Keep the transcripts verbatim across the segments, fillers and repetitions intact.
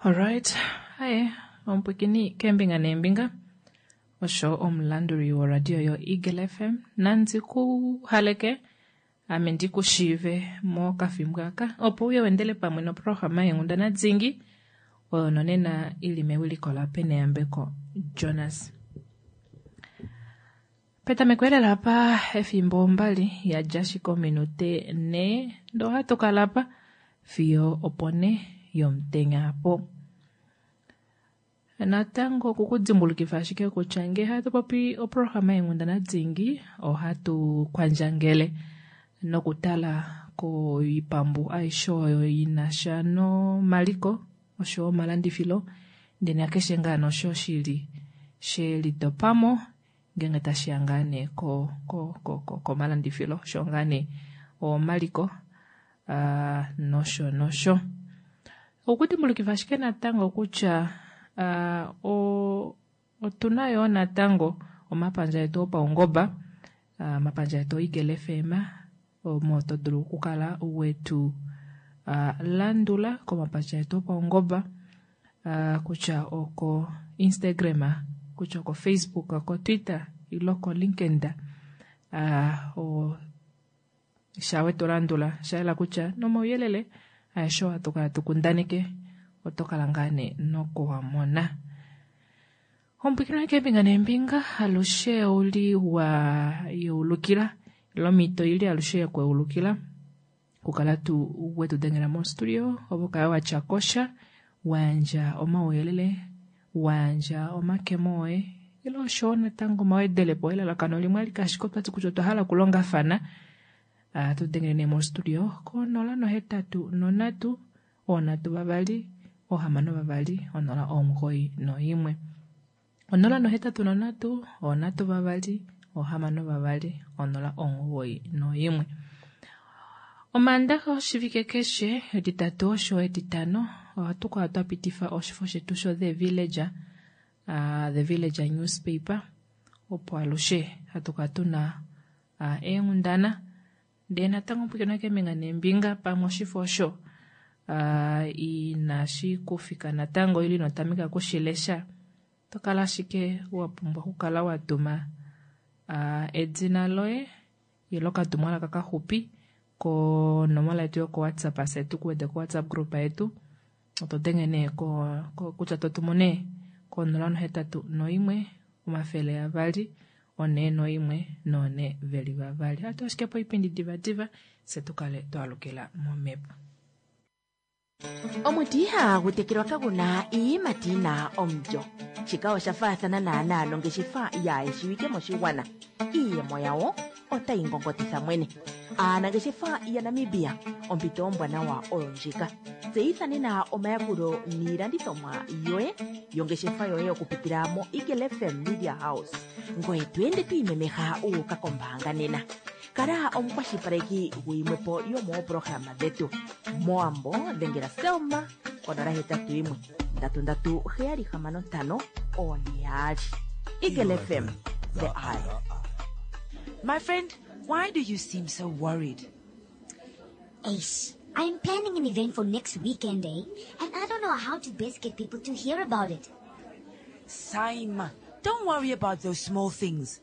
Alright, haye omupwikini keembinga neembinga osho omulanduli woradio yo Eagle F M nandi ku haleke ame ndi ku shiive mokafimbo aka opo uye wendele pamwe noprograma yenghundana dingi oyo nonena ili mewiliko la Peneyambeko Jonas. Petameko elela apa efimbo mbali yadja ashike ominute nhee ndoo ohatu kala apa fiyo opo ne yomutenya apo. Natango okukudimbulukifa ashike kutya ngee hatu popi oprograma yenghundana dingi ohatu kwandjangele nokutala koipambu aishe oyo inasha nomaliko osho omalandifilo ndele nakeshe ngaa nosho shili she litopamo ngenge tashiya ngaa nee ko ko ko komalandifilo osho ngaa nee omaliko uh, nosho nosho. Okudimbulukifa ashike natango kutya uh, o otuna yoo natango omapandja etu opaungoba, uh, omapandja etu Eagle F M omo to dulu okukala wetu uh, landula komapandja etu opaungoba, uh, kutya oko Instagram, kutya oko Facebook, oko Twitter ilo ko LinkedIn, uh, o shawe to landula shayela kutya nomauyelele aeshe ohatu kala tukundaneke oto kala ngaa nee nokuwamona. Omupwikino keembinga neembinga alushe ouli wa yeulukila ilo omhito ili alushe yekweulukila kukala tu wetu dengela mostudio opo kala watya kosha wayandja omauyelele wayandja omakemo oye ilo osho natango omawedelepo elalakano limwe alike ashike otwati kutya otwa hala okulongafana. Uh, tu dengele nee mostudio ko nola nohetatu nonhatu onhatu vavali ohamano vavali onola omugoyi noimwe onola nohetatu nonhatu onhatu vavali ohamano vavali onola omugoyi noimwe. Omaandaxa oshivike keshe etitatu osho etitano ohatu kala twa pitifa oshifo shetu sho The Villager, uh, The Villager newspaper opo alushe hatu kala tuna uh, eenghundana ndee natango pwikina keembinga neembinga pamwe oshifo osho uh, inashi kufika natango ili inotameka kushilesha to kala ashike wa pumbwa okukala wa tuma uh, edina loye ilo okatumwalaka kaxupi konomola yetu yoko WhatsApp se tukuwete ko WhatsApp group yetu oto denge nee ko, ko, kutya totumu nee konola nohetatu noimwe omafele avali one noimwe none veli vavali. Hatu ashike po oipindi divadiva se tukale twalukila momhepo. Omuti ihagu tekelwa kaguna iiyimati yina omulyo. Shika osha faathana naanaa nongeshefa yaayeshiwike moshigwana. Iiyemo yawo otayi ngongotitha mwene. Aanangeshefa yaNamibia, ompito ombwanawa oyo ndjika. Tseyitha nena omayakulo niilandithomwa yoye yongeshefa yoye okupitila mo Eagle F M Media House. Ngoye to ende to imemeha wu uka kombaanga nena. Kala omukwashilipaleki guyimwepo yomoopolohalama dhetu. Mowambo dhengela Selma konola hetatu yimwe ndatu ndatu heyali hamano ntano one yaali. Eagle F M, the eye. My friend, why do you seem so worried? Ace, I'm planning an event for next weekend, eh? And I don't know how to best get people to hear about it. Saima, don't worry about those small things.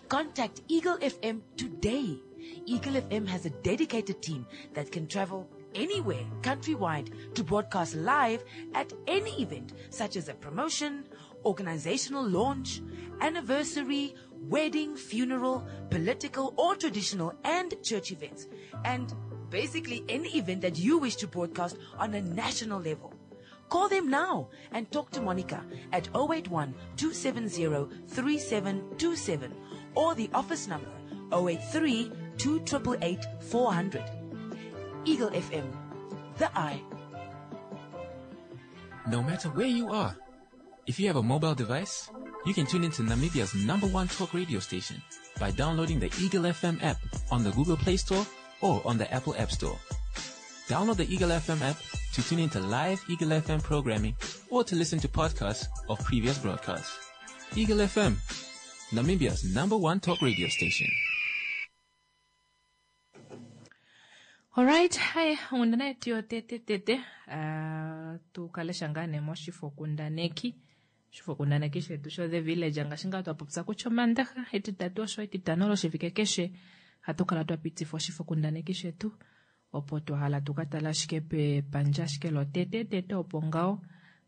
Contact Eagle F M today. Eagle F M has a dedicated team that can travel anywhere countrywide to broadcast live at any event, such as a promotion, organizational launch, anniversary, wedding, funeral, political or traditional and church events, and basically any event that you wish to broadcast on a national level. Call them now and talk to Monica at oh eight one two seven zero three seven two seven or the office number oh eight three two eight eight four hundred. Eagle F M, the eye. No matter where you are, if you have a mobile device, you can tune into Namibia's number one talk radio station by downloading the Eagle F M app on the Google Play Store or on the Apple App Store. Download the Eagle F M app to tune into live Eagle F M programming or to listen to podcasts of previous broadcasts. Eagle F M, Namibia's number one talk radio station. Alright, hai onghundana yetu yotete tete uh, tukalesha ngaa nee moshifokundaneki oshifokundaneki shetu sho The Village ngaashi ngaa twa popya kutya omandaxa etitatu osho etitano loshivike keshe hatu kala twa pitifa oshifokundaneki shetu opo twahala tukatala ashike pepandja ashike lotete tete opo ngaho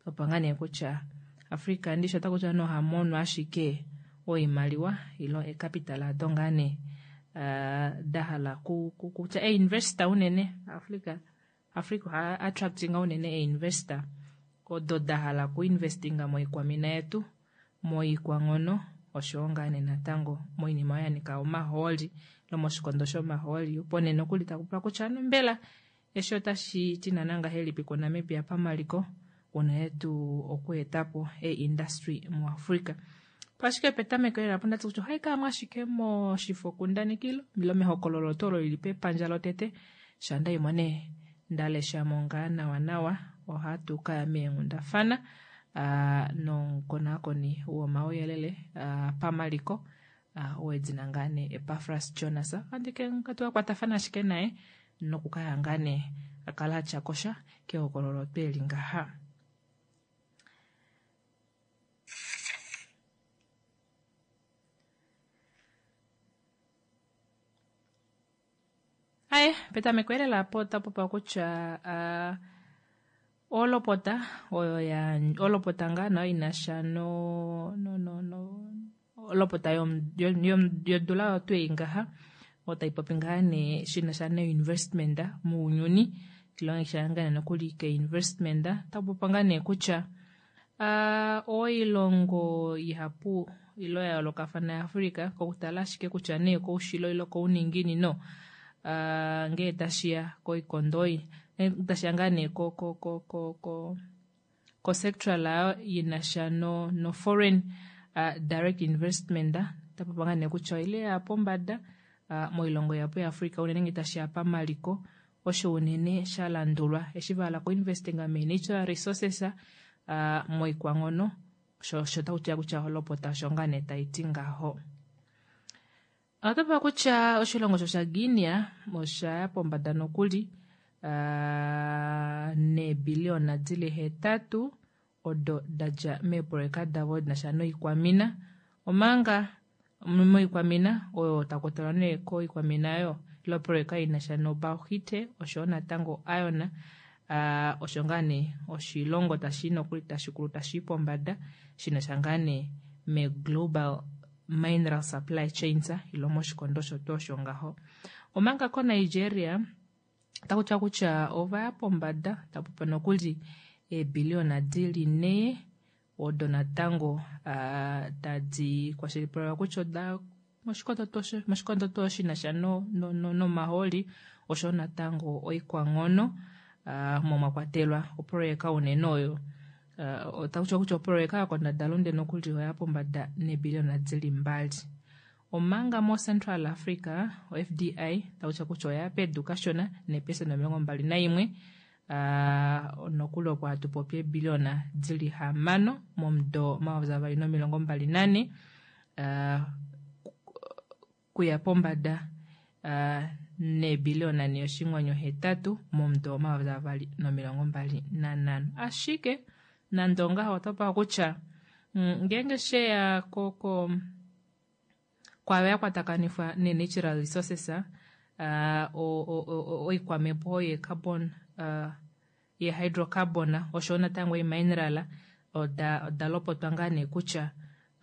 opo ngaa nee kutya Africa ndishi ota kutya nohamono ashike oimaliwa ilo ecapital ado ngaa nee uh, dahala kutya einvesta unene Africa Africa oha attractinga unene einvesta odo dahala kuinvestinga moikwamina yetu moikwanghono oshowo ngaa nee natango moinima oyo yanika omahooli lomoshikondo shomahooli opo nee nokuli takupula kutya ano mbela eshi otashi ti naana ngahelipi kuNamibia pamaliko unene tuu okuetapo e-industry muAfrica. Ashike petameko lela opo ndati kutya ohai kala mo ashike moshifokundanekilo ilo mehokololo tuu olo lili pepandja lotete shandaimo nee ndaleshamo ngaa nawa nawa ohatu kaya meenghundafana uh, nomukonaakoni womauyelele uh, pamaliko uh, wedina ngaa nee Epafras Jonas andike katukakwatafana ashike naye nokukaya ngaa nee akala atya kosha kehokololo tweli ngaha. Aye, petameko elela apo otapopa kutya uh, olopota oyo ya olopota ngaa nayo inasha no no no no olopota yodula oyo twei ngaha otai popi ngaa nee shinasha no-investment mounyuni tilongisha ngaa nee nokuli ke-investment otapopa ngaa nee kutya uh, oilongo ihapu ilo ya yoolokafana yaAfrica kokutala ashike kutya nee koushilo ilo kouninginino Uh, ngee tashiya koikondo oyi tashiya ngaa nee ko ko ko ko ko ko sectoral ayo yinasha no no foreign uh, direct investment tapopa ngaa nee kutya oile ya pombada uh, moilongo yapo yaAfrica unene ngee tashiya pamaliko osho unene sha landulwa eshi vahala kuinvestinga me-natural resources uh, moikwanghono osho osho takutiwa kutya olopota osho ngaa nee taiti ngaho. Otapa kutya oshilongo sho shaGuinea osha ya pombada nokuli uh, neebiliona dili hetatu odo dadja meeproyeka davo dinasha noikwamina omanga moikwamina oyo takutalwa nee koikwamina oyo ilo proyeka inasha nobauxite oshowo natango iron uh, osho ngaa nee oshilongo tashi nokuli tashikulu tashii pombada shinasha ngaa nee me-global mineral supply chains ilo moshikondo shotu osho ngaho. Omanga koNigeria otakutiwa kutya ovaya pombada tapopa nokuli eebiliona dili nhee odo natango uh, tadi kwashilipalekwa kutya oda moshikondo tuu shinasha no, no, no, nomahooli oshowo natango oikwanghono uh, mo mwakwatelwa oproyeka unene oyo Uh, otakutiwa kutya oproyeka yokondadalunde nokuli oya pombada neebiliona dili mbali. Omanga mo Central Africa o-F D I takutiwa kutya oya pedu kashona neepesenda omilongo mbali naimwe uh, nokuli opo hatu popi eebiliona dili hamano momudo omayovi avali nomilongo mbali nane uh, kuya pombada uh, neebiliona nhee oshinghwanyu hetatu momudo omayovi avali nomilongo mbali nanhano. Ashike nande ongaho otopa kutya ngeenge sheya ko kwayo yakwatakanifwa ne-natural resources uh, oikwamepo ye-carbon uh, ye-hydrocarbon oshowo natango e-mineral oda oda lopotwa ngaa nee kutya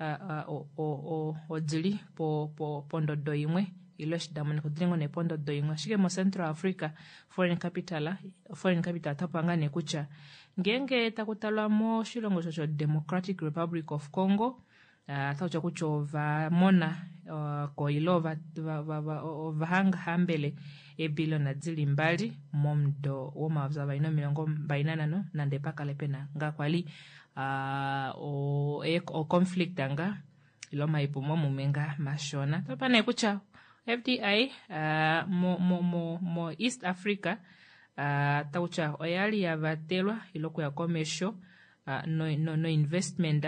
uh, uh, odili po, po, pondodo imwe ilo eshi damonika odili ngoo nee pondodo imwe. Ashike mo-Central Africa foreign capital foreign capital otapopa ngaa nee kutya ngeenge takutalwa moshilongo osho Democratic Republic of Congo uh, otakutya kutya ovamona uh, ko ilo ovahangahambele eebiliona dili mbali momudo womayovi avali nomilongo mbali nanhano nande pakale pena ngaa kwali uh, o-conflict nga ilo omaipumomume nga mashona. Otapa nee kutya F D I uh, mo, mo, mo, mo East Africa uh, takutya oyali yavatelwa ilo okuya komesho uh, no, no, no investment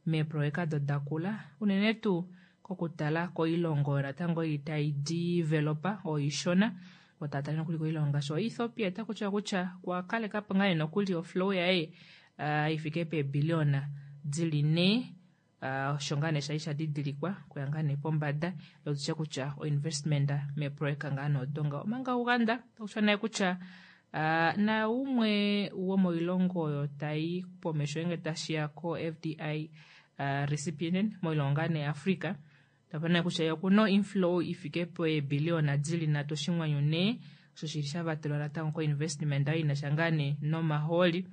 meeproyeka do dakula unene tuu kokutala koilongo natango ei tai developa oishona Otatale nokuli koilongo ngaashi oEthiopia otakutiwa kutya okwakalekapo ngaa nokuli oflow yaye uh, ifike peebiliona dili nhee uh, osho ngaa nee shali shadidilikwa kuya ngaa nee pombada lotutye kutya oinvestment meeprojeka ngaa nee odo ngaho. Omanga Uganda otakutiwa naye kutya uh, naumwe womoilongo oyo tai pomesho ngenge tashiya ko F D I uh, recipient moilongo ngaa nee Africa, tapana kutya okuna inflow ifike peebiliona dili nhatu oshinghwanyu nhee, osho shili shavatelwa natango ko-investment oyo inasha ngaa nee nomahooli,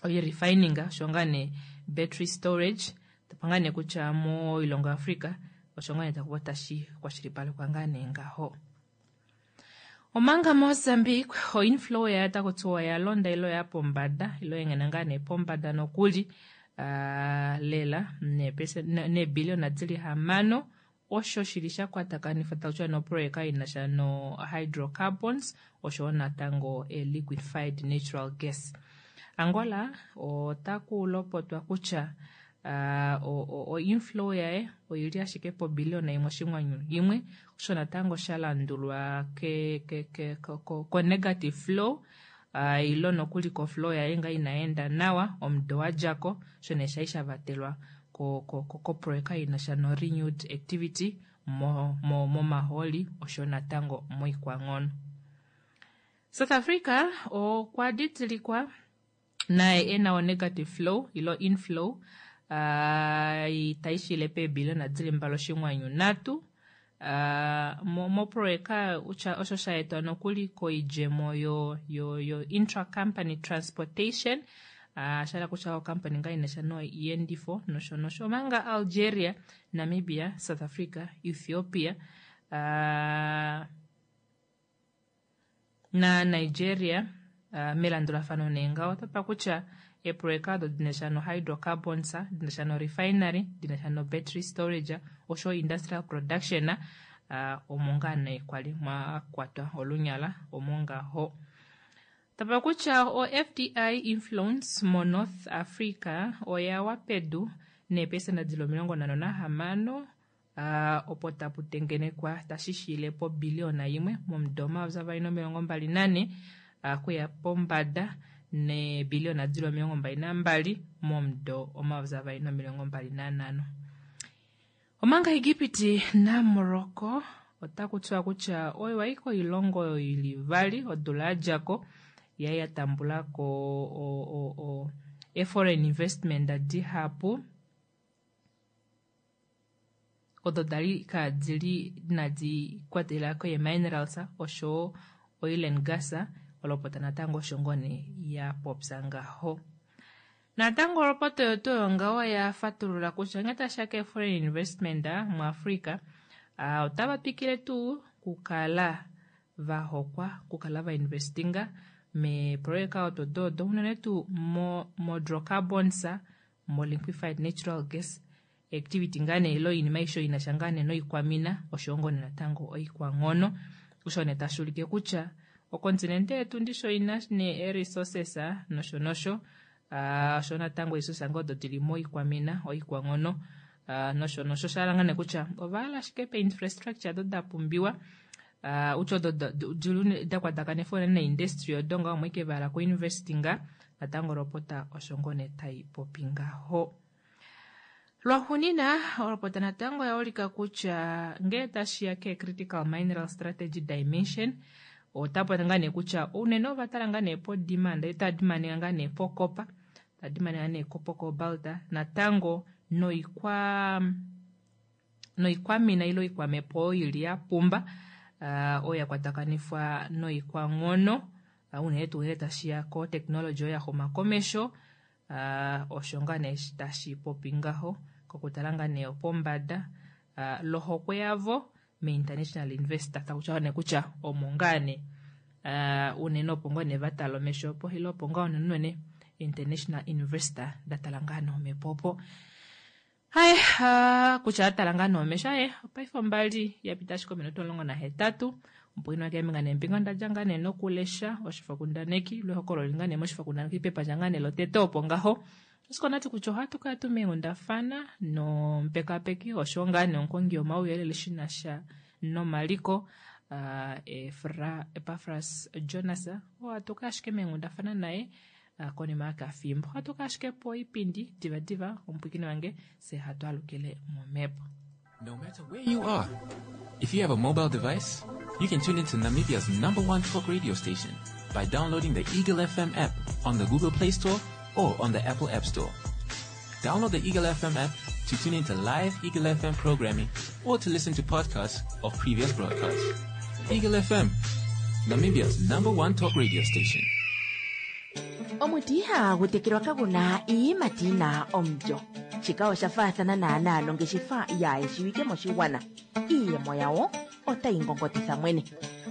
oyi refining osho ngaa nee battery storage, tapa ngaa nee kutya moilongo Africa osho ngaa nee takuva tashi kwashilipalekwa ngaa nee ngaho. Omanga Mozambique oinflow yayo otakutiwa oya londa ilo ya pombada, ilo engena ngaa nee pombada nokuli, uh, lela neebiliona dili hamano, osho shili shakwatakanifwa takutiwa noprojeka inasha no hydrocarbons osho natango e liquefied natural gas. Angola otakulopotwa kutya uh, o, o inflow yaye oili ashike pobiliona imwe oshinghwanyu imwe, osho natango shalandulwa ke, ke, ke, ko, ko, ko negative flow, uh, ilo nokuli ko flow yaye nga inaenda nawa omudo wadjako, osho nee shai shavatelwa ko, ko, ko, ko projeka inasha no renewed activity mo, mo, momahooli osho natango moikwanghono. South Africa okwa didilikwa naye ena o negative flow ilo inflow uh, taishile peebiliona dili mbali oshinghwanyu nhatu, uh, mo, moprojeka osho shaetwa nokuli koidjemo yo, yo, yo intra-company transportation, uh, shala kutya okampani ngaa inasha noiendifo nosho nosho. Omanga Algeria, Namibia, South Africa, Ethiopia, uh, na Nigeria, uh, melandulafano nee ngaho otapa kutya eeprojeka odo dinasha no hydrocarbons, dinasha no refinery, dinasha no battery storage osho industrial production, uh, omo ngaa nee kwali mwakwatwa olunyala omo ngaho. Tapa kutya o F D I influence mo North Africa oya wa pedu neepesenda dili omilongo nhano nahamano, uh, opo tapu tengenekwa tashi po biliona imwe momudo omayovi avali nomilongo mbali nane, uh, kuya pombada neebiliona dili omilongo mbali nambali momudo omayovi avali nomilongo mbali nanhano. Omanga Egipiti na Morocco otakutiwa kutya oyo wai koilongo oyo ili vali odula yadjako yai yatambulako o, o, o, e foreign investment dihapu odo dali kadili inadi kwatela ko minerals osho oil and gas, olopota natango osho ngoo nee ya popya ngaho. Natango olopota oyo tuu ngaho ya fatulula kutya ngee tashiya ke foreign investment muAfrica, uh, otava twikile tuu kukala vahokwa kukala va investinga meeprojeka odo dodo unene tuu mo, mo hydrocarbons, mo liquefied natural gas activity ngaa nee ilo oinima aishe inasha ngaa nee noikwamina osho ngoo nee natango oikwanghono. Osho nee tashi ulike kutya okontinente yetu ndisho ina nee resources nosho nosho, uh, osho natango resources ngoo odo dili moikwamina oikwanghono, uh, nosho nosho. Sha ngaa nee kutya ovahala ashike pe infrastructure odo da pumbiwa, uh, utya odo da kwatakanifwa unene neindustry odo ngaho omo ike vahala kuinvestinga. Natango olopota osho ngoo nee tai popi ngaho. Lwaxunina olopota natango oya ulika kutya ngee tashiya ke critical mineral strategy dimension, otapa ngaa nee kutya unene ovatala ngaa nee po demand, ita demand ngaa nee po copper, ta demand ngaa nee po cobalt, natango noikwa, noikwamina ilo oikwamepo oyo ili ya pumba, uh, oyo ya kwatakanifwa noikwanghono, uh, unene tuu ngee tashiya ko technology oyo ya xuma komesho, uh, osho ngaa nee tashi popi ngaho kokutala ngaa nee pombada, uh, lohokwe yavo me international investor, takutya nee kutya omo ngaa nee, uh, unene opo ngoo nee vatala omesho opo, ilo opo ngaa unene international investor datala ngaa nee omepo opo. Hai, uh, kutya atala ngaa nee omesho, aye, opaife ombali yapita ashike ominute omulongo nahetatu, opo ino keembinga neembinga ondadja ngaa nee nokulesha oshifokundaneki, lwehokololo ngaa nee moshifokundaneki pepandja ngaa nee lotete opo ngaho. Osiko nati kutya ohatu kala tu meenghundafana nomupekapeki osho ngaa nee omukongi womauyelele shi na sha nomaliko, uh, Efra, Epafras Jonas oo atuka ashike meenghundafana naye uh, konima yakafimbo atuka ashike poipindi divadiva omupwikini wange se hatu alukile momhepo. No matter where you are, if you have a mobile device, you can tune into Namibia's number one talk radio station by downloading the Eagle F M app on the Google Play Store or on the Apple App Store. Download the Eagle F M app to tune into live Eagle F M programming or to listen to podcasts of previous broadcasts. Eagle F M, Namibia's number one talk radio station. Omuti ihagu tekelwa kagu na iiyimati yi na omulyo. Shika osha faathana naanaa nongeshefa yaayeshiwike moshigwana. Iiyemo yawo otayi ngongotitha mwene.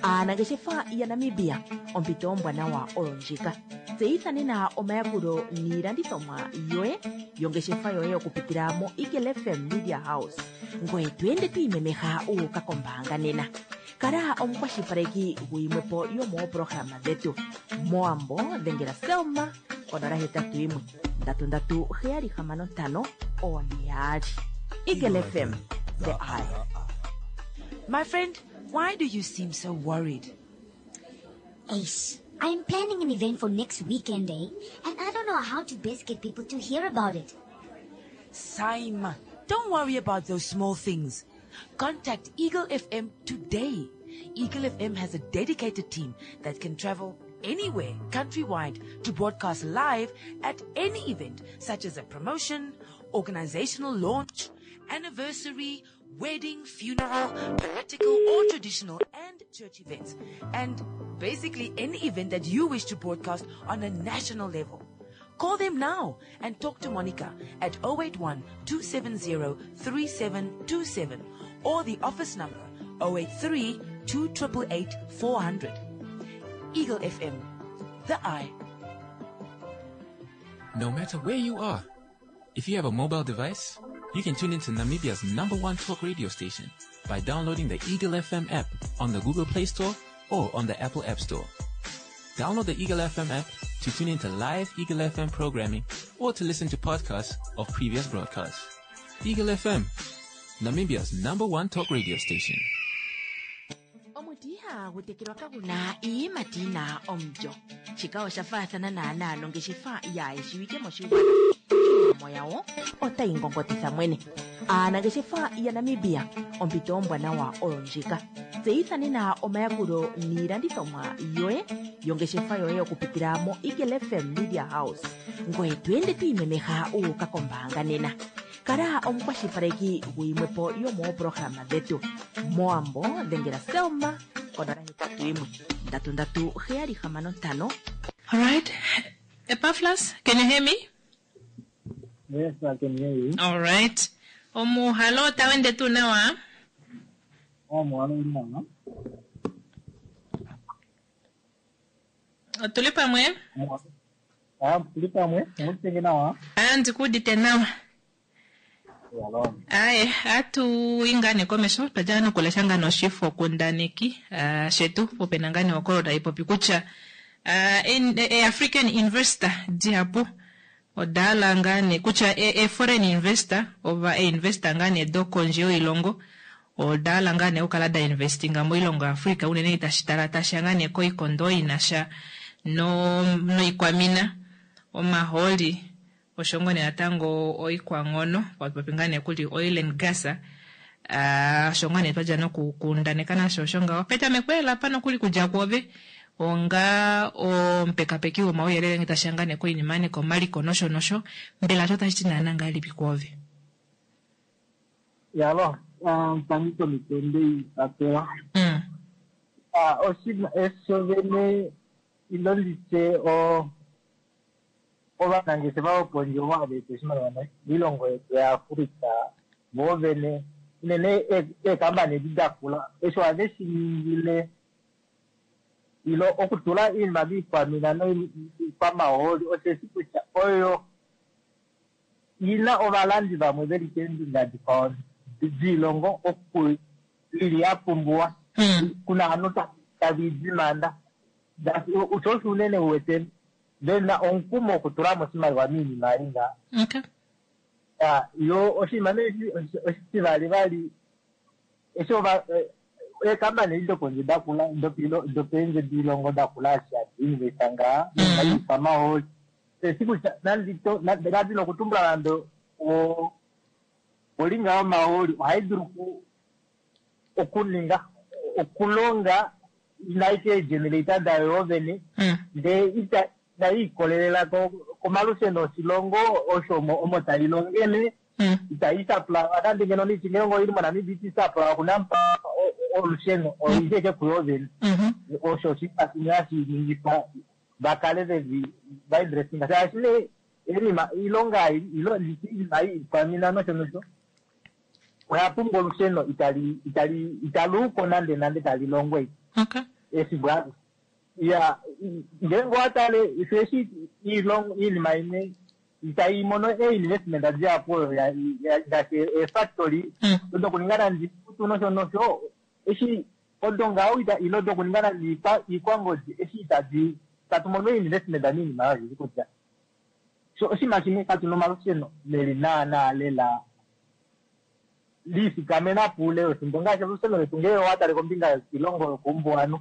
Aanangeshefa yaNamibia, ompito ombwanawa oyo ndjika. Tseyitha nena omayakulo niilandithomwa yoye yongeshefa yoye okupitila mo Eagle F M Media House. Ngoye to ende to imemeha u uka kombaanga nena. Kala omukwashilipaleki guyimwepo yomoopolohalama dhetu. Mowambo dhengela Selma konola hetatu yimwe ndatu ndatu heyali hamano ntano one yaali. Eagle F M, the eye. My friend, why do you seem so worried? Ace, I'm planning an event for next weekend, eh? And I don't know how to best get people to hear about it. Saima, don't worry about those small things. Contact Eagle F M today. Eagle F M has a dedicated team that can travel anywhere countrywide to broadcast live at any event, such as a promotion, organizational launch, anniversary, wedding, funeral, political or traditional, and church events. And basically any event that you wish to broadcast on a national level. Call them now and talk to Monica at oh eight one two seven zero three seven two seven or the office number oh eight three two eight eight four hundred. Eagle F M, the eye. No matter where you are, if you have a mobile device, you can tune into Namibia's number one talk radio station by downloading the Eagle F M app on the Google Play Store or on the Apple App Store. Download the Eagle F M app to tune into live Eagle F M programming or to listen to podcasts of previous broadcasts. Eagle F M, Namibia's number one talk radio station. Omuti ihagu tekelwa kagu na iiyimati yi na omulyo. Shika osha faathana naanaa nongeshefa yaayeshiwike moshigwana. Iiyemo yawo otayi ngongotitha mwene. Aanangeshefa yaNamibia, ompito ombwanawa oyo ndjika. Tseyitha nena omayakulo niilandithomwa yoye yongeshefa yoye okupitila mo Eagle F M Media House. Ngoye to ende to imemeha u uka kombaanga nena. Kala omukwashilipaleki guyimwepo yomoopolohalama dhetu. Mowambo dhengela Selma konola hetatu yimwe ndatu ndatu heyali hamano ntano. Alright, Epafras, can you hear me? Yes, I can hear you. Alright, omuhalo otawu ende tuu nawa? Oh, muhalo uli nawa. Otuli pamwe? Ah, tuli pamwe, omutenge nawa. Andi kuudite nawa. Yalo. Aye, atu ingane komesho twajala nokulesha ngano oshifo kundaneki uh, shetu popena ngane okolo taipopi kutya uh, en, e, African investor dihapu odaala ngane kutya e, e foreign investor ova e investor ngane do kondje yoilongo odaala ngane okukala da investinga moilongo Africa unene itashi tala tasha ngane koikondo inasha no noikwamina omaholi osho ngoo natango oikwanghono popi ngaa nee kuli oil and gas, uh, osho ngaa nee twadja nokukundaneka nasho osho ngaho petameko lela apa nokuli kudja kwoove onga omupekapeki womauyelele ngee tashiya ngaa nee koinima nee komaliko nosho nosho, mbela osho tashi ti naana ngahelipi kwoove? Yalo, um, tangi komitende ipapewa. mm. Ah, oshinima esho vene ilo nditye o ovanangeshefa vopondje ovo hava eta oshimaliwa miilongo yetu yaAfrica vo vene unene eekambani edi dakula esho ohave shi ningile ilo okutula iinima miikwamina noikwamahooli osheshi kutya oyo ina ovalandi vamwe veli keembinga dikwao diilongo oku ili ya pumbiwa Mm. kuna ovanhu tave idimanda osho osho unene uwete vena omukumo okutulamo oshimaliwa miinima ei nga. Okay. Yo oshinima nee oshitivali vali eshi ova eh, Eekampani dopondje dakula dopeendje diilongo dakula eshi hadi investa ngaa noikwamahooli eshi kutya nandi nokutumbula nande olinga yomahooli ohai dulu okuninga okulonga inaike eegenerator dayo yoovene ndee inai ikolelela komalusheno oshilongo osho omo tai longele itai supply nande ngeno niti ngenge oili moNamibia iti supply okunampa olusheno oili eke kuyo vene osho oshinima shimwe hashi ningifa vakale vevi vainvestinga shaashi nee enima ilonga iinima iikwamina nosho nosho oya pumbwa olusheno itali itali italuuko nande nande tali longwa efimbo alo ya ngenge owatale eshi iinima imwe itai mono einvestment dihapu oyo ngaashi eefactory dokuninga nande iikutu nosho nosho eshi odo ngaho ilo dokuninga nande iikwangodi eshi itadi tatu mono einvestment miinima oyo kutya so oshinima shimwe katuna omalusheno leli naana lela liifikamena puule wefimbo ngaashi olusheno letu ngee owatale kombinga yoshilongo yokoumbuwanhu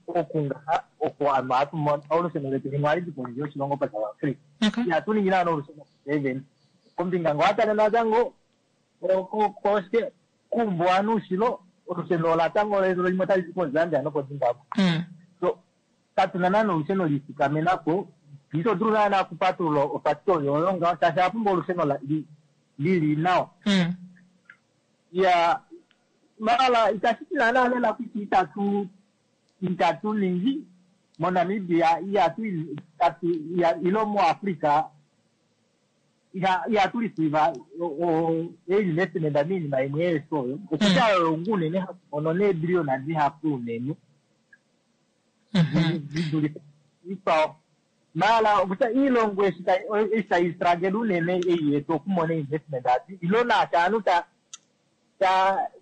okungaha oko ovanhu ohatu mono olusheno letu limwe ohali di pondje yoshilongo paSouth Africa ihatu ningi naana olusheno even kombinga ngee owatale natango koshike kuumbuwanhu ushilo olusheno latango limwe otali di koZambia nokoZimbabwe so katuna naana olusheno liifikamenapo ito dulu naana okupatulula ofactory oyo ngaho shaashi oya pumbwa olusheno lili nawa ya mala itashi ti naana lela kutya itatu itatu ningi moNamibia ihatu ilo muAfrica ihatu receive einvestment miinima imwe yesu oyo okutya oyo ngu unene hatu mono neebiliyona dihapu unene didulife ikwao mala okutya iilongo eshi tayi struggle unene ei yetu okumona investment adi ilo naashi aantu ta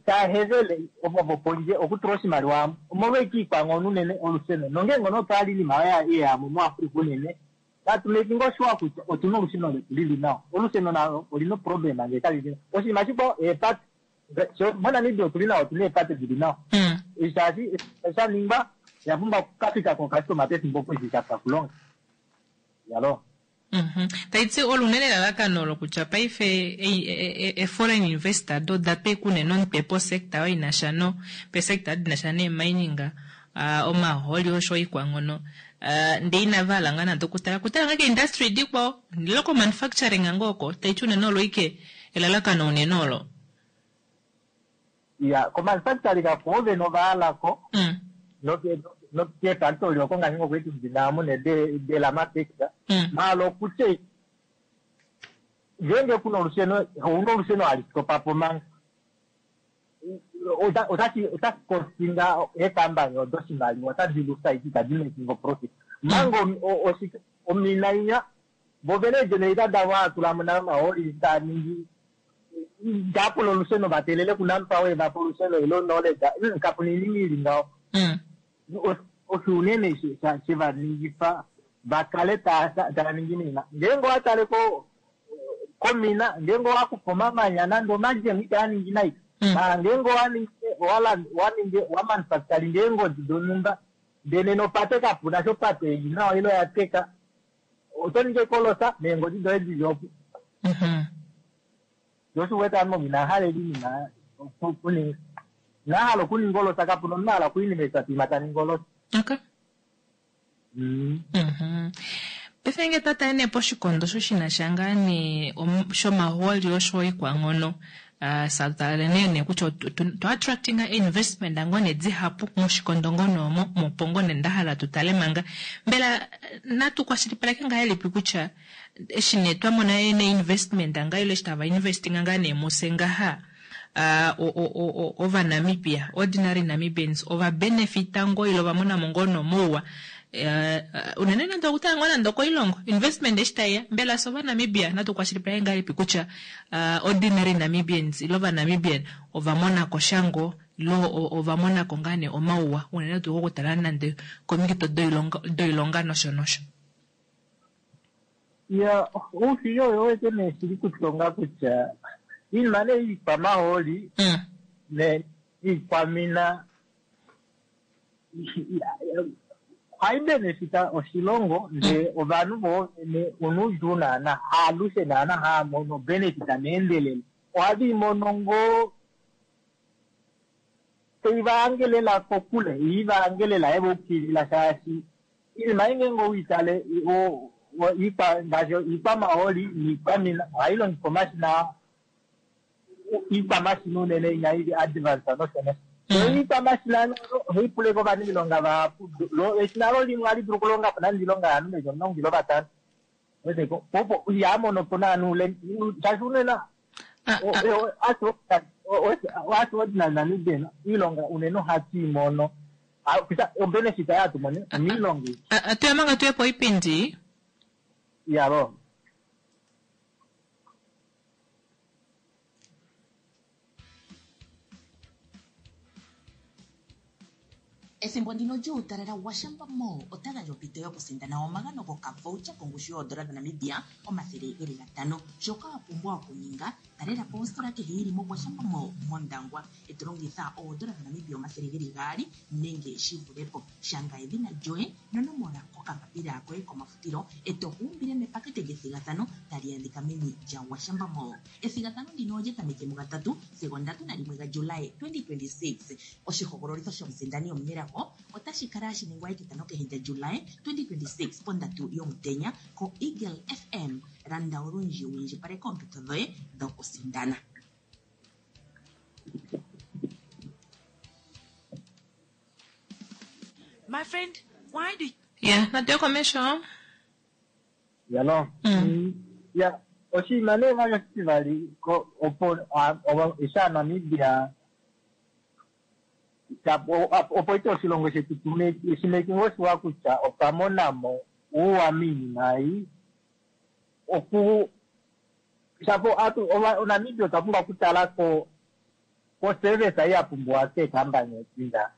ta hevele ovo pondje okutula oshimaliwa omolweke iikwanghono unene olusheno nongenge ono otwali iinima yeyamo muAfrica unene tatu making sure kutya otuna olusheno letu lili nawa olusheno nalo olina problem ngee kali oshinima shikwao eepate moNamibia otuli nawa otuna eepate dili nawa shaashi sha ningwa oya pumbwa okukafika kokastoma pefimbo opo eshi shapwa kulonga yalo taiti olunene elalakano olo kutya paife e-foreign investor do oda kunene omutwe posector oyo inasha no pesector dinasha nee-mining omahooli osho iikwanghono ndee inava hala ngaa nande okutala kutala ngaa keindustry dikwao ndele komanufacturing ngoo oko taiti unene olo ike elalakano unene olo ya komanufacturing ako vene ovahalako nokeefactory oko ngaashi ngokuiti ndinamune delamafector maala okutya ngenge kuna olusheno ouna olusheno hali stopapo manga otashi costinga eekambani odo oshimaliwa otadi lusa iti itadi making profit manga omina inya vovene eegenerator davo haatulamo nayo omahooli taningi itapula olusheno vatelele kunampa wevapa olusheno ilo knowledge kapuna iinima ili ngaho osho unene shevaningifa vakale taya ningi nina ngenge owatale komina ngenge owakufa omamanya nande omajemu itaya ningi nai mara ngenge owaningi waningi wamanufacturing eengodi donhumba ndele nopate kapuna shopate ili nawa ilo yateka oto ningi ekolosa neengodi doye dili opo oshiwete ame inahala iinima okuninga inahala okuninga olosa kapuna omunhu ahala okuinvesta piima taningi olosa okay paife nge twatale nee poshikondo osho shinasha ngaa nee shomahooli osho iikwanghono satale nee nee kutya to attracting investment ngoo nee dihapu moshikondo ngono omo mopo ngoo nee ndahala tutale manga mbela natu kwashilipaleke ngahelipi kutya eshi nee twamona nee investment nga ile eshi tava investinga ngaa nee muse ngaha ovanamibia ordinary Namibians ova benefita ngoo ile ovamonamo ngoo nomouwa unene nande okutala ngoo nande okoilongo investment eshi taiya mbela fye ovanamibia natu kwashilipaleke ngahelipi kutya ordinary Namibians ile ovanamibian ovamonako sha ngoo ile ovamonako ngaa nee omauwa unene tuu kokutala nande komikito doilonga nosho nosho ya oushili oyo wete nee shili kutonga kutya iinima nee iikwamahooli iikwamina Ohai benefita oshilongo ndee ovanhu voovene onuudjuu naana haalushe naana haa mono benefita meendelelo ohave mono ngoo teivaangelela kokule iivaangelela evoukilila shaashi iinima ei ngeenge uitale ngaashi iikwamahooli niikwamina ohayi longitha omashina iikwamashina unene inya ili advance nosho nosho so iikwamashina ohayi puleko ovaniilonga vahapu eshina lo limwe ohali dulu okulonga po nande iilonga yaanhu meji omulongo ile vatano weteko opo ihamono po naanhu shaashi unene ordinary Namibian iilonga unene ohatu i mono obenefit hatu mone omiilonga atuya manga tuye po oipindi yalo. Ethimbo ndino lyuutalala Gwashamba Mall ota gandja ompito yokusindana omagano gokavoucher kongushu yoodola dhaNamibia omathele geli gatano. Shoka wa pumbwa okuninga, talela po ositola kehe yili moGwashamba Mall mOndangwa e to longitha oodola dhaNamibia omathele geli gaali nenge shi vule po. Shanga edhina lyoye nonomola kokambapila koye komafutilo e to kuumbile mepakete lyethigathano tali adhika meni lyaGwashamba Mall. Ethigathano ndino olya tameke mugatatu sigo ndatu nalimwe gaJulayi twenty twenty-six. Oshihogololitho shomusindani omunelago otashi kala hashi ningwa etitano kehe lyaJulayi twenty twenty-six pondatu yomutenya ko Eagle F M. Landa olundji wu indjipaleke oompito dhoye dhokusindana. My friend, why do Yeah, natuye komesho. Yalo. Mm. Ya, oshinima nee vali oshitivali opo isha Namibia opo ite oshilongo shetu shimeki oshiwa kutya otwa monamo uuwa miinima ei oku shapo atu oNamibia otwa pumbwa okutala ko ko service ei ya pumbiwa keekambani edinga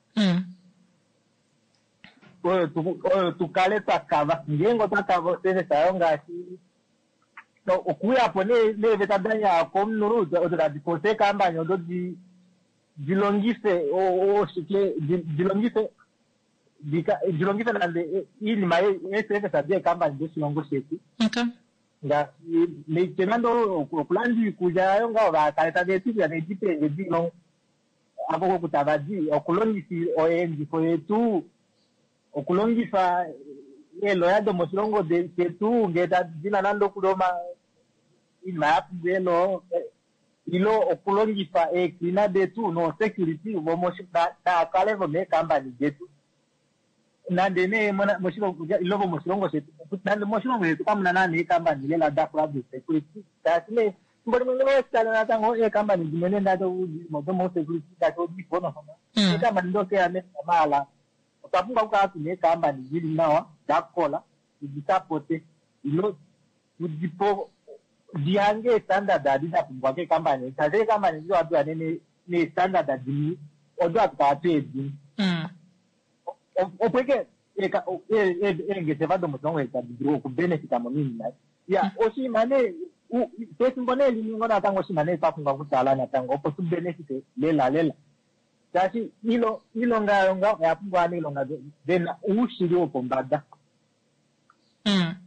oyo tukale twa kava ngeenge otwa kava oservice ayo ngaashi okuyapo neeveta danya komunhu odo tadi force eekambani odo di dilongife oshike dilongife dilongife nande iinima yeeservice deekambani doshilongo shetu. Ngaashi meitye nande okulanda iikulya yayo ngaho vakale tava eta iikulya needipenge dilongo apo koku tava di okulongifa oyeendifo yetu okulongifa eeloya domoshilongo shetu ngee dina nande okuli iinima ya pumbwa eeloo ilo okulongifa eecleaner detu nosecurity naakale vomeekambani detu nande nee moshilongo ilo vomoshilongo shetu nande moshilongo shetu kamuna naana eekambani lela dakula dosecurity shaashi nee fimbo limwe ngele oweshitale natango eekambani dimwe nee ndato domosecurity ngaashi odifonofono eekambani dokeya maala otwa pumbwa okukala tuna eekambani dili nawa dakola tudisapote ilo tudipo dihange estandard adi da pumbwa keekambani shaashi eekambani edi ohadi uya neestandard dimwe odo hatu kala tweedini opo eke eengeshefa domoshilongo shetu tadi dulu okubenefita mo miinima ya oshinima nee pefimbo nee limwe ngo natango oshinima nee twa pumbwa okutala natango opo tubenefite lela lela shaashi iilonga yayo ngaho oya pumbwa aaniilonga vena uushili wopombada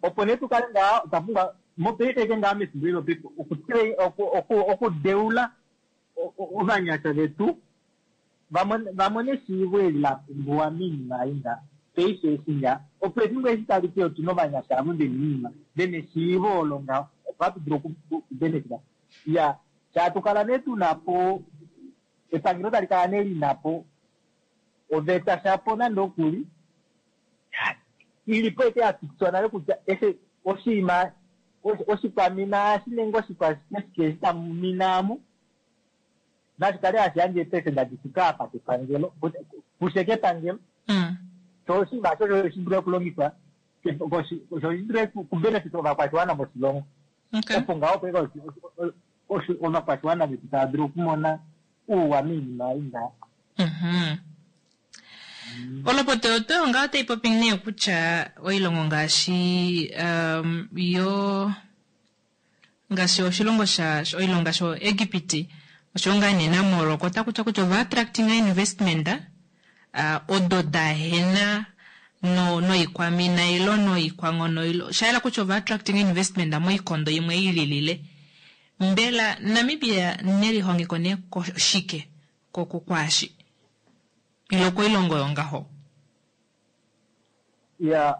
opo nee tukale ngaa otwa pumbwa mopaife ke ngaa mefimbo ilo okudeula ovanyasha vetu vamone eshiivo eli la pumbiwa miinima ei nga paife eshi nga opo efimbo eshi tali ke otuna ovanyasha avo vena iinima vena eshiivo olo ngaho opo hatu dulu okubenefita ya shaa tukala nee tuna po epangelo tali kala nee lina po oveta shapo nande okuli ilipo eke yafikiswa nale kutya eshe oshinima oshikwamina shi nenge oshikwashike eshi tamu nashi kale hashi yandje eepesenda difika apa kepangelo kushe kepangelo sho oshinima osho shi dule okulongifwa sho shi dule kubenefita ovakwashiwana moshilongo opo ngaho opo ovakwashiwana vetu tava dulu okumona uuwa miinima ei ngaho. Olopota oyo ngaho otai popi nee kutya oilongo ngaashi yo ngaashi oshilongo sha oilongo ngaashi Egipti osho ngaa nee naMorocco otaku tiwa kutya ova attracting investment uh, odo dahena no noikwamina ilo noikwanghono ilo shayela kutya ova attracting investment moikondo imwe ililile. Mbela Namibia nelihongeko nee shike kwashi ilo koilongo yongaho? Ya,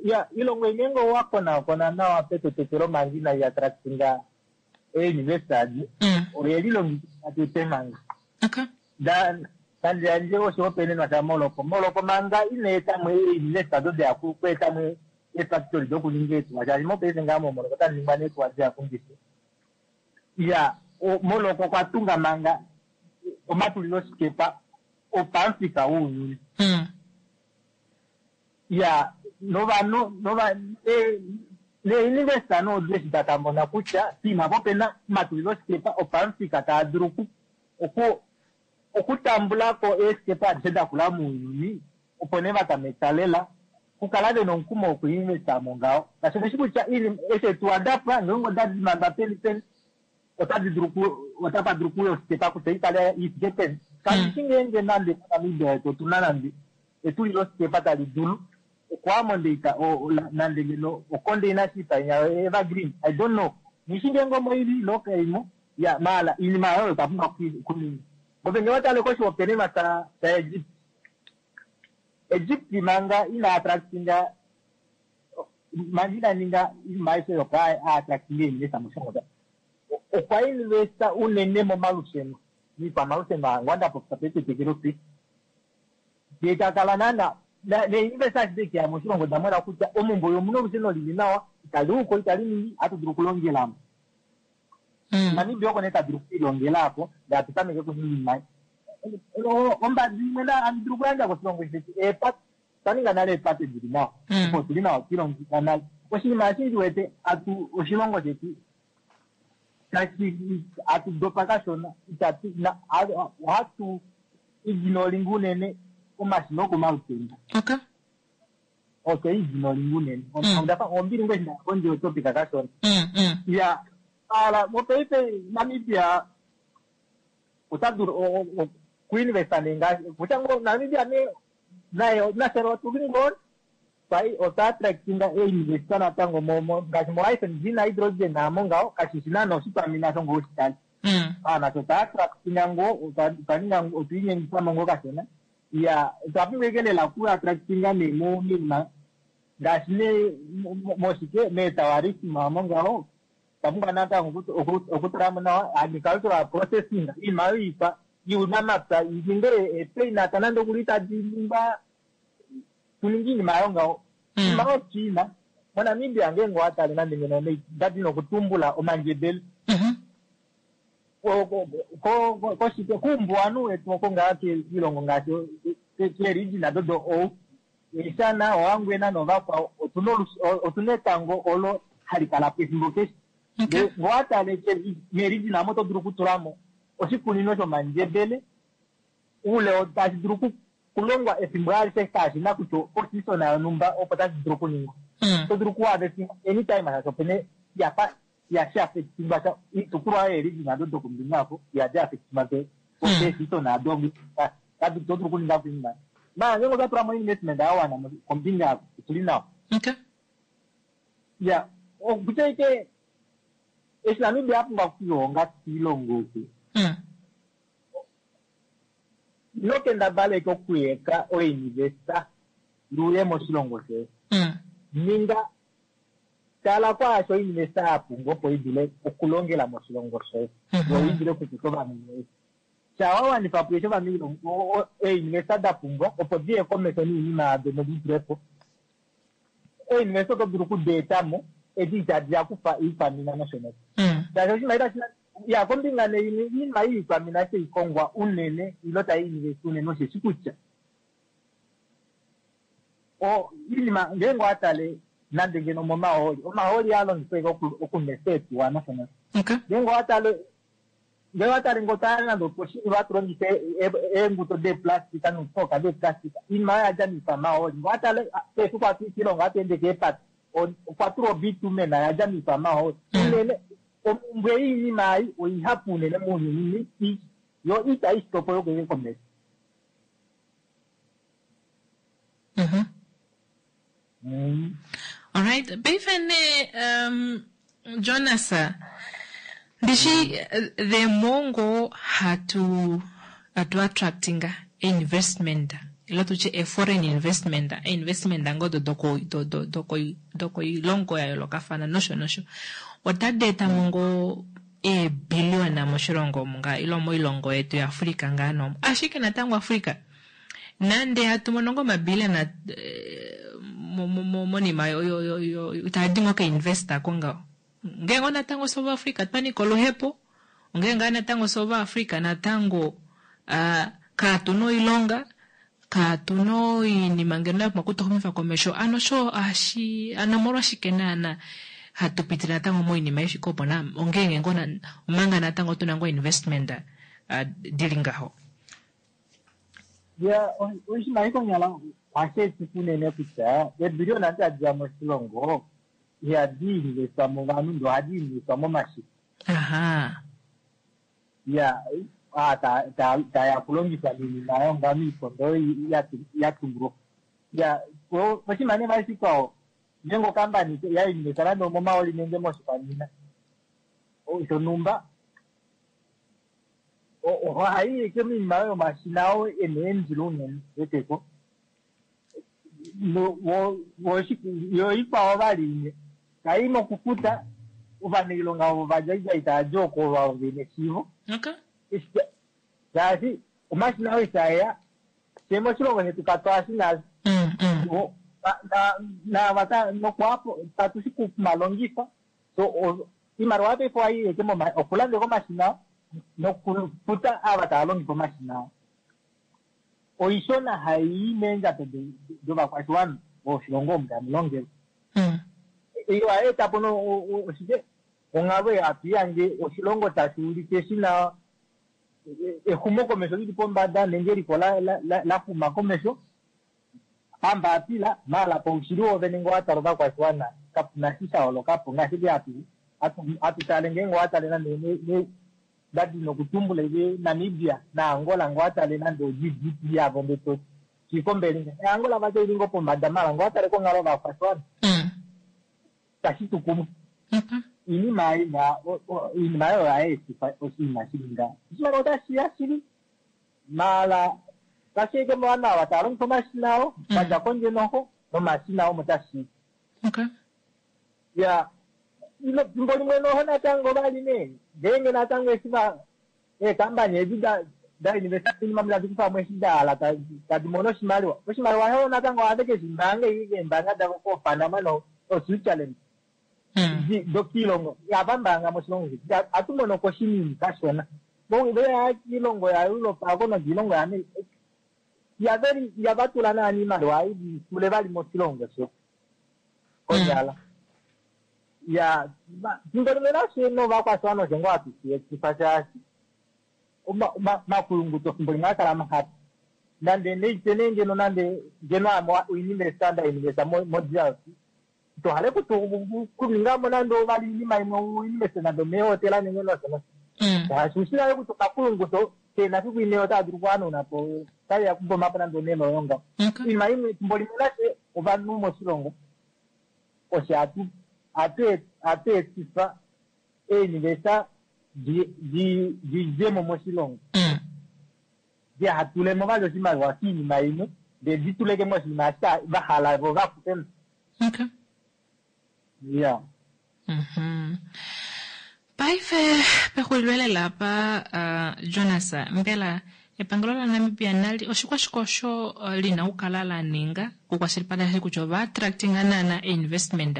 ya ilongo imwe ngo wakonakona nawa petetekelo manga inayi attractinga einvestors Mm. oyelilongekida tete manga Okay. nande yandje oshihopaenenwa shaMorocco. Morocco manga ina etamwe einvesta do deya kweetamwe eefactory dokuninga eetuwa shaashi mopaife ngaa moMorocco otamu ningwa neetuwa deya kundishe. Ya, Morocco okwa tunga manga omatulilosikepa opamufika wounyuni. Mm. Ya, novanhu nova neinvesta nodu eshi dakamona kutya piima po pena omatulilosikepa opamufika taa dulu oku okutambulako eesikepa adishe dakula mounyuni opo nee vatameka lela kukala vena omukumo wokuinvesta mo ngaho. Ngaashi oveshi kutya eshi eetuwa dapwa ngeenge odadi manga peni peni otadi dulu otapa dulu kuuya osikepa kutya ikale ifike peni. Kandishi ngeenge nande moNamibia yetu otuna nande etulilosikepa tali dulu okuamondeita nande ngeno ocontainer ship inya evergreen, I don't know. Nishi ngeenge omo ili ilo kaimo ya maala iinima oyo otwa pumbwa okuninga. Ove ngee watale koshihopaenenwa sha Egypt, Egypt manga ina attractinga manga ina ninga iinima aishe opo a attractinga einvesta moshilongo okwa investa unene momalusheno miikwamalusheno angwa ndapopya petetekelo pe ndee takala naana neinvesta ashike keya moshilongo damona kutya omumbo omuna olusheno lili nawa itali uko itali ningi ohatu dulu okulongelamo. Namibia oko nee tadulu okwiilongela apo ndee atu tameke okuninga iinima. Ombadi imwe handi dulu okuyandja koshilongo shetu eepate otwa ninga nale eepate dili nawa opo tuli nawa twilongekida nale. Oshinima eshi ndiwete atu oshilongo shetu tashi atu dopa kashona itatu ohatu ignoringa unene omashina okomalutenda. Okay. Otwe ignoringa unene. Ondafa ombili ngoo eshi ndaya kondje yotopic kashona. Mm, mm. Ya, ala mopaife Namibia ota dulu okuinvesta nee ngaashi kutya ngoo Namibia nee naye nafye otuli ngoo otwa attractinga einvesta natango ngaashi mo I F N G na hydrogen amo ngaho kashishi naana oshikwamina osho ngoo ushitale. Mm. Ah, nasho otwa attractinga ngoo otwa ninga otwiinyengifamo ngoo kashona. Ya, otwa pumbwa ashike lela oku attractinga nee moinima ngaashi nee moshike meetourism amo ngaho otwa pumbwa natango okutulamo nawa agricultural processing iinima oyo iikwa yuunamapya ininge eepeanut nande okuli tadi ningwa tuninge iinima yayo ngaho. Iinima oyo China moNamibia ngeenge owatale nande ngeno ndadina okutumbula omandjebele koshike kuumbuwanhu wetu oko ngaa kiilongo ngaashi keerijina dodo ou Oshana, Ohangwena novakwao otuna etango olo hali kala po efimbo keshe. Ndee ngee owatale meerijina omo oto dulu okutulamo oshikunino shomandjebele oule tashi dulu okulongwa efimbo alishe kashina kutya oseason yonhumba opo tashi dulu okuningwa. Oto dulu okuharvestinga anytime shaashi opena yafa ihashi affectingwa sha oitukulwa oyo yeerijina ado dokombinga oko ihadi affectingwa keeseason ado oto dulu okuninga po iinima. Maala ngeenge otwa tulamo investment yawana kombinga aako otuli nawa. Okay. Ya, okutya ashike eshi Namibia a pumbwa okulihonga kiilongo oku Mm. ino kendabala ashike okuyeka oinvesta iuye moshilongo shoye. Mm. Ninga tala kwaasho oinvesta ya pumbwa opo idule okulongela moshilongo shoye yo idule okukuta ovanhu voye. Sha wawanifa po eshi ovanhu einvesta da pumbwa opo diye komesho noinima yado nodi tulepo. Einvesta oto dulu okudi etamo edi itadi ya kufa iikwamina nosho nosho. Mm. Shaashi oshinima itashi ya kombinga nee iinima yiikwamina eshi haikongwa unene ilo tai invest unene osheshi kutya iinima ngeenge owatale nande ngeno momahooli omahooli ihaa longifwa ashike okunwesa eetuwa nosho nosho. Okay. Ngeenge owatale ngee owatale ngee otwa nande oposhini hatu longifa eenguto deeplastika noufoka deeplastika iinima oyo oyadja miikwamahooli. Ngee owatale keshe efiku hatu i kiilongo ohatu ende keepate okwa tulwa obitumen oyadja miikwamahooli. Unene omumbwe yiinima ei oihapu unene mounyuni yo itayi stop yokuya komesho. Mm. Alright, paife nee um, Jonas, ndishi the more ngoo hatu hatu attractinga investment ilo tutye a foreign investment, investment ngoo do doko do do doko dokoilongo ya yoolokafana nosho nosho, otadi eta mo ngoo eebiliona moshilongo omu ngaa ilo moilongo yetu yaAfrica ngaa nomo. Ashike natango Africa nande hatu mono ngoo omabiliona monima itaadi ngoo kainvesta ko ngaho. Ngee ngoo natango South Africa twa nyika oluhepo, ongee ngaa natango South Africa natango uh, kaatuna oilonga, kaatuna oinima ngeno ya pumbwa okutuxumifa komesho. Ano sho ohashi ano omolwashike naana hatu pitile natango moinima ifike opo na ongeenge ngoo omanga natango tuna ngoo investment uh, dili ngaho. Ya oshinima konyala ohashi etifa unene kutya eebiliona tadi ya moshilongo ihadi investwa movanhu ndee ohadi investwa momashina. Aha. Ya taya kulongifwa miinima yonga miikondo ya tumbulwa. Ya oshinima nee vali shikwao ngeenge okampani ya investa nande omomaoli nenge moshikwamina shonhumba ohayi eke moinima yomashina oo ena eendilo unene weteko. Yo ikwao vali imwe kai mokufuta ovanailonga ovo vadja tava di oko vavo vene eshiivo. Okay. Shaashi omashina oo itaeya fye moshilongo shetu katwashi nasho. Mm, mm. Nava nokwapo katushi kumalongifa so iimaliwa paife ohayi eke okulanda omashina nokufuta ava tava longifa omashina. Oishona hayi meendjato dovakwashiwana voshilongo omu tamu longelwa. Iyo ohayi eta po oshike onghalo hatu ihange oshilongo tashi ulike shina exumokomesho lili pombada nenge eliko laxuma komesho pambapila maala paushili woovene ngee owatala ovakwashiwana kapuna shi sha holokapo ngaashi hatu hatu tale ngeenge owatale nande ndadi nokutumbula ike Namibia naAngola ngee owatale nande o G D P yavo nde shikombele Angola vati oili ngoo pombada maala ngee owatale konghalo yovakwashiwana tashi tu kumwe. Iinima ina iinima oyo ohayi etifa oshinima shili ngaho. Oshimaliwa otashi ya shili maala tashi eke mowanawa tava longifa omashina oo vadja kondje noho nomashina omo tashi. Okay. Ya fimbo limwe noho natango vali nee ngeenge natango eshi va eekampani edi da da investa oinima tadi kufa mo eshi da hala tadi mono oshimaliwa. Oshimaliwa osho natango ohave keshi mbaanga keembaanga davo koPanama no Switzerland. Dokiilongo ihava mbaanga moshilongo shetu ohatu mono ko shinini kashona. Veya kiilongo yaEurope ako nokiilongo yaAmerica ihava tula naana iimaliwa tule vali moshilongo shetu konyala. Ya fimbo limwe nashe novakwashiwana osho ngoo hatu shi etifa shaashi omakuyunguto fimbo limwe ohaa kala mahapu. Nande neite nee ngeno nande ngeno ame oinvesta nda investa mo-D R C tohale kuninga mo nande vali iinima imwe uinveste nande omeehotela nenge nosho nosho. Shaashi ushi nale kutya omakuyunguto keena fiku imwe otaa dulu okuhanauna po otaiya kuboma po nande onema oyo ngaho. Oinima imwe fimbo limwe nashe ovanhu moshilongo osho hatu hatu etifa eenivesa didjemo moshilongo. Dihatulemo vali oshimaliwa kiinima imwe ndee dituleke moshinima eshi vahala vo vakufemo. Okay. Yeah. Mhm. Paife pexulilo lela apa uh, Jonas, mbela epangelo laNamibia nali oshikwashike osho uh, lina okukala la ninga okukwashilipaleka kutya ova attractinga naana investment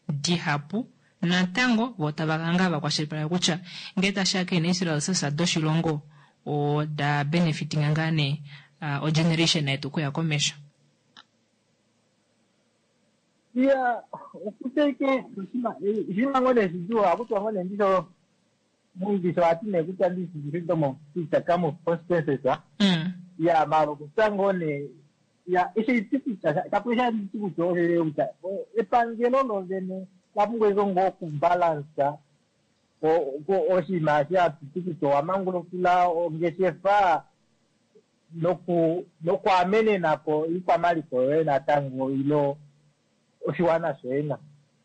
dihapu natango vo tava kanga vakwashilipaleka kutya ngee tashiya keenatural doshilongo oda benefitinga ngaa nee uh, ogeneration yetu okuya komesho. Ya okuteke oshinima ngoo nee shidjuu ohakutiwa ngoo nee ndisho muingisho ohati nee kutya ndishi freedom of speech come of consequences. Ya maala okutya ngoo nee ya eshi iti kutya kapu sha nditi kutya osho kutya epangelo lovene la pumbwa ike ngoo okubalansa oshinima eshi hatuti kutya owamangulukila ongeshefa noku nokwaamenena po iikwamaliko yoye natango ilo oshiwana shoye na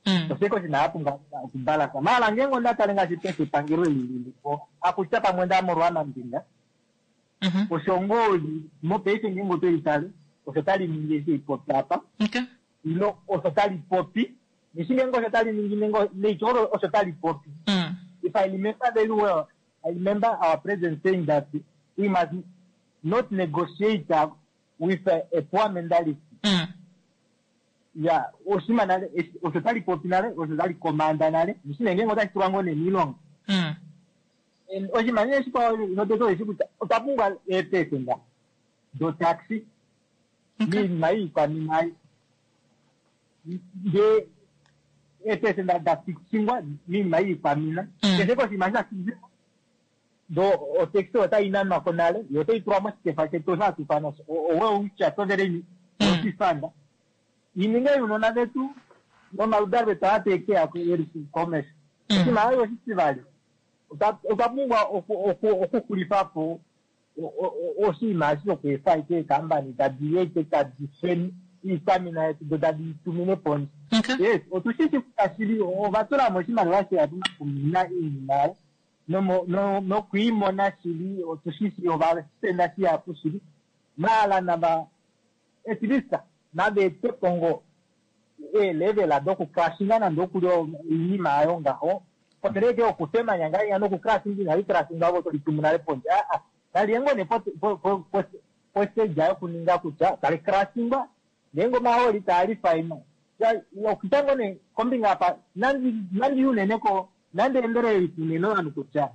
Mm. oshike oshinima yapumbwa okubalasa maala ngeenge onda tale ngaashi paife epangelo eli lilipo akutya pamwe nda molwa mambinga Mhm. osho ngoo li mopaife ngeenge oto litale osho tali ningi eshi ipopi apa Okay. ilo osho tali popi nishi ngeenge osho tali ningi nenge neityo olo osho tali popi Mm. if I remember very well, I remember our president saying that we must not negotiate uh, with a, a poor mentality. Mm. Yeah, oshima nale, eshi- osho tali popi nale, osho tali komanda nale, nishi ngeenge otashi tulwa ngoo nemiilonga. Mm. And oshima nee shikwao noteto eshi kutya otwa pumbwa eepesenda dotaxi Okay. miinima iikwamina ayi. Ndee eepesenda da fixingwa miinima iikwamina Mm. keshe koshinima sha fixingwa do otaxi otayi nanwa ko nale yo otayi tulwa moshikefa shetu osho hatu ifana oweucha sovereign Mm. fund ininge yuunona vetu nomaludalo vetu atekeya eri komesho Mm. oshinima ayo oshitivali otwa otwa pumbwa oku- oku- okuxulifa po o- o- o- oshinima eshi shokweefa ike eekambani tadi ete tadi feni iikwamina yetu do tadi tumine pondje Okay. yes otushishi kutya shili ova tula mo oshimaliwa shihapu mokumina iinima yayo nomo- no- nokwiimona shili otushishi ova spenda shihapu shili maala nava at least nava ete po ngo eelevela dokukrashinga nande okuli oinima yayo ngaho poteleke okutemanya ngainya nokukrashinga inali krashinga ovo toli tumu nale pondje aa nali yengo ne poseja yokuninga kutya tali krashingwa ngeenge omahooli taali faima okutya ngo ne kombinga apa nandi nandi unene ko nandi endelelifa unene ovanhu kutya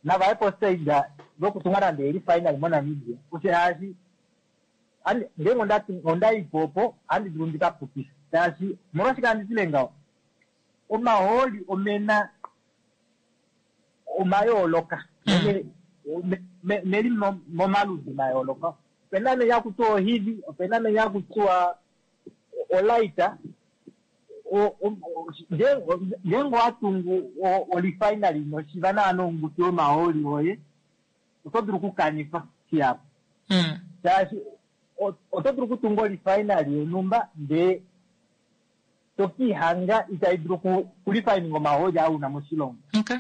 navaye postage lokutunga nande elifinal moNamibia shaashi andi- ngeenge ondati ondaipo opo andi dulu ndikapukise shaashi molwashike andi tile ngaho omahooli omena omayooloka Mm. Me- me- meli mo- momaludi mayooloka opena menya hakutiwa ohivi opena menya hakutiwa olaita O- o- o- ngeenge ngeenge owatungu o- olifinali noshiva naana ongutu yomahooli oye oto dulu okukanifa shihapu Mm. shaashi o- oto dulu okutunga olifinali yonhumba ndee tokiihanga itayi dulu oku- okulifininga omahooli auna moshilongo Okay.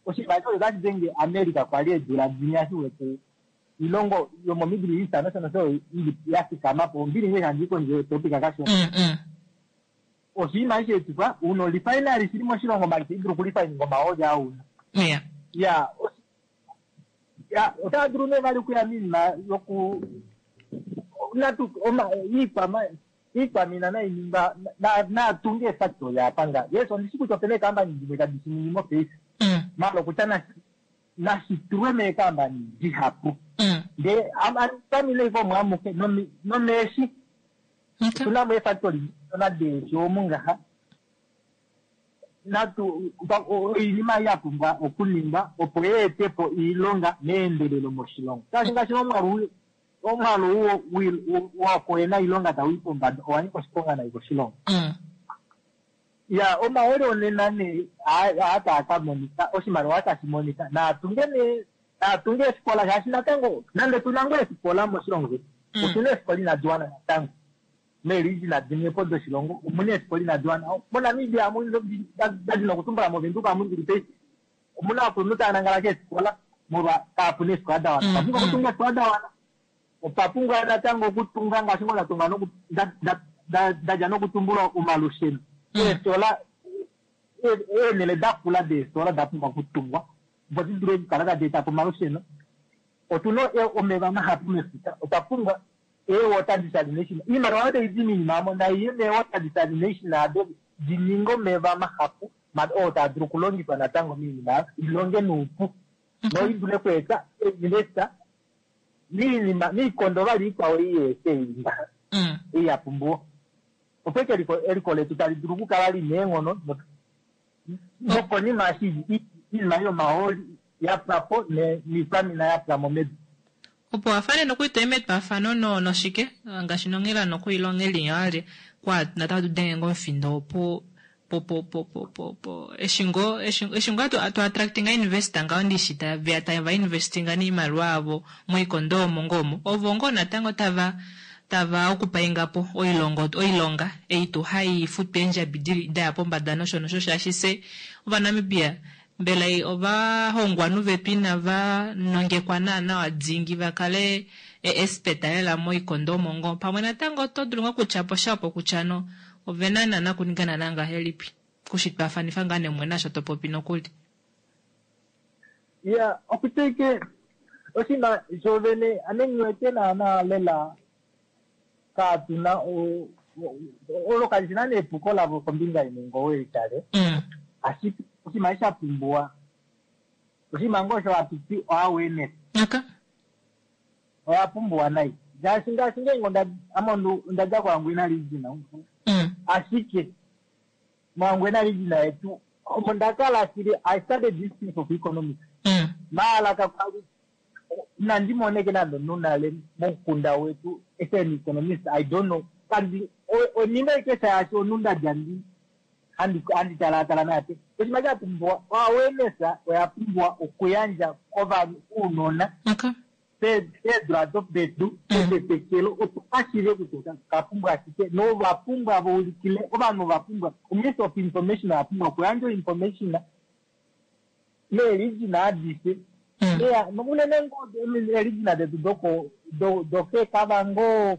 oshinima osho otashi denge America kwali eedula dinya shi wete ilongo yomo-Middle East nosho nosho ili ya fikama po ombili ngee handi kondje topic kashona Mm. Mm. oshinima eshi etifwa una olifinali shili moshilongo mali itayi dulu okulifininga omahooli auna Yeah. ya osi- ya otava dulu nee vali okuya miinima yoku natu oma iikwama iikwamina nainingwa na- naatunge efactory apa nga yes ondishi kutya opena eekambani dimwe tadi shi ningi mopaife Mm. maala okutya nashi nashi tulwe meekambani dihapu Mm. ndee famile iko omwamuke nomi- nomeeshi Okay. otuna mo eefactory dona deeshi omu ngaha natu pa- o- oinima ei ya pumbwa okuningwa opo yeete po iilonga meendelelo moshilongo shaashi ngaashi omwaalu omwaalu wo- wi- wo- wakoyena iilonga tau i pombada owa nyika oshiponga nai koshilongo Mm. ya omahooli onena nee aa taa ka monika oshimaliwa tashi monika naatunge nee naatunge eefikola shaashi natango nande tuna ngoo eefikola moshilongo shetu Mm. otuna eefikola inadi wana natango meerijina dimwe po doshilongo omuna eefikola inadi wana moNamibia amu dadi nokutumbula moVenduka amu ndili paife omuna ovakulunhu tava nangala keefikola molwa kaapuna eefikola da wana Mm, otwa pumbwa mm. okutunga eefikola da wana otwa pumbwa natango okutunga ngaashi ngoo ndatunga noku- nda- nda- nda- ndadja nokutumbula omalusheno Mm. eefitola ee- eenhele dakula deefitola da pumbwa okutungwa opo di dule okukala tadi eta po omalusheno otuna e- omeva mahapu mefuta otwa pumbwa ee-water desalination iimaliwa oyo tayi di miinima amo nayiye mee-water desalination ado di ninge omeva mahapu ma- oo taa dulu okulongifwa natango miinima ayo ilonge nuupu Okay. noi dule okweeta investor miinima miikondo vali ikwao iyeete imba Mm. ei ya pumbiwa opo eke eliko eliko letu tali dulu okukala lina eenghono no- nokonima eshi i- iinima yomahooli ya pwa po ne- niikwamina ya pwa mo medu opo afane nokuita metwafano no noshike ngaashi nonghela nokuilonga elinya ali kwa natatu denge ngomufindo opo po po po po po po eshi ngo eshi eshi ngo atu atu attractinga investor ngaho ndishi tava tava investinga niimaliwa yavo moikondo omo ngomo ovo ngoo natango tava tava okupaingapo oilongo oilonga ei tuu hai futwa eendjabi dili daya pombada nosho nosho shaashi fye ovaNamibia mbela ovahongwanhu vetu inava nongekwa naana dingi vakale ee-espeta lela moikondo omo ngoo pamwe natango oto dulu ngoo okutyaposha opo kutya no ovena naana okuninga naana ngahelipi kushitwaafanifa ngaa nemumwe naasho topopi nokuli. Ya okuteke oshinima shovene ame nghiwete naana lela kaatuna olo kali shi naana epuko lavo kombinga imwe ngoo weitale Mm. ashike oshinima eshi sha pumbiwa oshinima ngoo osho hatu ti awareness Okay. oya pumbiwa nai ngaashi ngaashi ngeenge onda ame ondu- onda dja koHangwena region Mm. ashike moHangwena region yetu omo ndakala shili i started this thing of economics Mm. maala kakwali nandi moneke nande omunhu nale momukunda wetu as an economist i don't know kandi onima ike shaashi omunhu ndadja ndi handi handi talaatala naate oshinima sha pumbiwa awareness oya pumbiwa okuyandja kovanhu uunona Okay. peedula dopedu petetekelo opo kashiive kutya kapumbwa shike novapumbwa vaulikile ovanhu ovapumbwa minister of information oyapumbwa okuyandja information meeregina adishe Mm. eya unene ngoo eeregina detu doko do- dokeekavango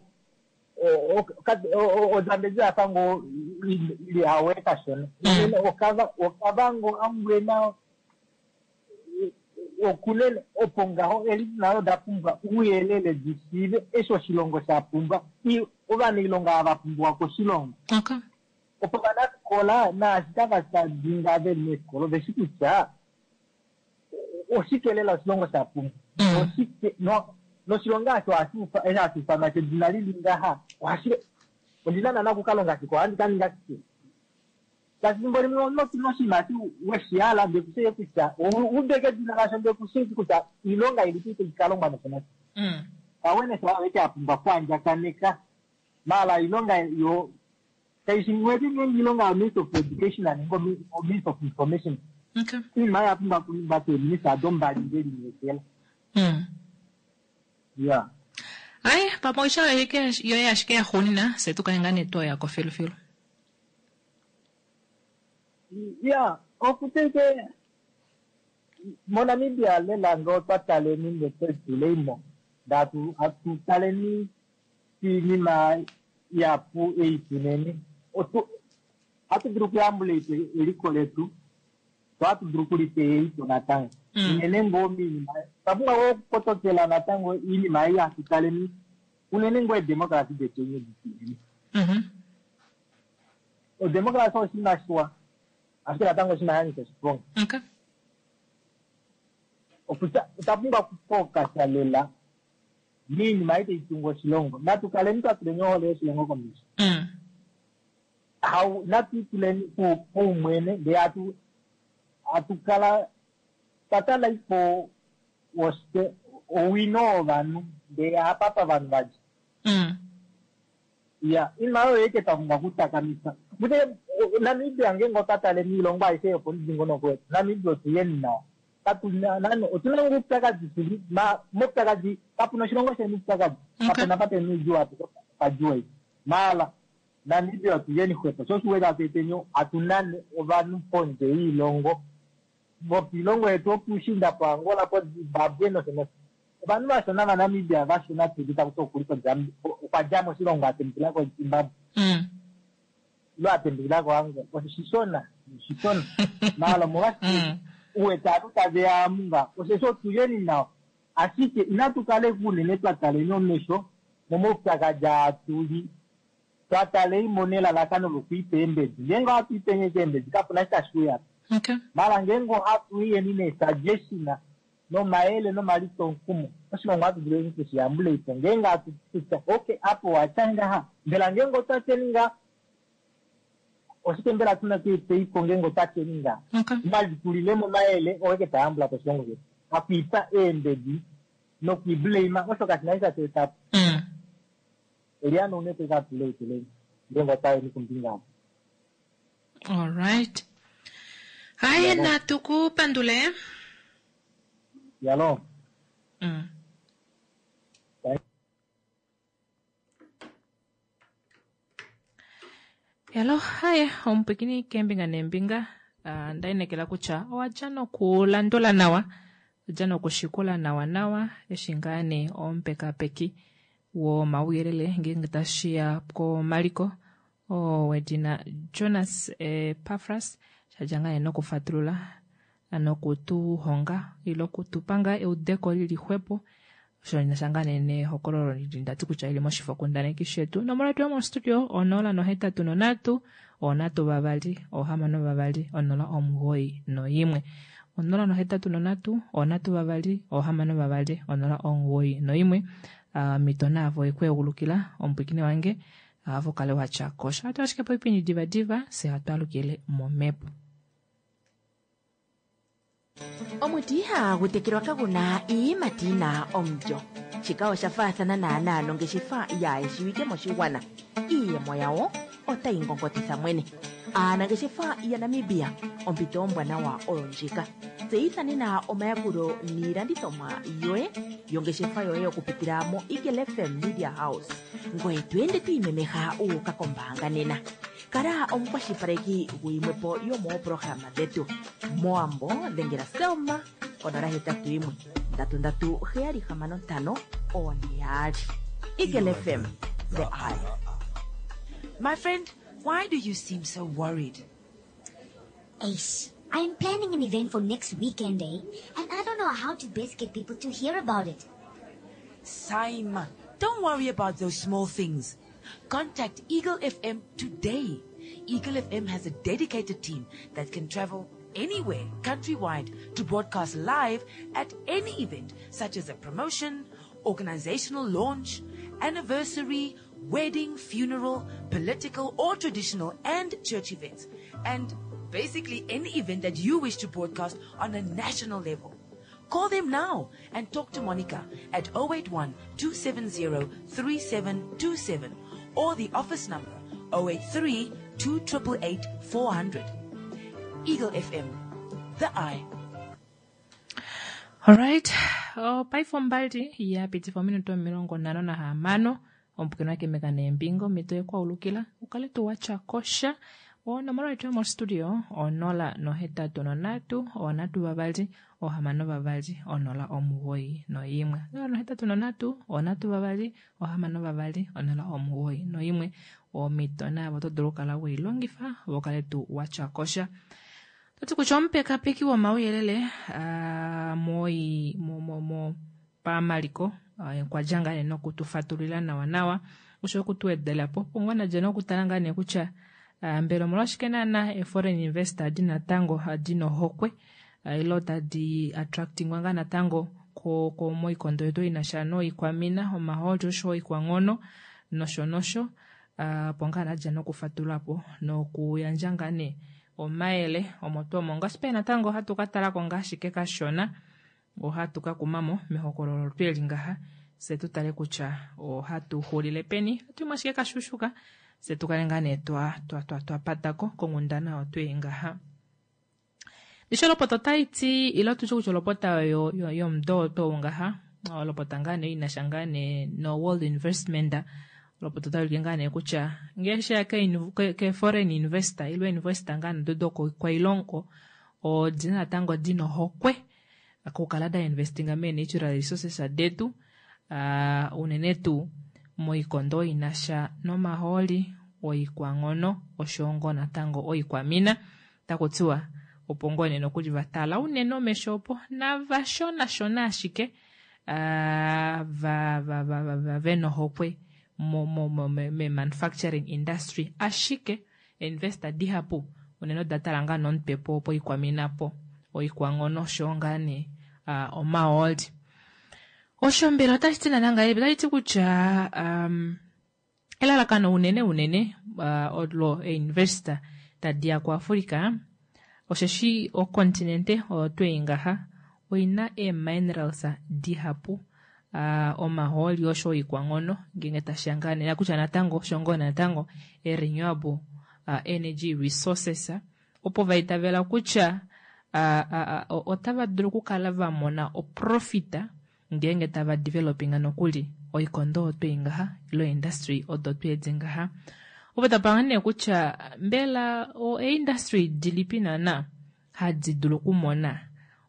ozambezi yafa ngoo ili awe kashona Mm. unene okava okavango angwena okunene opo ngaho eeregina odo da pumbwa ouyelele di shiive eshi oshilongo sha pumbwa I- ovanailonga ava pumbiwa koshilongo Okay. opo vanafikola naashi tava dinga veli meefikola oveshi kutya oshike lela oshilongo sha pumbwa Mm. oshike no noshilonga osho hashi ufa- eshi hashi ifanwa shedina lili ngaha ohashi ondina nana okukalonga shike ohandi ka ninga shike shaashi fimbo limwe noshinima eshi weshihala ndee kushii kutya udeke edina lasho ndee kushii kutya oilonga ilipi tayi kalongwa nosho nosho Mm. awareness aweke apumbwa kuandjakaneka maala iilonga yo kaishi ngweti ngeenge iilonga yo minister of education nenge minister of information Okay. iinima oyo yapumbwa kuningwa keeminista dombali ndelineekela Mm. ya Ai, pamwe oisha yoye ashike yaxuunina fye tukale ngaa nee twoyako filufilu. ya okuteke monamibia lela ngee otwa taleni ndetwetuleimo ndatu atu taleni iinima yapu eitunene otu hatu dulu okuyambula eliko letu so hatu dulu okulipeya eito natango Mm. unene ngoo miinima twapumbwa ngoo okukotokela natango iinima ei hatu taleni unene ngoo edemokrasi detu enye ditunene Mhm. odemokrasi oshinima shiwa ashike natango oshinima shanyika oshiponga Okay. okutya otwa pumbwa okufokasa lela miinima ei tayi tungu oshilongo natu kaleni twa tuleni ohole yoshilongo komesho Mm. hau natu ituleni pu- paumwene ndee atu atu kala twatala ipo woshike owino wovanhu ndee apapa vanhu vadya Mm. ya iinima oyo eke twa pumbwa okutakamisa mute namibia ngeenge otwa tale miilongo aishe yopomudingonoko wetu namibia otuyeni nawa katuna nani otuna ngo uupyakadhi shili ma moupyakadhi kapuna oshilongo sheni uupyakadhi Okay. kapuna pa pena uudjuu apuke padjuu ei maala namibia otuyeni xwepo sho oshiwete atueteni atunane ovanhu pondje yiilongo vopiilongo yetu opushinda po angola po zimbabwe nosho nosho ovanhu vashona vanamibia vashona tudu takuti okuli okwa dja moshilongo atembukila kozimbabwe Mm. ilo atembukila koangola oshishona oshishona maala omolwashike Mm. uwete atu taveya amunga osheshi otuyeni nawa ashike inatu kale unene twa taleni omesho momaupyakadi atuli twa taleimo nelalakano lokwiipa eembedi ngeenge ohatu ipenye keembedi kapuna shi tashi uya Okay. mala ngeenge ohatu iyeni neesuggestion nomayele nomalitonkumo oshilongo ohatu dulu okushiyambula ipo ngeenge atu kutya okay apo watya ngaha mbela ngeenge otwa tyeni nga oshike mbela tuna tuipeipo ngeenge otwa tyeni nga Okay. malitulilemo omayele oweke tayambula po oshilongo shetu akwiipa eembedi nokwiblame osho kashina shi tashi etapo Mm. eliano unete katuleituleni ngeenge otayeni kombinga apo All right. Hayi Yabo. natu kupandule. yalo Mm. Hello, haye omupwikini keembinga neembinga. Uh, ndainekela kutya owadja nokulandula nawa, odja nokushikula nawa nawa eshi ngaa nee omupekapeki womauyelele ngeenge tashiya komaliko oo wedina Jonas Epafras shadja ngaa nee nokufatulula nokutuhonga ile okutupa ngaa eudeko lili xwepo osho nasha ngaa nee nehokololo lili ndati kutya ili moshifokundaneki shetu. Onomola yetu yomostudio onola nohetatu nonhatu onhatu vavali ohamano vavali onola omugoyi noimwe onola nohetatu nonhatu onhatu vavali ohamano vavali onola omugoyi noimwe. Omhito naavo ekweegulukila omupwikini wange avo kale watya kosha atu ashike poipindi divadiva se hatwalukile momhepo. Omuti ihagu tekelwa kaguna iiyimati yina omulyo. Shika osha faathana naanaa nongeshefa yaayeshiwike moshigwana. Iiyemo yawo otayi ngongotitha mwene. Aanangeshefa yaNamibia, ompito ombwanawa oyo ndjika. Tseyitha nena omayakulo niilandithomwa yoye yongeshefa yoye okupitila mo Eagle F M Media House. Ngoye to ende to imemeha wu uka kombaanga nena. Kala omukwashilipaleki guyimwepo yomooprograma dhetu. Moambo dhengela Selma konola hetatu yimwe ndatu ndatu heyali hamano ntano one yaali. Eagle F M, the eye. My friend, why do you seem so worried? Ace, I'm planning an event for next weekend, eh? And I don't know how to best get people to hear about it. Saima, don't worry about those small things. Contact Eagle F M today. Eagle F M has a dedicated team that can travel anywhere countrywide to broadcast live at any event, such as a promotion, organizational launch, anniversary, wedding, funeral, political or traditional and church events, and basically any event that you wish to broadcast on a national level. Call them now and talk to Monica at oh eight one, two seven zero, three seven two seven or the office number oh eight three, two triple eight, four hundred. Eagle F M, the eye. All right. Oh, paife mbali ya pitifa minuto milongo nhano nahamano omupukeni wakemeka neembingo mito yekwaulukila ukale tu watya kosha. Onomola yetu yomostudio onola nohetatu nonhatu onhatu vavali ohamano vavali onola omugoyi noimwe. Onola nohetatu nonhatu onhatu vavali ohamano vavali onola omugoyi noimwe. Omito navo oto dulu okukala weilongifa vokale tu watya kosha. Toti kutya omupekapeki womauyelele moi mo mo mo pamaliko okwa ngaa nee nokutufatulila nawa nawa osho okutuwedelapo pongwana dje nokutala ngaa nee kutya mbela omolwashike naana e-foreign investor adi natango adi nohokwe ile tadi attractingwa ngaa natango ko ko moikondo yetu inasha noikwamina omahooli osho oikwanghono nosho nosho opo ngaa nadja nokufatulapo nokuyandja ngaa nee omayele omo tuu omo. Ngaashi pee natango ohatu ka talako ngaashi kashona ohatu ka kumamo mehokololo tweli ngaha se tu tale kutya ohatu xulile peni atu ashike kashushuka se tukale ngaa nee twa twa twa twa patako konghundana otwei ngaha. Ndishi olopota otayi ti ile tutye kutya olopota oyo yomudo oto ngaha olopota ngaa nee inasha ngaa nee no World Investment olopota otayi ulike ngaa nee kutya ngele sheya ke, ke foreign investor ile investor ngaa nee dodo kwailongo odina natango dina ohokwe okukala da investinga me natural resources detu uh, unene tuu moikondo inasha nomahooli oikwanghono osho ngo natango oikwamina takutiwa opo ngoo nee nokuli vatala unene omesho opo navashonashona ashike uh, va, va, va, va, va venohokwe mo, mo, mo, me, me manufacturing industry ashike investor dihapu unene odatala ngaa nomutwe po poikwamina po oikwanghono osho ngaa nee uh, omahooli. Osho mbela otashi ti nana ngahelipi? Otashi ti kutya um, elalakano unene unene uh, olo investor tadi ya kuAfrika osheshi okontinente oyo twei ngaha oina ee-minerals dihapu uh, omahooli osho oikwanghono ngenge tashi ya ngaa nee kutya natango osho ngoo natango e-renewable uh, energy resources opo vaitavela kutya uh, uh, uh, otava dulu okukala va mona oprofita ngenge tava developinga nokuli oikondo oyo twei ngaha ilo industry odo twedi ngaha. Opo tapanga nee kutya mbela o-industry dilipi naana hadi dulu okumona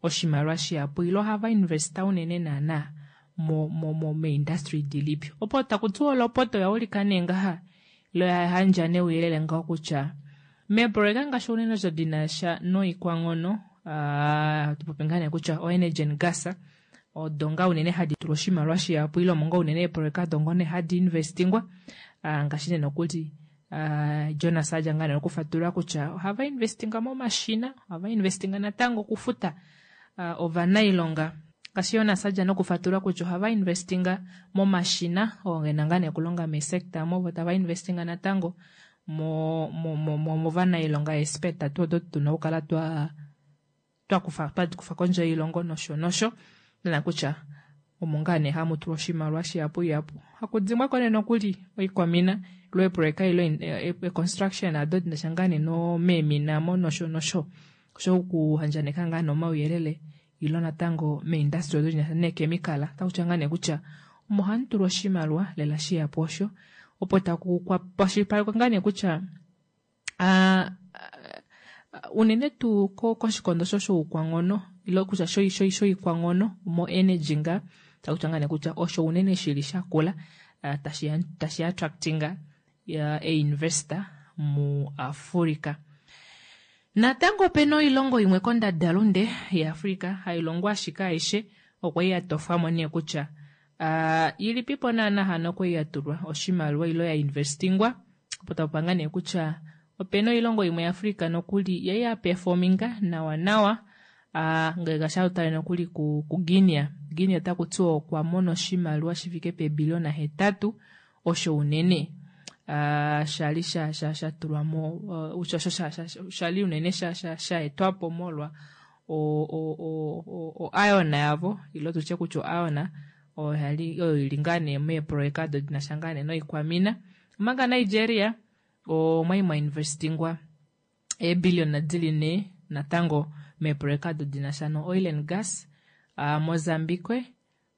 oshimaliwa shihapu ile ohava investa unene naana mo mo mo meindustry dilipi. Opo takutiwa olopoto oya ulika nee ngaha ile oya yandja nee ouyelele ngaho kutya meeproyeka ngaashi unene odo dinasha noikwanghono hatu popi ngaa nee kutya o-energy and gas odo ngaa unene hadi tulwa oshimaliwa shihapu ile omo ngaa unene eeproyeka odo ngoo nee hadi investingwa ngaashi nee nokuli Jonas adja ngaa nee okufatulula kutya ohava investinga momashina, ohava investinga natango okufuta ovanailonga. Ngaashi Jonas adja nokufatulula kutya ohava investinga momashina oo gena ngaa nee okulonga meesector omo vo tava investinga natango mo mo mo movanailonga expert tuu odo tuna okukala twa twakufa twakufa kondje yoilongo nosho nosho nena kutya omo ngaa nee hamu tulwa oshimaliwa shihapu ihapu hakudimbwa ko nee nokuli oikwamina ilo eeproyeka ilo e-construction ado dinasha ngaa nee nomeemina mo nosho nosho osho okuhandjaneka ngaa nee omauyelele ilo natango meindustry odo dinasha neechemical otakutya ngaa nee kutya omo hamu tulwa oshimaliwa lela shihapu osho opo taku kwashilipalekwa ngaa nee kutya unene tuu koshikondo sho shoukwanghono ilo kutya shoikwanghono mo energy nga takutya ngaa nee kutya osho unene shili shakula tashi tashi attractinga einvestor mu Africa. Natango opena oilongo imwe kondadalunde yaAfrica hailongo ashike aishe okwa li ya tofwamo nee kutya ilipipo naana hano kwali ya tulwa oshimaliwa ilo ya investingwa opo tapupanga nee kutya opena oilongo imwe yaAfrica nokuli yali ya performinga nawa nawa ngele ngaashi tale nokuli ku, ku Guinea. Guinea otaku tiwa okwa mona oshimaliwa shifike peebiliona hetatu osho unene uh, shali sha sha sha tulwa mo uh, sha sha sha shali unene sha sha sha etwapo molwa o o o o, o iron yavo ilo tutye kutya o iron oyo oyo ili ngaa nee meeproyeka odo dinasha ngaa nee noikwamina. Omanga Nigeria omwali mwa investingwa eebiliona dili nhee natango meeproyeka odo dinasha no oil and gas. Uh, Mozambique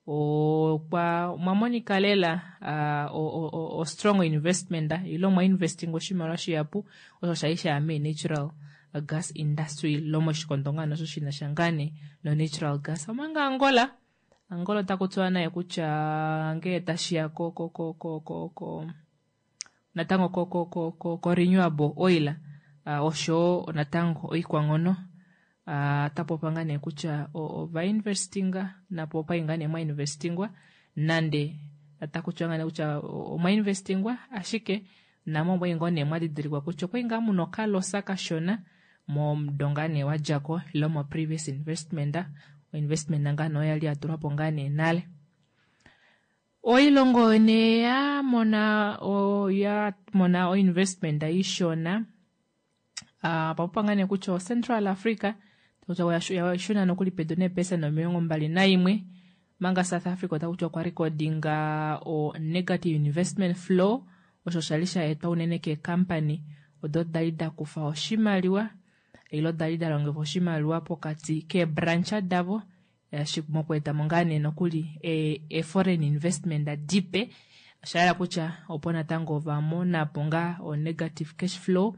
okwa omwa monika lela uh, o, o, o strong investment ilo mwa investing oshimaliwa shihapu osho shali shaya me natural gas industry lomoshikondo ngaa nosho shinasha ngaa nee no natural gas. Omanga Angola Angola otaku tiwa naye kutya ngee tashiya ko ko ko ko ko ko natango ko ko ko ko, ko renewable oil uh, osho natango oikwanghono uh, tapopa ngaa nee kutya ova investinga napo opa ngaa nee mwa investingwa nande taku tiwa ngaa nee kutya omwa investingwa ashike namo omwa ngoo nee mwa didilikwa kutya okwali ngaa muna okalosa kashona momudo ngaa nee wadjako ilo mo previous investment investment ngaa nee oyali yatulwapo ngaa nee nale. Oilongo nee ya mona ya mona o investment ishona uh, papopa ngaa nee kutya o Central Africa kutya oya nokuli pedu neepesenda omilongo mbali naimwe manga South Africa otaku okwa recordinga o negative investment flow osho shali sha etwa unene keekampani odo dali da kufa oshimaliwa ilo dali da longifa oshimaliwa pokati keebrancha davo mokweetamo ngaa nee nokuli e foreign investment dipe osha yela kutya opo natango ova monapo ngaa o negative cash flow.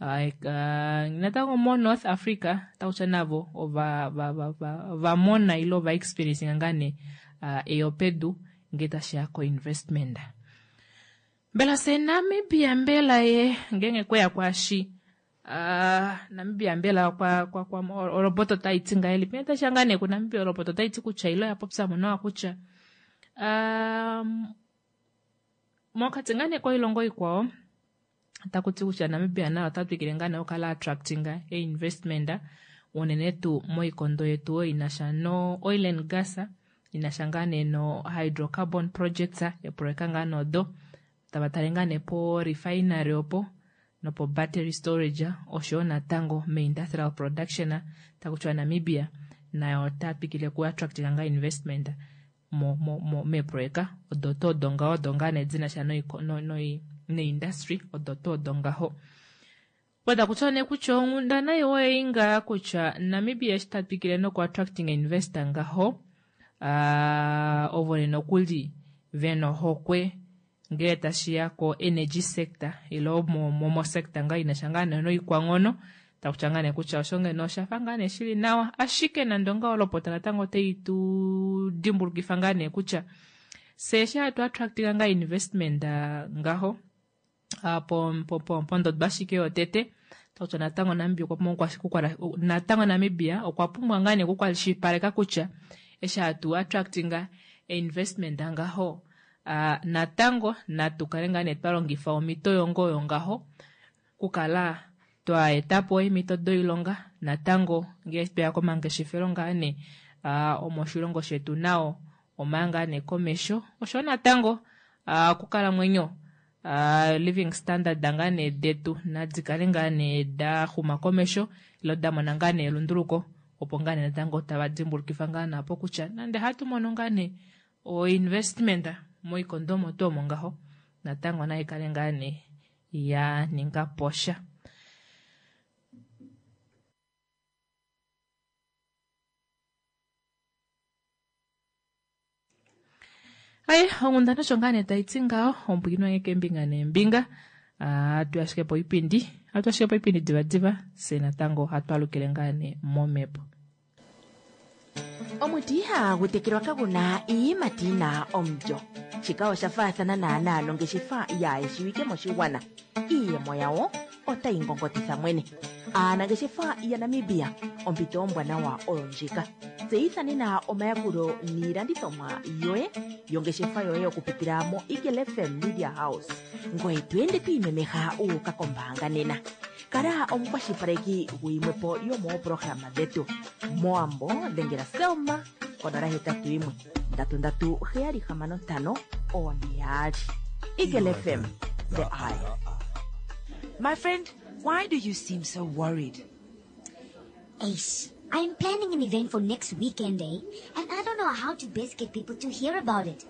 Uh, uh, natango mo North Africa otakutya navo ova va, va, va, va mona ilo va experience ngaa nee uh, eyopedu ngee tashiya ko investment. Mbela se Namibia mbela ye ngenge kweya kwashi uh, Namibia mbela kwa kwa kwa oroboto taiti ngahelipi tashiya ngaa nee ku Namibia oroboto taiti kutya ilo ya popya mo nawa kutya um, mokati ngaa nee koilongo ikwao otaku ti kutya Namibia naye ota twikile ngaa nee okukala attracting investment unene tuu moikondo yetu oyo inasha no oil and gas inasha ngaa nee no hydrocarbon projects eproyeka ngaa nodo tava tale ngaa nee po refinery opo nopo battery storage oshoyo natango me-industrial production taku tiwa Namibia nayo ota twikile ku attractinga ngaa investment mo mo mo meeproyeka odo tuu odo ngaho odo ngaa nee dinasha neindustry odo tuu odo ngaho. Oda kutya nee kutya onghundana iwa ei ngaa kutya Namibia eshi ta twikile noku attracting investor ngaho uh, ovo nokuli vena ohokwe Ngee tashiya ko energy sector ilo mo sector ngaa inasha ngaa nee noikwanghono takutya ngaa nee kutya osho ngeno oshafa ngaa nee shili nawa, ashike nande ongaho olopota natango otai tu dimbulukifa ngaa nee kutya fye eshi hatu attractinga ngaa investment ngaho pondodo ashike yotete takutya natango Namibia okwa pumbwa natango Namibia okwa pumbwa ngaa nee okukwashilipaleka kutya eshi hatu attractinga investment ngaho Uh, natango natu kale ngaa nee twa longifa omhito yongo oyo ngaho kukala twa etapo eemhito doilonga natango ngee tweya komangeshefelo ngaa nee uh, omoshilongo shetu nao omaya ngaa nee komesho osho natango uh, okukalamwenyo uh, living standard ngaa nee detu nadi kale ngaa nee da xuma komesho ilo da mona ngaa nee elunduluko opo ngaa nee natango tava dimbulukifa ngaa naapo kutya nande hatu mono ngaa nee o investment moikondo omo tuu omo ngaho natango nai kale ngaa nee ya ninga posha. Ai onghundana osho ngaa nee taiti ngaho ompwiino wange keembinga neembinga hatu ashike poipindi hatu ashike poipindi divadiva fye natango hatu alukile ngaa nee momhepo. Omuti ihagu tekelwa kaguna iiyimati yina omulyo. Shika osha faathana naanaa nongeshefa yaayeshiwike moshigwana. Iiyemo yawo otayi ngongotitha mwene. Aanangeshefa yaNamibia, ompito ombwanawa oyo ndjika. Tseyitha nena omayakulo niilandithomwa yoye yongeshefa yoye okupitila mo Eagle F M Media House. Ngoye to ende to imemeha u uka kombaanga nena. Kala omukwashilipaleki guyimwepo yomooprograma dhetu. Moambo dhengela Selma konola hetatu yimwe ndatu ndatu heyali hamano ntano one yaali. Eagle F M, the eye. My friend, why do you seem so worried? Ace, I'm planning an event for next weekend, eh? And I don't know how to best get people to hear about it.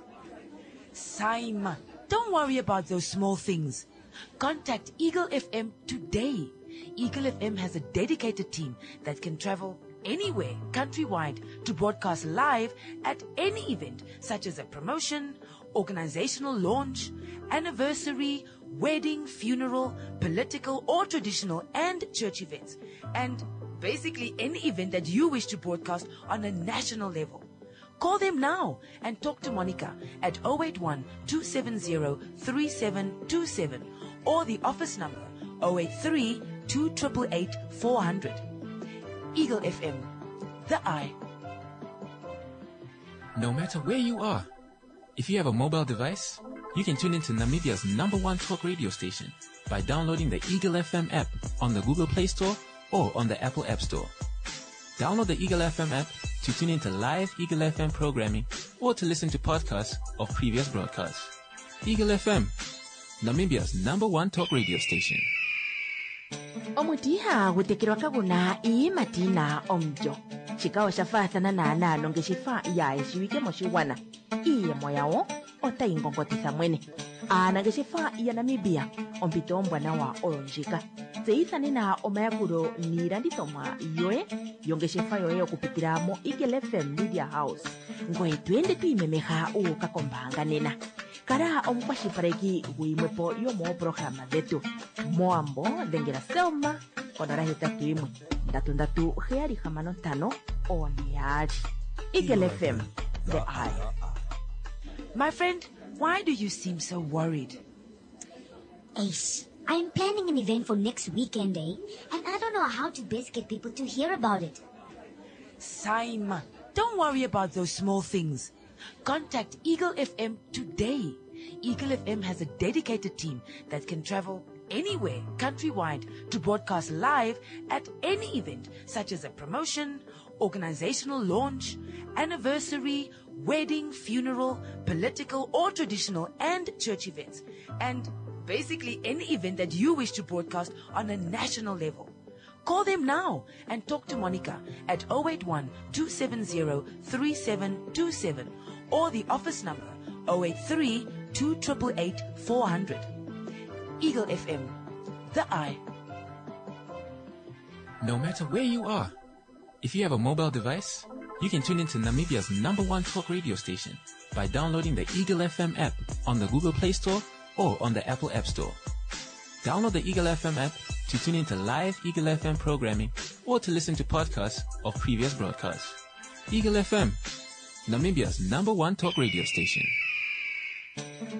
Saima, don't worry about those small things. Contact Eagle F M today. Eagle F M has a dedicated team that can travel anywhere countrywide to broadcast live at any event, such as a promotion, organizational launch, anniversary, wedding, funeral, political or traditional and church events, and basically any event that you wish to broadcast on a national level. Call them now and talk to Monica at oh eight one, two seven zero, three seven two seven or the office number oh eight three, two triple eight, four hundred. Eagle F M, the eye. No matter where you are, if you have a mobile device, you can tune into Namibia's number one talk radio station by downloading the Eagle F M app on the Google Play Store or on the Apple App Store. Download the Eagle F M app to tune into live Eagle F M programming or to listen to podcasts of previous broadcasts. Eagle F M, Namibia's number one talk radio station. Omuti ihagu tekelwa kaguna iiyimati yina omulyo. Shika osha faathana naanaa nongeshefa yaayeshiwike moshigwana. Iiyemo yawo otayi ngongotitha mwene. Aanangeshefa yaNamibia, ompito ombwanawa oyo ndjika. Tseyitha nena omayakulo niilandithomwa yoye yongeshefa yoye okupitila mo Eagle F M Media House. Ngoye to ende to imemeha u uka kombaanga nena. Kala omukwashilipaleki guyimwepo yomooprograma dhetu. Moambo dhengela Selma konola hetatu yimwe ndatu ndatu heyali hamano ntano one yaali. Eagle F M, the eye. My friend, why do you seem so worried? Ace, I'm planning an event for next weekend, eh? And I don't know how to best get people to hear about it. Saima, don't worry about those small things. Contact Eagle F M today. Eagle F M has a dedicated team that can travel anywhere countrywide to broadcast live at any event, such as a promotion, organizational launch, anniversary, wedding, funeral, political or traditional and church events, and basically any event that you wish to broadcast on a national level. Call them now and talk to Monica at oh eight one, two seven zero, three seven two seven or the office number oh eight three, two triple eight, four hundred. Eagle F M, the eye. No matter where you are, if you have a mobile device, you can tune into Namibia's number one talk radio station by downloading the Eagle F M app on the Google Play Store or on the Apple App Store. Download the Eagle F M app to tune into live Eagle F M programming or to listen to podcasts of previous broadcasts. Eagle F M, Namibia's number one talk radio station.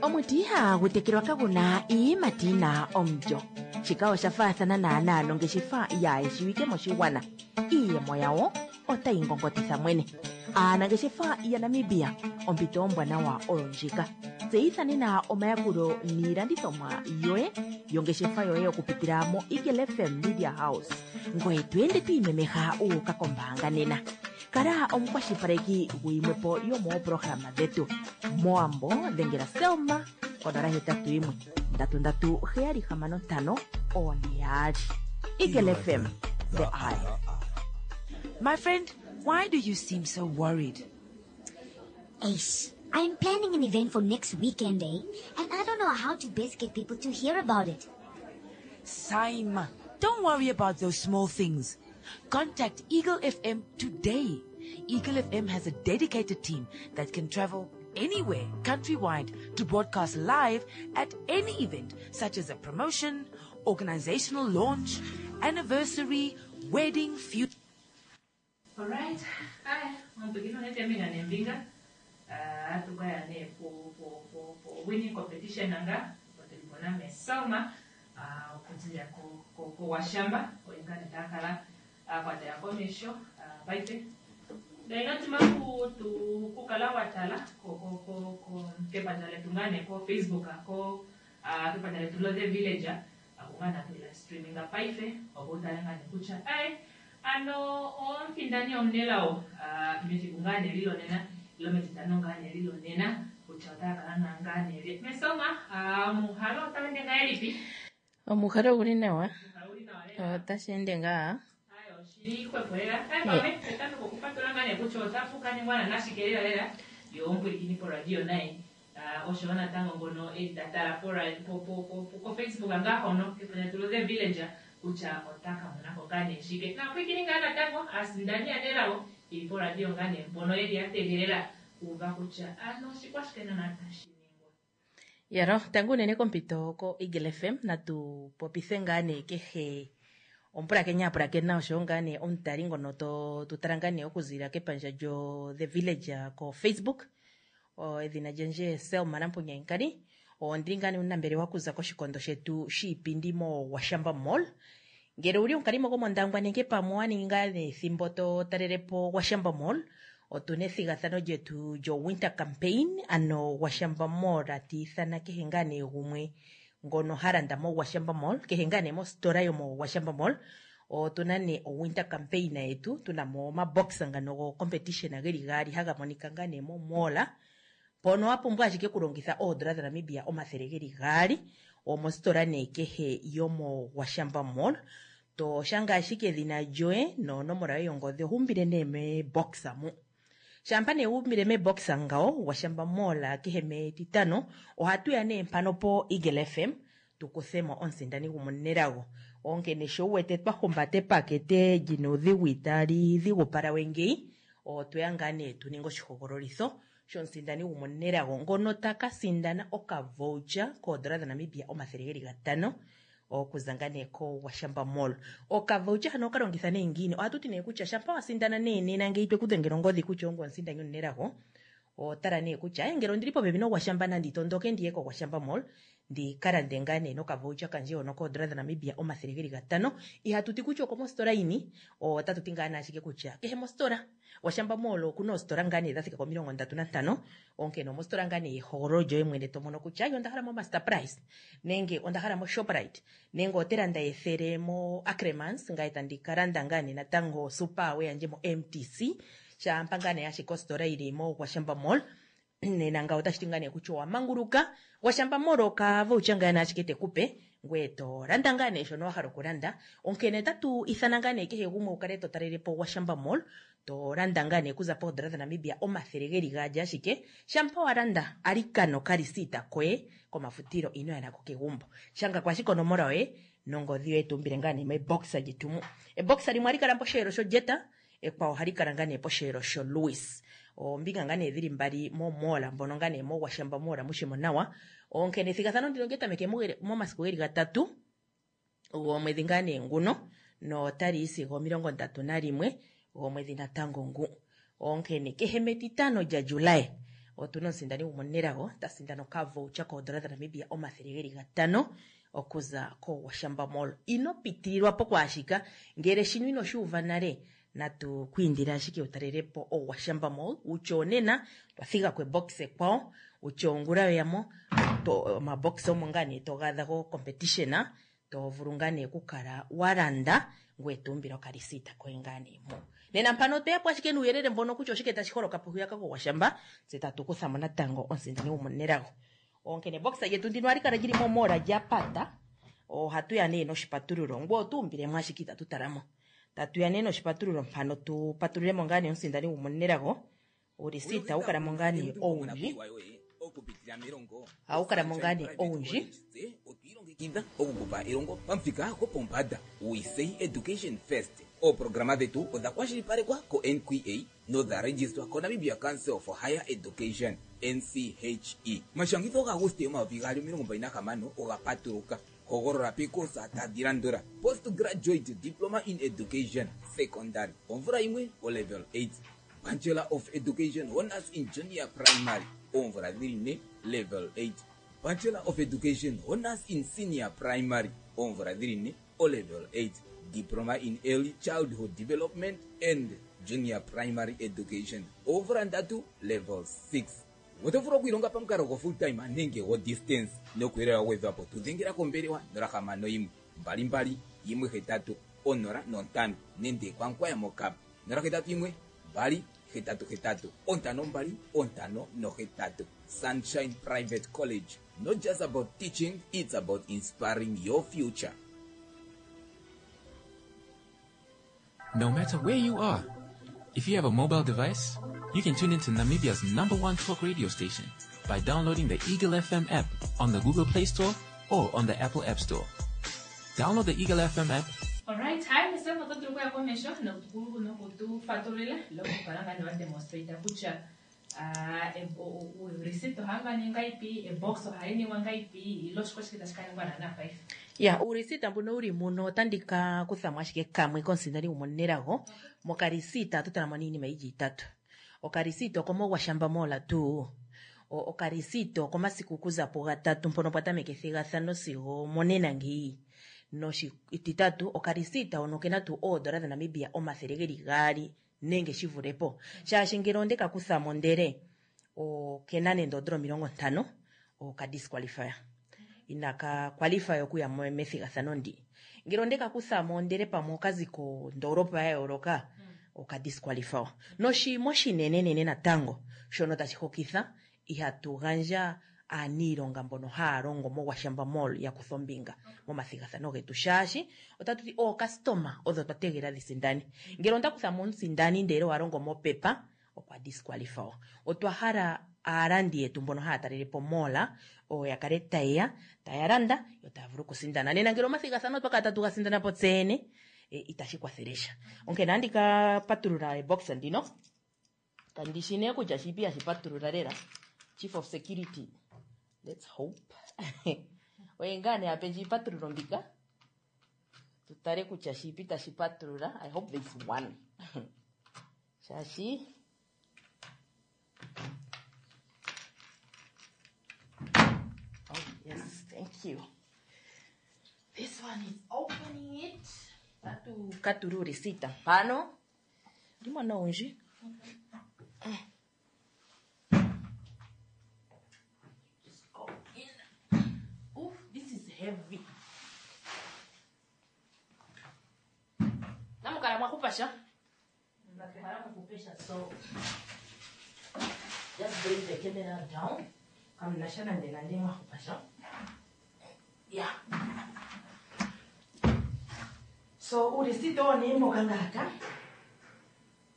Omuti ihagu tekelwa kaguna iiyimati yina omulyo. Shika osha faathana naanaa nongeshefa yaayeshiwike moshigwana. Iiyemo yawo otayi ngongotitha mwene. Aanangeshefa yaNamibia, ompito ombwanawa oyo ndjika. Tseyitha nena omayakulo niilandithomwa yoye yongeshefa yoye okupitila mo Eagle F M Media House. Ngoye to ende to imemeha u uka kombaanga nena. Kala omukwashilipaleki guyimwepo yomooprograma dhetu. Moambo dhengela Selma konola hetatu yimwe ndatu ndatu heyali hamano ntano one yaali. Eagle F M, the eye. My friend, why do you seem so worried? Ace, I'm planning an event for next weekend, eh? And I don't know how to best get people to hear about it. Saima, don't worry about those small things. Contact Eagle F M today. Eagle F M has a dedicated team that can travel anywhere countrywide to broadcast live at any event, such as a promotion, organizational launch, anniversary, wedding, funeral. All right. Hi, I'm beginning to tell you uh, tukaya ne po po po po winning competition nanga potulibona mesoma uh, okuzia ko ko ko washamba oingana takala uh, kwa taya komisho uh, paife daina timaku tu kukala watala ko ko ko ko kepanja letu ngane ko Facebook ko uh, kepanja letu lo the villager akungana tu la streaming paife obutala ngane kucha ai ano omfindani omnelao uh, metikungane lilo nena lometitano ngane lilo nena kucha otaka na ngane li mesoma uh, muhalo otawende ngaelipi omuhalo guli nawa muhalo uli nawa lela otashi ende ngaa ayo shili kwepwela ai mame etano kokupatula ngane kucha otafuka ningwana nashikelela lela yo ompwilikini po radio naye uh, osho natango ngono etatala po po po po ko Facebook ngahono kepanya tulo the villager kucha otaka monako ngane shike na pwikini ngaa natango asindani anelawo ili po radio ngane mpono eli ategelela kuva kucha ano shikwashikena natashiningwa yaro tangu unene kompito ko Eagle F M natu popithe ngaa nee kehe omupulakeni apulakena oshowo ngaa nee omutali ngono to tutala ngaa nee okuzilila kepandja lyo The Village ko Facebook. O, edhina lyandje Selma Nampunyankali. Ondili ngaa nee omunambelewa okuza koshikondo shetu shiipindi mo Washamba Mall. Ngele owuli omukalimo gomOndangwa nenge pamwe wa ningi ngaa nee ethimbo to talelepo Washamba Mall, otuna ethigathano lyetu lyo Winter Campaign, ano Washamba Mall ati ithana kehe ngaa nee gumwe ngono ha landa mo Washamba Mall, kehe ngaa nee mositola yomo Washamba Mall. Otuna nee o Winter Campaign yetu, tuna mo omabox ngano go competition geli gaali haga monika ngaa nee mo mall. Mpono wa pumbwa ashike okulongitha oondola dhaNamibia omathele geli gaali omositola nee kehe yomo Washamba Mall. To shanga ashike edhina lyoye nonomola yoye yongodhi ohumbile nee mebox mu. Shampa nee wumbile mebox ngawo Washamba Mall kehe metitano ohatu ya nee mpano po Eagle F M tukuthemo omusindani gumunelago. Onkene sho wu wete twa humbata epakete lyina uudhigu itali dhigupala we ngeyi, otweya ngaa nee tu ninge oshihogololitho shomusindani gumunelago ngono taka sindana okavoucher koondola dhaNamibia omathele geli gatano okuza ngaa nee ko Washamba Mall. Okavoucher hano okalongitha nee ngiini? Ohatu ti nee kutya shampa wa sindana nee nena ngeyi twekudhengela ongodhi kutya ongoye omusindani omunelago, otala nee kutya eh, ngele ondili popepi noGwashamba nandi tondoke ndiye koGwashamba Mall ndi ka lande ngaa nee nokavoucher kandje hono koondola dhaNamibia omathele geli gatano. Ihatu ti kutya okomositola yini, otatu ti ngaa nee ashike kutya kehe mositola. Washamba Mall okuna oositola ngaa nee dha thika komilongo ndatu nantano, onkene omositola ngaa nee yehogololo lyoye mwene to mono kutya ayi onda hala mo Master Price nenge onda hala mo Shoprite nenge ote landa ethele mo Ackermans, ngaye tandi ka landa ngaa nee natango Super we yandje mo M T C. Shampa ngaa nee ashike ositola yili mo Washamba Mall nena ngawo otashi ti ngaa nee kutya owa manguluka. Washamba Mall okavoucher ngaa nee ashike tekupe ngoye to landa ngaa nee shono wa hala okulanda. Onkene tatu ithana ngaa nee kehe gumwe wu kale to talelepo Washamba Mall to landa ngaa nee okuza poondola dhaNamibia omathele geli gaali ashike. Shampa wa landa alikano kalisita koye komafutilo ino ya nako kegumbo. Shanga ko ashike onomola yoye nongodhi yoye tuumbile ngaa nee mebox lyetu mu. Ebox limwe ohali kala posheelo shoJetta, ekwawo ohali kala ngaa nee posheelo shoLouis. Oombinga ngaa nee dhili mbali momoola mbono ngaa nee mogwashamba moola mushimo nawa. Onkene ethigathano ndino olya tameke momasiku geli gatatu gomwedhi ngaa nee nguno notali yi sigo omilongo ndatu nalimwe gomwedhi natango ngu. Onkene kehe metitano lyaJuly otuna omusindani gumwe omunelago ta sindana okavoucher koondola dhaNamibia omathele geli gatano okuza koGwashamba Mall. Ino pitililwa po kwaashika, ngele shino ino shi uva nale natu ku indile ashike wu talele po oGwashamba Mall wutye onena twa thiga ko ebox ekwawo, wutye ongula yoyamo omabox omo ngaa nee to ga adha go competition to vulu ngaa nee okukala wa landa ngoye to umbile okalisita koye ngaa nee mo. Nena mpano otweya po ashike nuuyelele mbono kutya oshike tashi holoka po hwiyaka koGwashamba, tse tatu kutha mo natango omusindani gwomunelago. Onkene ebox lyetu ndino ohali kala lyili momoola lya pata, ohatu ya nee noshipatululo ngoye oto umbilemo ashike itatu talamo. Tatu ya nee noshipatululo mpano tu patululemo ngaa nee omusindani gwomunelago, ulisita ohawu kala mo ngaa nee owundji. Ohawu kala mo ngaa nee owundji. Otwiilongekidha okukupa elongo pamuthika gopombanda. We say education first. Ooprograma dhetu odha kwashilipalekwa ko N Q A nodha registwa ko Namibia Council for Higher Education N C H E. Omashangitho gaAguste omayovi gaali omilongo mbali nahamano oga patuluka. Hogolola pekosa tadhi landula: Postgraduate Diploma in Education Secondary omvula yimwe o level eight, Bachelor of Education Honors in Junior Primary oomvula dhili ne level eight, Bachelor of Education Honors in Senior Primary oomvula dhili ne o level eight, Diploma in Early Childhood Development and Junior Primary Education oomvula ndatu level six. Oto vulu okwiilonga pamukalo go full time nenge go distance nokuyelelwa wa gwedhwa po. Tu dhengela kombelewa nola hamano yimwe mbali mbali yimwe hetatu onola nontano nenge kwankwaya mokapa nola hetatu yimwe mbali hetatu hetatu ontano mbali ontano nohetatu. Sunshine Private College, not just about teaching, it's about inspiring your future. No matter where you are, if you have a mobile device, you can tune into Namibia's number one talk radio station by downloading the Eagle F M app on the Google Play Store or on the Apple App Store. Download the Eagle F M app. All right, hi, Mister Mototuku ya komesho, nokutu, nokutu fatulila, loko kalanga ni wa demonstrate kutya, ah, e, o, o, o, receipt ohanga ni ngaipi, e box ohayi ningwa ngaipi, ilo shiko shike tashi ka ningwa na na five. Ya, urisita mbuno uri muno otandika kuthamo ashike kamwe komusindani gwomunelago. Mokarisita oto talamo niinima yili itatu. Okarisita okomogwashamba mola tuu. O-, okarisita okomasiku okuza pugatatu mpono pwa tameke ethigathano sigo monena ngeyi. Noshititatu, okarisita hono okena tuu oondola dhaNamibia omathele geli gaali nenge shi vule po. Shaashi ngele onde ka kuthamo ndele okena nende oondola omilongo ntano, oka disqualify. Inaka qualify okuya mo-, methigathano ndi. Ngele onde ka kuthamo ndele pamwe okazi kondoolopa ya yooloka, oka disqualify. Noshimo oshinenenene natango shono tashi hokitha, ihatu gandja aaniilonga mbono haya longo moGwashamba Mall ya kutha ombinga momathigathano getu, shaashi otatu ti ookastoma odho twa tegelela dhi sindane. Ngele onda kutha mo omusindani ndele wa longo mopepa, okwa disqualify. Otwa hala aalandi yetu mbono haya talele po mall oyo ya kale tayeya, taya landa, yo taya vulu okusindana. Nena ngele omathigathano otwa kala tatu ga sindana po tseyene, e, itashi kwathele sha. Onkene andi ka patulula ebox ndino. Kandi shi nee kutya shipi hashi patulula lela. Chief of Security, let's hope. Oye ngaa nee ape ndji iipatululo mbika. Tutale kutya shipi tashi patulula. I hope there's one. Shaashi Oh, yes, thank you. This one is opening it. Tatu katuru risita. Pano. Ndimo owundji. Just go in. Oof, this is heavy. Namukala mwakupasha? Nakukala mwakupesha, so just bring the camera down. Kamna nande nande mwakupasha. Yeah. So urisito ni mokangaka.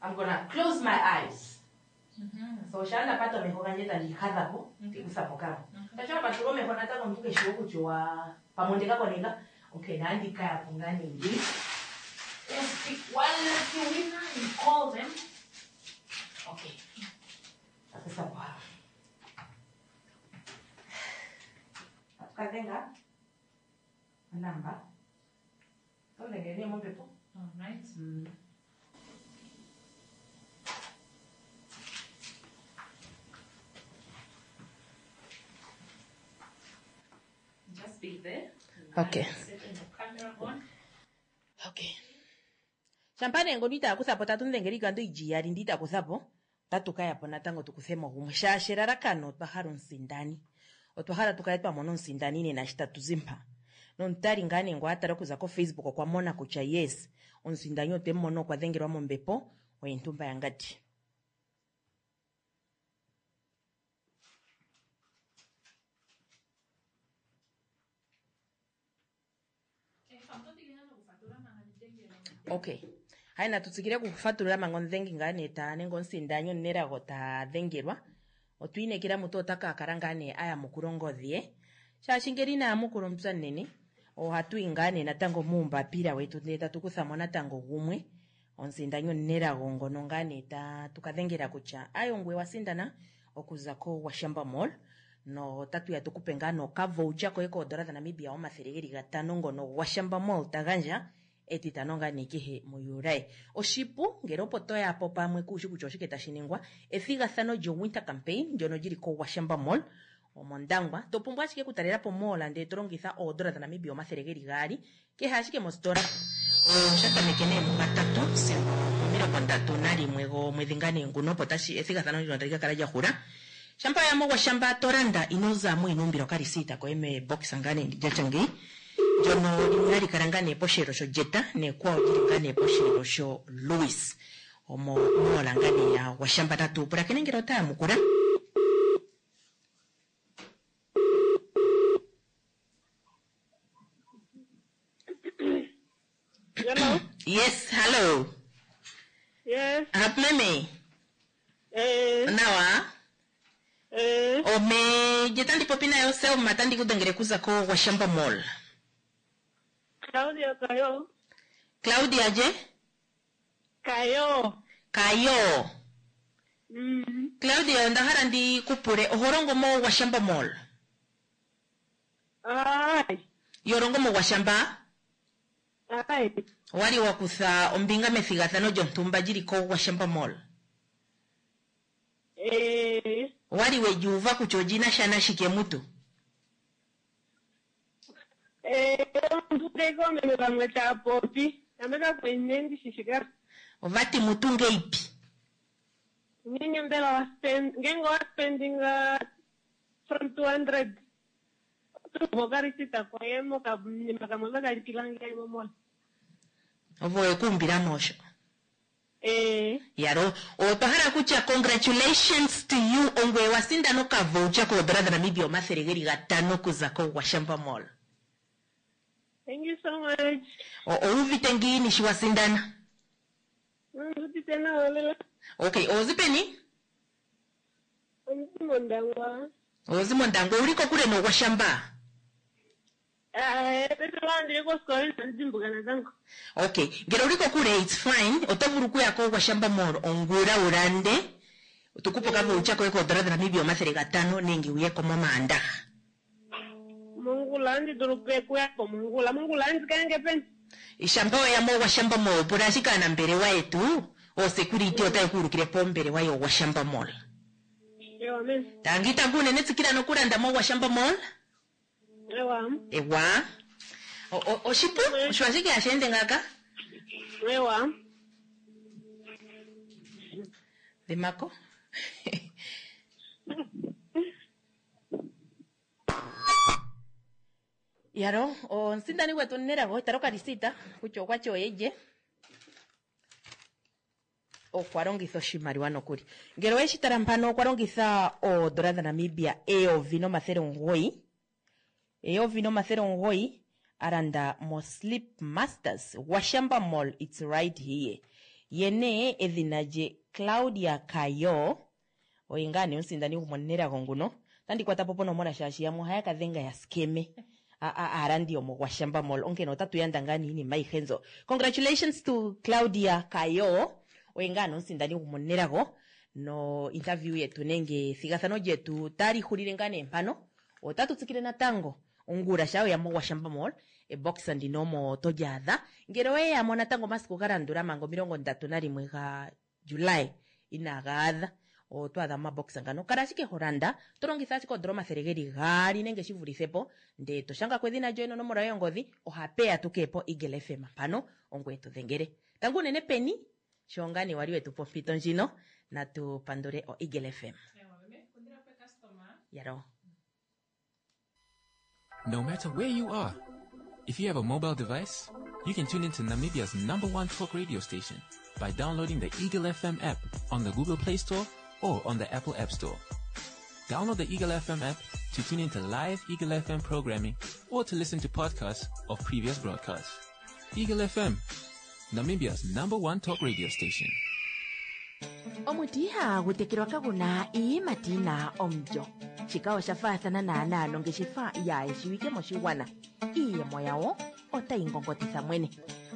I'm gonna close my eyes. Mm-hmm. So shanda pato meho ganje tandikadha po, tikusa pokamo. Tacho paturo meho nataka mtuke shiwo kuchwa pamonde kako nega. Okay, nandika ya pungani ndi. Let's pick one lucky winner and call them. Okay. dhenga onamba oto dhengele nee mombepo. Alright. Mm. Just be there. Okay. Setting the camera on. Okay. Shampa nee ngono itaa kutha po tatu mudhengele iikando yili iyali ndi ita kutha po otatu ka ya po natango tu kuthe mo gumwe shaashi elalakano otwa hala omusindani otwa hala tu kale twa mona omusindani nena shi tatu zi mpa nomutali ngaa nee ngo a tala okuza koFacebook okwa mona kutya yes omusindani otwe mu mona okwa dhengelwa mombepo oye Ntumba yaNgadi. Okay, hayi natu tsikile okufatulula manga omudhengi ngaa nee ta nenge omusindani omunelago ta dhengelwa. Otwi inekela mutu ota ka kala ngaa nee a yamukula ongodhi ye shaashi ngele ina yamukula omupya munene ohatu yi ngaa nee natango muumbapila wetu ndele tatu kutha mo natango gumwe omusindani omunelago ngono ngaa nee tatu ka dhengela kutya ayo ngwe wa sindana okuza koWashamba Mall no otatu ya tukupe ngaa nee okavoucher koye koodola dhaNamibia omathele geli gatano ngono Gwashamba Mall ta gandja etitano ngaa nee kehe muJuli. Oshipu ngele opo toya po pamwe kuushi kutya oshike tashi ningwa, ethigathano lyo-winter campaign ndyono lyili koWashamba Mall omOndangwa. To pumbwa ashike okutalela po mall ndele to longitha oodola dhaNamibia omathele geli gaali kehe ashike mositola. Osha tameke nee mugatatu sigo omilongo ndatu nalimwe gomwedhi ngaa nee nguno opo tashi ethigathano ndino tali ka kala lya hula. Shampa waya moGwashamba to landa ino zamo ino umbila okarisiita koye mebokisa ngaa nee ndi lyatya ngeyi ndyono limwe hali kala ngaa nee posheelo shoJeta nekwawo lyili ngaa nee posheelo sho Louis omo mola ngaa nee ya Gwashamba. Natu pulakene ngele ota yamukula. Hello. Yes, hello. Yes. Happy meme. Eh. Nawa. Eh. Ome je tandi popi nayo Selma tandi kudhengele kuza ko Gwashamba Mall. Claudia Kayo. Claudia je? Kayo. Kayo. Mm. Claudia onda hala ndi kupule oho longo mo Gwashamba Mall. Ai. Yo longo mo Gwashamba? Ai. Owali wa kutha ombinga methigathano lyontumba lyili ko Gwashamba Mall. Eh. Owali we uva kutya olina sha nashike mutu? Eh, ndudeko meme vamwe tava popi. Nameka kwenye ndishishika. Ovati mutu ngeipi? Ngenge mbela wa spend, ngenge wa spending uh, from two hundred. Mokarisita koye moka kamwe vakalipila nge momola. Ovo ekuumbila mosho. Eh. Yaro, otwa hala kutya congratulations to you ongwe wa sindana okavoucher koodola dhaNamibia omathele geli gatano okuza koGwashamba Mall. Thank you so much. O- Owu uvite ngiini shi wa sindana? Ndudite nawa lela. Okay, ozi peni? Ondi mOndangwa. Ozi mOndangwa, owuli kokule noGwashamba? Eh, paife ndili kosikola inandi natango. Okay, ngele owuli kokule it's fine, oto vulu okuya koGwashamba Mall ongula wu lande tukupe okavoucher koye koodola dhaNamibia omathele gatano nenge wuye ko momaandaha. Mongula andi dulu okuya po mongula. Mongula andi kayange peni? Shampa weya moGwashamba Mall pula ashike aanambelewa yetu oosecurity otaye ku ulukile pombelewa yoGwashamba Mall. Ewa meme. Tangi tangu unene tsikila nokulanda moGwashamba Mall. Ewa. Ewa. Oshipu osho ashike hashi ende ngaaka. Ewa. Dhimako. Yaro, omusindani gwetu Nelago tala okalisita kutya okwati oye lye. Okwa longitha oshimaliwa nokuli. Ngele oweshi tala mpano okwa longitha oodola dhaNamibia eyovi nomathele omugoyi. Eyovi nomathele omugoyi a landa mo Sleep Masters Gwashamba Mall it's right here. Ye nee edhina lye Claudia Kayo oye ngaa nee omusindani gwomonelago nguno. Otandi kwata po ponomola shaashi yamwe ohaya ka dhenga ya skeme aalandi yomoGwashamba Mall onkene otatu yanda ngaa nee iinima ayihe nzo. Congratulations to Claudia Kayo oye ngaa nee omusindani gwomonelago no interview yetu nenge ethigathano lyetu tali hulile ngaa nee mpano. Otatu tsikile natango Ongula sha weya moGwashamba Mall, ebox ndino omo to li adha. Ngele oweya mo natango omasiku ga landula manga omilongo ndatu nalimwe gaJuly inaaga adha, oto adha momabox ngano. Kala ashike ho landa, to longitha ashike oondola omathele geli gaali nenge shi vulithe po, ndee to shanga ko edhina lyoye nonomola yoye yongodhi, ohapeya tu kee po Eagle F M mpano, ongoye to dhengele. Tango unene peni, sho ngaa nee wali wetu pa ompito ndjino, natu pandule o Eagle F M. Yalo. No matter where you are, if you have a mobile device, you can tune into Namibia's number one talk radio station by downloading the Eagle F M app on the Google Play Store or on the Apple App Store. Download the Eagle F M app to tune into live Eagle F M programming or to listen to podcasts of previous broadcasts. Eagle F M, Namibia's number one talk radio station. Omuti ihagu tekelwa kaguna iiyimati yina omulyo. Shika osha faathana naanaa nongeshefa yaayeshiwike moshigwana. Iiyemo yawo otayi ngongotitha mwene.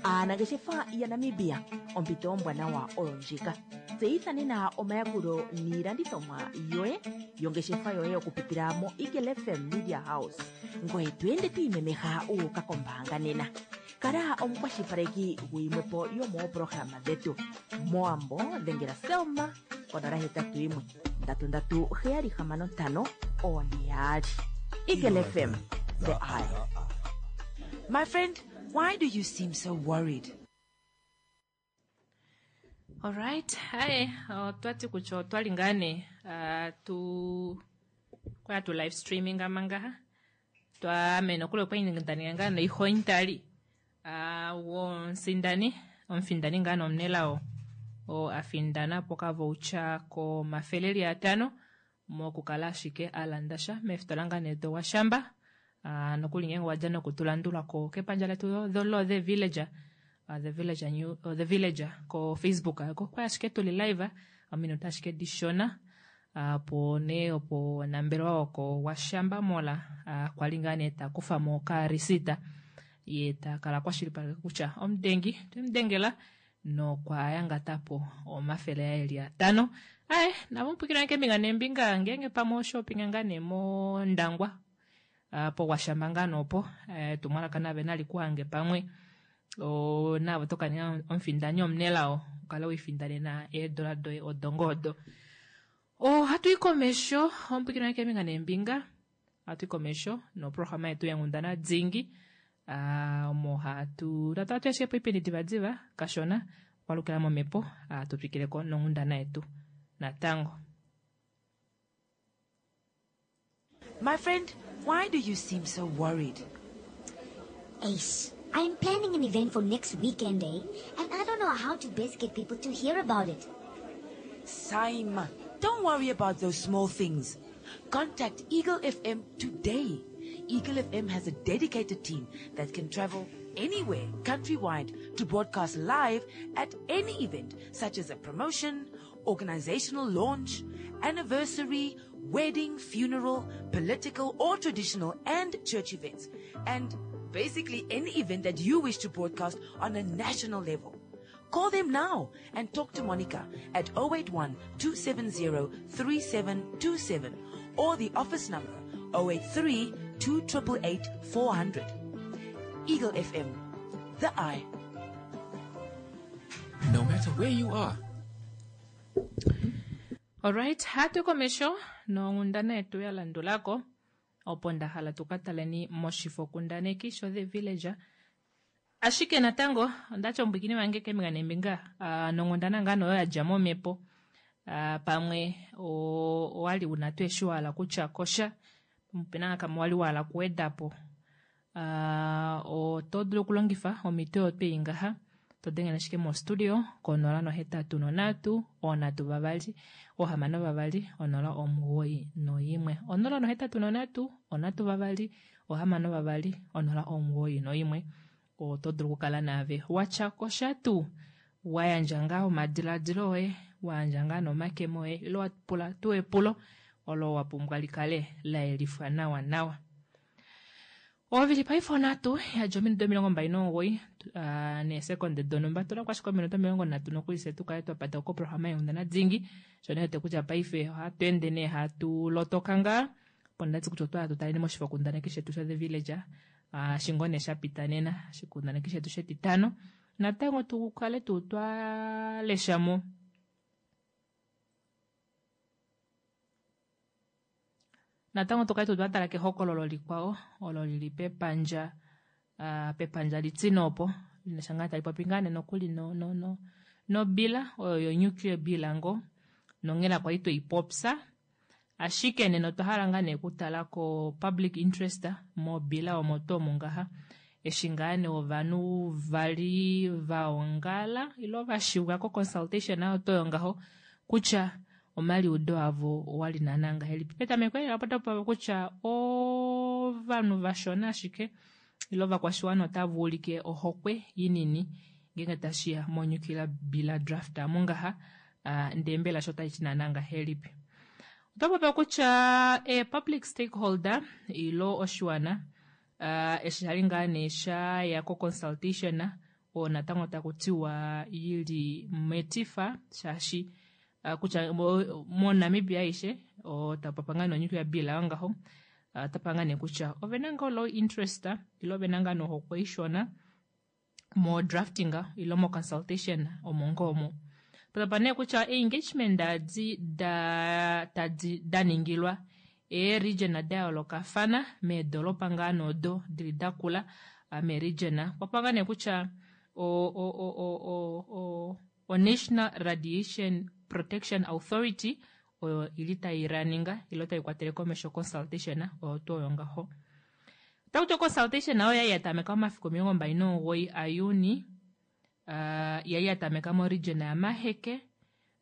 Aanangeshefa yaNamibia, ompito ombwanawa oyo ndjika. Tseyitha nena omayakulo niilandithomwa yoye yongeshefa yoye okupitila mo Eagle F M Media House. Ngoye to ende to imemeha u uka kombaanga nena. Kala omukwashilipaleki guyimwepo yomooprograma dhetu. Moambo dhengela Selma konola hetatu yimwe ndatu ndatu heyali hamano ntano one yaali. Eagle F M, the eye. My friend, why do you seem so worried? All right, hi. Otwa ti kutya otwa li ngaa nee, ah, tu kwa tu live streaming amangaha. Twa mena okule kwa indaninga ngaa noihointali. Ah, wonsindani, omufindani ngaa nomunelao o afindana po kavoucha ko mafeleli atano mokukala ashike alanda sha meefitola ngaa nee do Washamba. Ah, nokuli ngenge wadja nokutulandula ko kepandja letu dho lo The Villager. Uh, The Villager New, uh, The Villager ko Facebook ako kwa ashike tuli live ominute ashike dishona apo ne opo nambelwa oko Washamba mola uh, kwali ngaa nee ta kufa mo ka risita ye ta kala kwashilipaleka kutya omudengi twemudengela nokwa yangatapo omafele aeli atano. Aye, navo mupwikira keembinga neembinga ngenge pamwe oshopping ngaa nee mondangwa po Washamba ngaa noopo, eh, tumwalaka nave nali kuhange pamwe o navo tokaninga omufindani omunelao ukale wifindanena eedola doye odongodo. O hatu yi komesho omupwikira keembinga neembinga, hatu yi komesho noprograma yetu yenghundana dzingi. Ah, omo hatu tatu ashike po ipindi divadiva kashona kwalukila momhepo, ah, tu twikileko nonghundana yetu natango. My friend, why do you seem so worried? Ace, I'm planning an event for next weekend, eh? And I don't know how to best get people to hear about it. Saima, don't worry about those small things. Contact Eagle F M today. Eagle F M has a dedicated team that can travel anywhere countrywide to broadcast live at any event, such as a promotion, organizational launch, anniversary, wedding, funeral, political or traditional and church events, and basically any event that you wish to broadcast on a national level. Call them now and talk to Monica at oh eight one, two seven zero, three seven two seven or the office number oh eight three, two triple eight, four hundred. Eagle F M, the eye. No matter where you are. All right, hatu komesho nonghundana yetu ya landulako opo nda hala tukataleni moshifokundaneki sho The Villager. Ashike natango ondacha ombwikini wange keembinga neembinga, ah, nonghundana ngaa noyo yadja momhepo. Ah, pamwe o-, owali una tuu eshi wahala kutya kosha, opena kamwe wali wahala kuwedapo. Ah, oto dulu okulongifa omito oyo twei ngaha, to dengele ashike mo studio konola nohetatu nonhatu, onhatu vavali, ohamano vavali, onola omugoyi noyimwe. Onola nohetatu nonhatu, onhatu vavali, ohamano vavali, onola omugoyi noyimwe. Oto dulu okukala naave watya kosha tuu, wa yandja ngaa omadiladilo oye, wa yandja ngaa nomakemo oye, ile wa pula tuu epulo olo wa pumbwa likale la yelifwa nawa nawa. Ovili paife onhatu yadja ominute omilongo mbali nomugoyi, ah, neesekonde donhumba. Tula kwashike ominute omilongo nhatu nokuli fye tukale twa pata koprograma yenghundana dingi. Sho nee wete kutya paife ohatu ende nee hatu lotoka ngaa Opo ndati kutya otwa tutaleni moshifokundaneki shetu sha The Villager, uh, shingone sha pita nena, oshikundaneki shetu shetitano. Natango tukale tuu twalesha mo natango tukale tuu twatala kehokololo likwao olo lili pepandja uh, pepandja litine opo linasha ngaa tali popi ngaa nee nokuli no, no, no, nobila oyo yo nuclear bill ngo nonghela kwali tweipopya ashike nena otwa hala ngaa nee okutala ko public interest mobila omo tuu omo ngaha eshi ngaa nee ovanhu vali vaongala ilo vashiwa ko consultation oyo toyo ngaho kutya omaliudo avo owali naana ngahelipi. Petameko elela opo tapupopiwa kutya ovanhu vashona ashike ilo ovakwashiwana otava ulike ohokwe inini ngenge tashiya mo nuclear bill draft amu ngaha, uh, ndee mbela sho otashi ti naana ngahelipi. Oto popiwa kutya e public stakeholder ilo oshiwana uh, eshi shali ngaa nee shaya ko consultation oo natango taku tiwa yili metifa shaashi uh, kutya moNamibia aishe otapapa ngaa nee bill ayo ngaho uh, tapa ngaa nee kutya ovena ngoo low interest ilo ovena ngaa nohokwe ishona mo drafting ilo mo consultation omo ngoo omo. Tapa nee kutya engagement adi da tadi daningilwa ee region da yoolokafana meedolopa ngaa noodo dili dakula mee region kwapa ngaa nee kutya o o o o o o National Radiation Protection Authority oyo ili tai raninga ilo tai kwatele komesho consultation oyo tuu oyo ngaho. Otakuti consultation oyo yali yatameka momafiku omilongo mbali nomugoyi aJuni, uh, yali yatameka mo region ya Maheke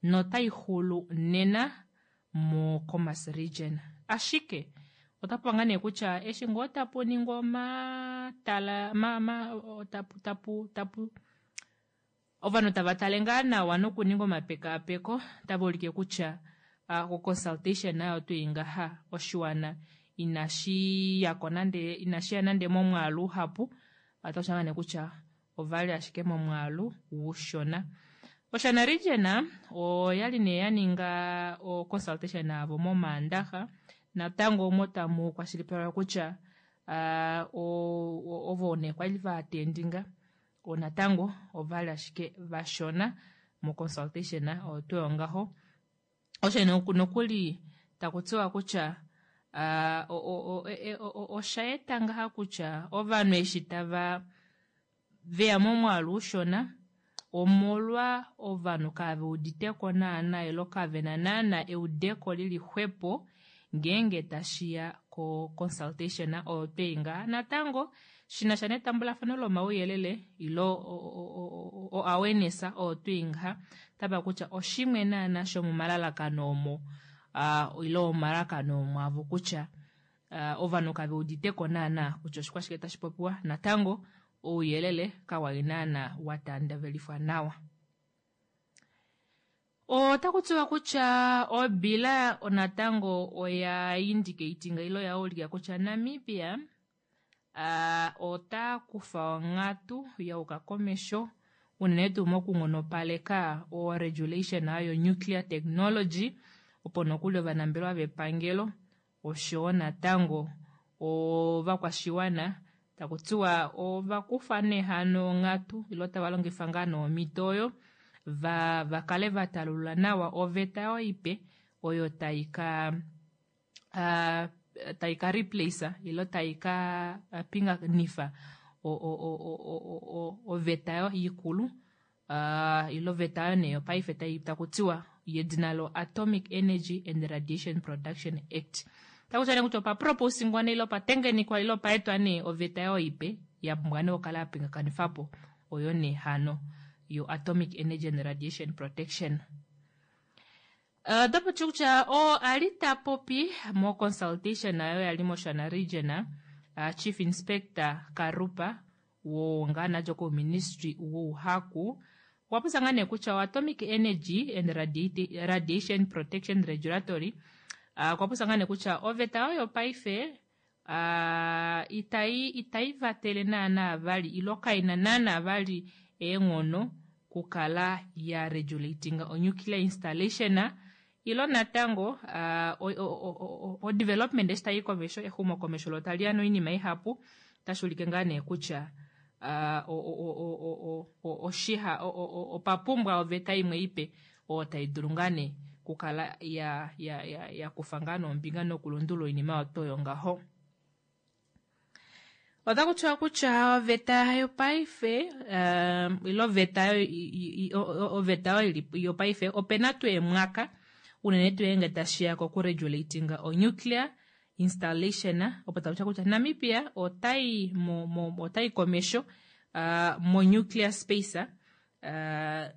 notai xulu nena mo Khomas region. Ashike otapu ngaa nee kutya eshi ngoo tapu ningwa omatala ma, ma, tapu, tapu, tapu ovanhu tava tale ngaa nawa nokuninga omapekaapeko tava ulike kutya uh, consultation nayo tuu ngaha oshiwana inashi yako nande inashi ya nande momwaalu uhapu, otashi ngaa nee kutya ovali ashike momwaalu ushona. Oshana region oyali nee ya ninga o consultation avo momaandaxa natango omo tamu kwashilipalekwa kutya uh, ovo nee kwali va attendinga natango ovali ashike vashona mo consultation oyo tuu ngaho. Osho nokuli taku tiwa kutya uh, osha eta ngaha kutya ovanhu eshi tava veya momwaalu ushona omolwa ovanhu kave uditeko naana ilo kavena naana eudeko lili xwepo ngeenge tashiya ko consultation oyo twei ngaha. Natango shinasha netambulafano lomauyelele ilo o awareness oyo twei ngaha tava kutya oshimwe naana shomomalalakano omo uh, ilo omalalakano omo avo kutya uh, ovanhu kave uditeko naana kutya oshikwashike tashi popiwa. Natango ouyelele kawali naana watandavelifwa nawa. Otaku tiwa kutya obila natango oya indicatinga ilo ya ulika kutya Namibia uh, ota kufa onghatu yauka komesho unene tuu mokunghonopaleka o regulation ayo nuclear technology opo nokuli ovanambelewa vepangelo oshowo natango ovakwashiwana taku tiwa ovakufa nee hano onghatu ilo tava longifa ngaa nomhito oyo va vakale vatalulula nawa oveta oyo ipe oyo tai ka uh, tai ka replace ilo tai ka pinganifa o o o o o oveta oyo ikulu uh, ilo oveta oyo nee yopaife tai takutiwa yedina lo Atomic Energy and Radiation Production Act. Takuti nee kutya opa proposingwa nee ilo opatengenikwa ilo opaetwa nee oveta oyo ipe ya pumbwa nee okukala ya pingakanifapo oyo nee hano yo Atomic Energy and Radiation Protection. Otapu ti kutya oo ali ta popi mo consultation ayo yali moShana region, uh, Chief Inspector Karupa wo ngaa ko ministry wouhaku okwa popya ngaa nee kutya Atomic Energy and Radiation Protection Regulatory okwa popya ngaa nee kutya oveta oyo paife uh, itai itai vatele naana vali ilo kaina naana vali eenghono kukala ya regulating o nuclear installation Ilo natango o development eshi tayi komesho, exumokomesho lo tali ya noinima ihapu, otashi ulike ngaa nee kutya oshiha opa pumbwa oveta imwe ipe oyo tai dulu ngaa nee kukala ya ya ya ya kufa ngaa nombinga nokulundulula oinima oyo oyo ngaho. Otaku tiwa kutya oveta yopaife ile oveta oveta oyo yopaife opena tuu emwaka unene tuu ngeenge tashiya kokuregulatinga onuclear installation, opo taku tiwa kutya Namibia otai mo, mo, otai komesho uh, mo nuclear space uh,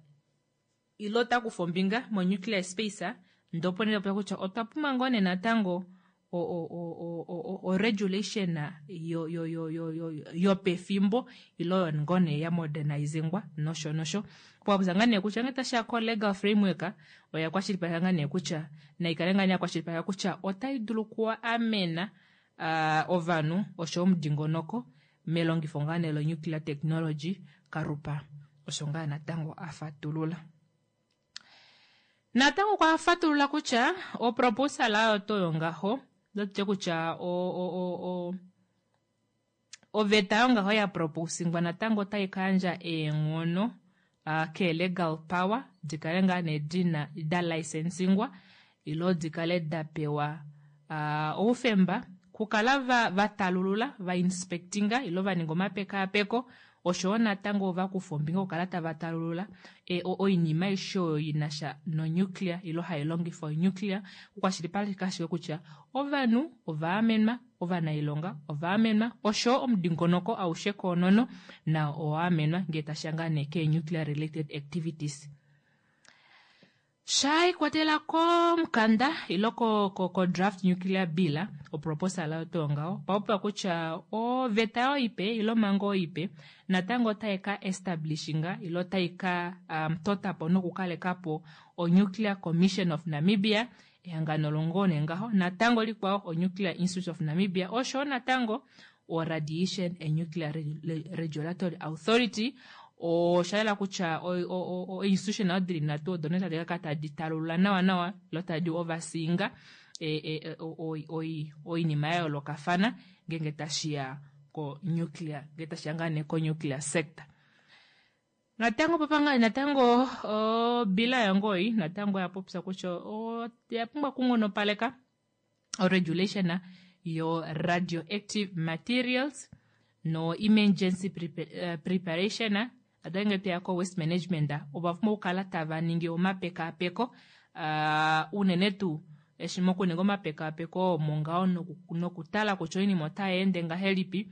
ile ota kufa ombinga mo nuclear space, ndee opo nee taku kutya otwa pumbwa ngoo nee natango o, o, o, o, o regulation yo yo yo yo yo yopefimbo ile oyo ngoo nee ya modernizingwa nosho nosho. Popya ngaa nee kutya ngee tashiya ko legal framework oya kwashilipaleka ngaa nee kutya naikale ngaa nee ya kwashilipaleka kutya otai dulu okuamena uh, ovanhu osho omudingonoko melongifo ngaa nee lo nuclear technology. Karupa osho ngaa natango afatulula. Natango okwa fatulula kutya oproposal oyo to ngaho ndotye kutya o o o oveta yongaho ya proposingwa natango otai kayandja eenghono uh, ke legal power dikale ngaa nee dina da licensingwa ilo dikale da pewa uh, oufemba kukala va, va talulula va inspectinga ilo va ninga omapekaapeko oshowo natango va kufa ombinga okukala tava talulula e, oinima aishe oyo ina sha nonuclear ilo hai longifa onuclear okukwashilipaleka ashike kutya ovanhu ova amenwa, ovanailonga ova amenwa oshowo omudingonoko aushe koonono nao owa amenwa ngee tashiya ngaa nee ke nuclear related activities. Sha ikwatela komukanda ilo ko, ko, ko draft nuclear bill oproposal oyo tuu ngaho papopiwa kutya oveta oyo ipe ilo omhango oyo ipe natango otai ka establishinga ilo otai ka um, totapo nokukalekapo o Nuclear Commission of Namibia, ehangano longo nee ngaho natango likwao o Nuclear Institute of Namibia osho natango o Radiation and Nuclear Regulatory Authority. Osha yela kutya o-institution oyo dili nhatu odo nee tadi ka kala tadi talulula nawa nawa ilo tadi overseeinga oinima ya yoolokafana ngeenge tashiya ko nuclear, ngee tashiya ngaa nee ko nuclear sector. Natango popanga natango obila yongoi natango ya popya kutya oya pumbwa okunghonopaleka o regulation yo radioactive materials no emergency prepa, uh, preparation. Adange teya ko waste management ova pumbwa okukala tava ningi omapekaapeko uh, unene tuu eshi mokuninga omapekaapeko omo ngaho nokutala kutya oinima otai ende ngahelipi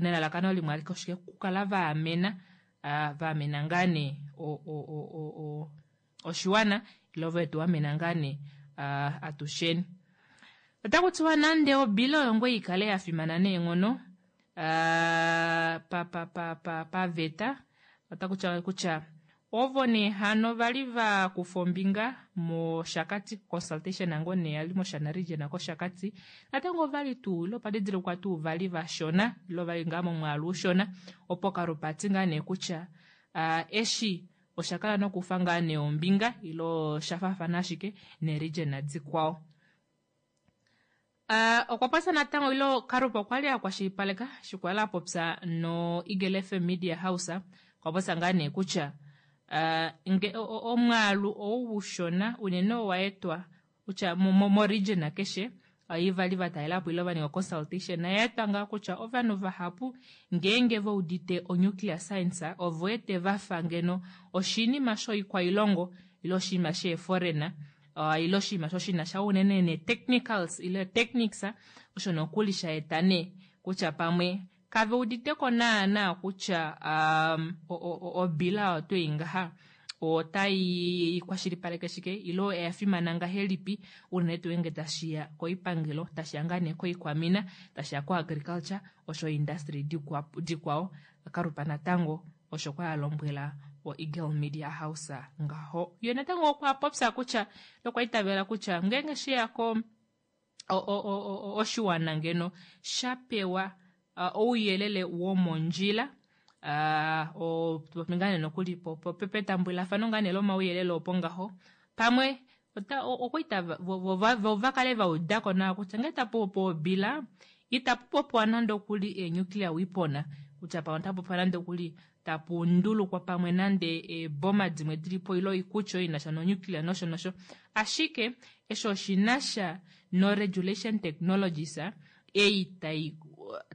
nelalakano limwe alike oshike okukala va amena uh, va amena ngaa nee oshiwana ilo vetu amena ngaa nee uh, atusheni. Otaku tiwa nande obila oyo ngoo ikale ya fimana neenghono uh, pa pa pa pa paveta, otaku tiwa kutya ovo nee hano vali va kufa ombinga mOshakati consultation nango nee yali mOshana region kOshakati natango ovali tuu ilo padidilikwa tuu vali vashona ilo vali ngaa momwaalu ushona, opo Karupa ati ngaa nee kutya uh, eshi osha kala nokufa ngaa nee ombinga ilo sha faafana ashike neregion dikwao. Uh, okwa popya natango ilo Karupa okwa li a kwashilipaleka shikwala a popya no Eagle F M Media House, okwa popya ngaa nee kutya uh, nge omwaalu ou ushona unene owa etwa kutya mo region keshe ivali va talelapo ilo va ninga consultation na etwa ngaa kutya ovanhu vahapu ngeenge va udite o nuclear science ovo ete vafa ngeno oshinima shoikwailongo ilo oshinima sheeforeigner uh, ilo oshinima shoshina sha unene ne technicals ile techniques osho nokuli sha eta nee kutya pamwe kave uditeko naana kutya um, obila oyo twei ngaha otai kwashilipaleke shike ilo oya fimana ngahelipi unene tuu ngeenge tashiya koipangelo, tashiya ngaa nee koikwamina, tashiya ko agriculture osho industry dikwao. Karupa natango osho kwa lombwela o Eagle Media House ngaho. Ye natango okwa popya kutya okwa itavela kutya ngeenge shiya ko oshiwana ngeno sha pewa uh, ouyelele womondjila uh, o ngane nokuli po petambulafano ngane lomauyelele opo ngaho pamwe Ota okwa itava vo vo va kale va udako nawa kutya ngee tapu popiwa obila itapu popiwa nande okuli e-nuclear weapon kutya pamwe otapu popiwa nande okuli tapu ndulukwa pamwe nande eeboma dimwe dilipo ile oikulya oyo inasha no-nuclear nosho nosho. Ashike eshi oshinasha no-regulation technologies ei tai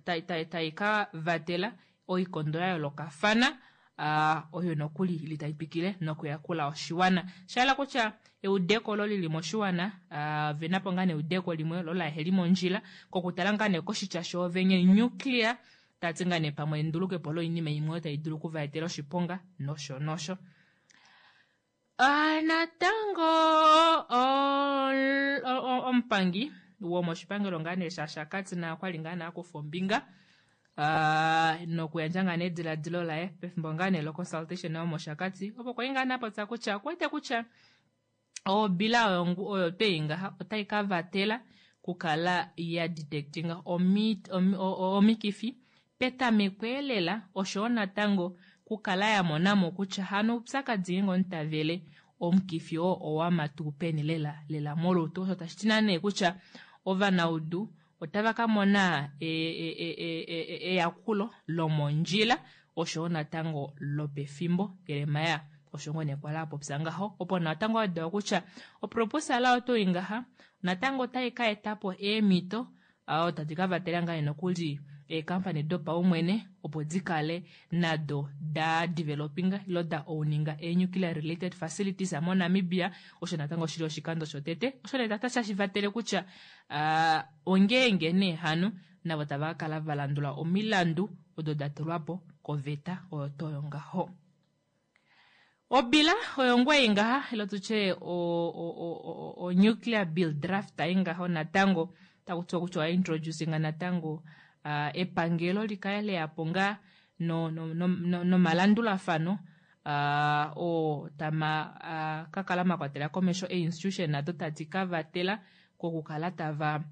tai tai tai ka vatela oikondo ya yoolokafana uh, oyo nokuli ili tai twikile nokuyakula oshiwana. Shahala kutya eudeko olo lili moshiwana uh, venapo ngaa neudeko limwe lo laheli mondjila kokutala ngaa nee koshitya shoovenye nuclear tati ngaa nee pamwe endulukepo loinima imwe oyo tai dulu okuvaetela oshiponga nosho nosho. Uh, natango omupangi womoshipangelo ngaa nee shaShakati naye okwali ngaa nee akufa ombinga uh, nokuyandja ngaa nee ediladilo laye pefimbo ngaa nee loconsultation yomoshakati opo kwali ngaa nee apopya kutya okuwete kutya obila oyo oyo twei ngaha otai ka vatela kukala ya detectinga omikifi petameko elela oshowo natango kukala ya monamo kutya hano oupyakadi ngeenge omunhu tavele omukifi oo owama tuu peni lela lela molutu. Osho tashi ti nee kutya ovanaudu otava ka mona eyakulo lomondjila oshowo natango lopefimbo. Jeremia osho ngoo nee kwali apopya ngaho opo natango awedapo kutya oproposala oyo tuu ngaha natango otai ka etapo eemhito oo tadi ka vatela ngaa nokuli eekampani dopaumwene opo dikale nado da developinga ilo da owninga e-nuclear related facilities moNamibia. Osho natango shili oshikando shotete osho nee tashi vatele kutya uh, ongeenge nee hano navo tava ka kala va landula omilandu odo da tulwapo koveta oyo toyo ngaho. Obila oyo ngwei ngaha ilo tutye o, o, o, o nuclear bill draft ai ngaho natango taku tiwa kutya oya introducinga natango uh, epangelo likale leyapo ngaa no, no, no, no, nomalandulafano uh, oo tama uh, kakala makwatela komesho e-institution nado tadi ka vatela kokukala tava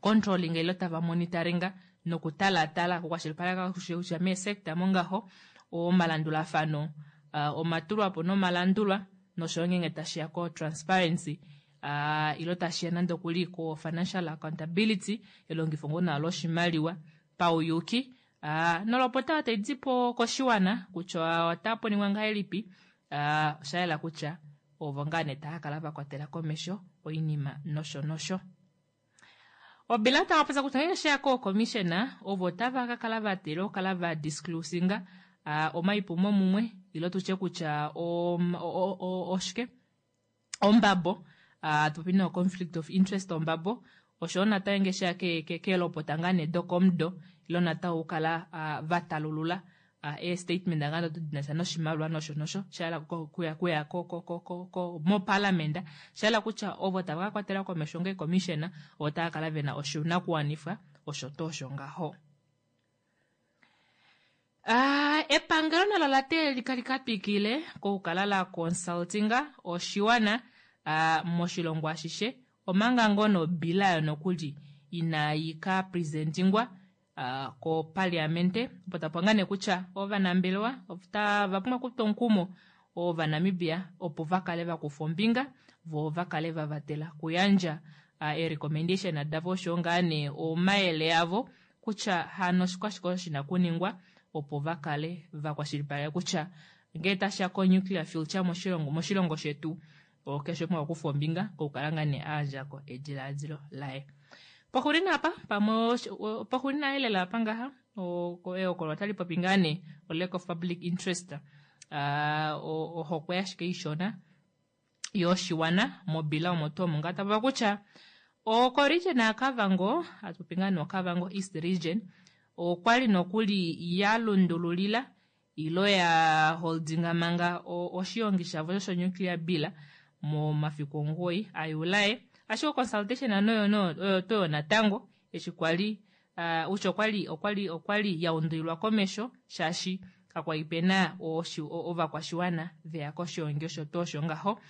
controlling ilo tava monitoringa nokutalatala okukwashilipaleka kutya meesector mongaho omalandulafano uh, omatulwapo nomalandulwa noshoyo ngeenge tashiya ko transparency uh, ilo tashiya nande okuli ko financial accountability elongifo ngoo nawa loshimaliwa pauyuki uh, nolopota oyo tai dipo koshiwana kutya otapu ningwa ngahelipi uh, osha yela kutya ovo ngaa nee tava kala vakwatela komesho oinima nosho nosho. Obila tava popya kutya ngeenge sheya kookomishena ovo tava ka kala vatela okukala va disclosinga uh, omaipumo mumwe ilo tutye kutya oshike ombabo uh, tupopi no conflict of interest ombabo oshowo natango ngeenge sheya keelopota ngaa nee dokomudo ilo natango okukala uh, vatalulula uh, ee-statement ngaa do dinasha noshimaliwa nosho nosho shahala kuya kuya ko ko ko ko ko moparliament shahala kutya ovo tava ka kwatela komesho ngee commissioner ovo tava kala vena oshinakuwanifwa osho tuu osho ngaho. Uh, epangelo nalo la teelelika lika twikile kokukala la consultinga oshiwana uh, moshilongo ashishe omanga ngoo nobila yo nokuli inayi ka presentingwa uh, kopaliamente opo tapo ngaa nee kutya ovanambelewa otava pumbwa okutwa omukumo ovanamibia opo va kale vakufa ombinga vo va kale va vatela kuyandja uh, ee-recommendation davo oshowo ngaa nee omayele avo kutya hano oshikwashike osho shina kuningwa opo va kale vakwashilipaleka kutya ngee tashiya ko-nuclear fuel moshilongo moshilongo shetu keshe umwe okufa ombinga kokukala ngaa nee ayandjako ediladilo laye. Poxulina apa pamwe poxulina elela apa ngaha ehokololo otali popi ngaa nee o lack of public interest uh, ohokwe ashike ishona yoshiwana mobila omo tuu omo ngaa tapopa kutya okoregion yaKavango atupopi ngaa nee oKavango East Region okwali nokuli ya lundululila ilo ya holdinga manga oshiongi shavo sho nuclear bill momafiku omugoyi aJuli ashike consultation ano oyo toyo natango eshi kwali uh, utya okwali okwali okwali ya undulilwa komesho shaashi kakwali pena ovakwashiwana veya koshiongi osho tuu osho ngaho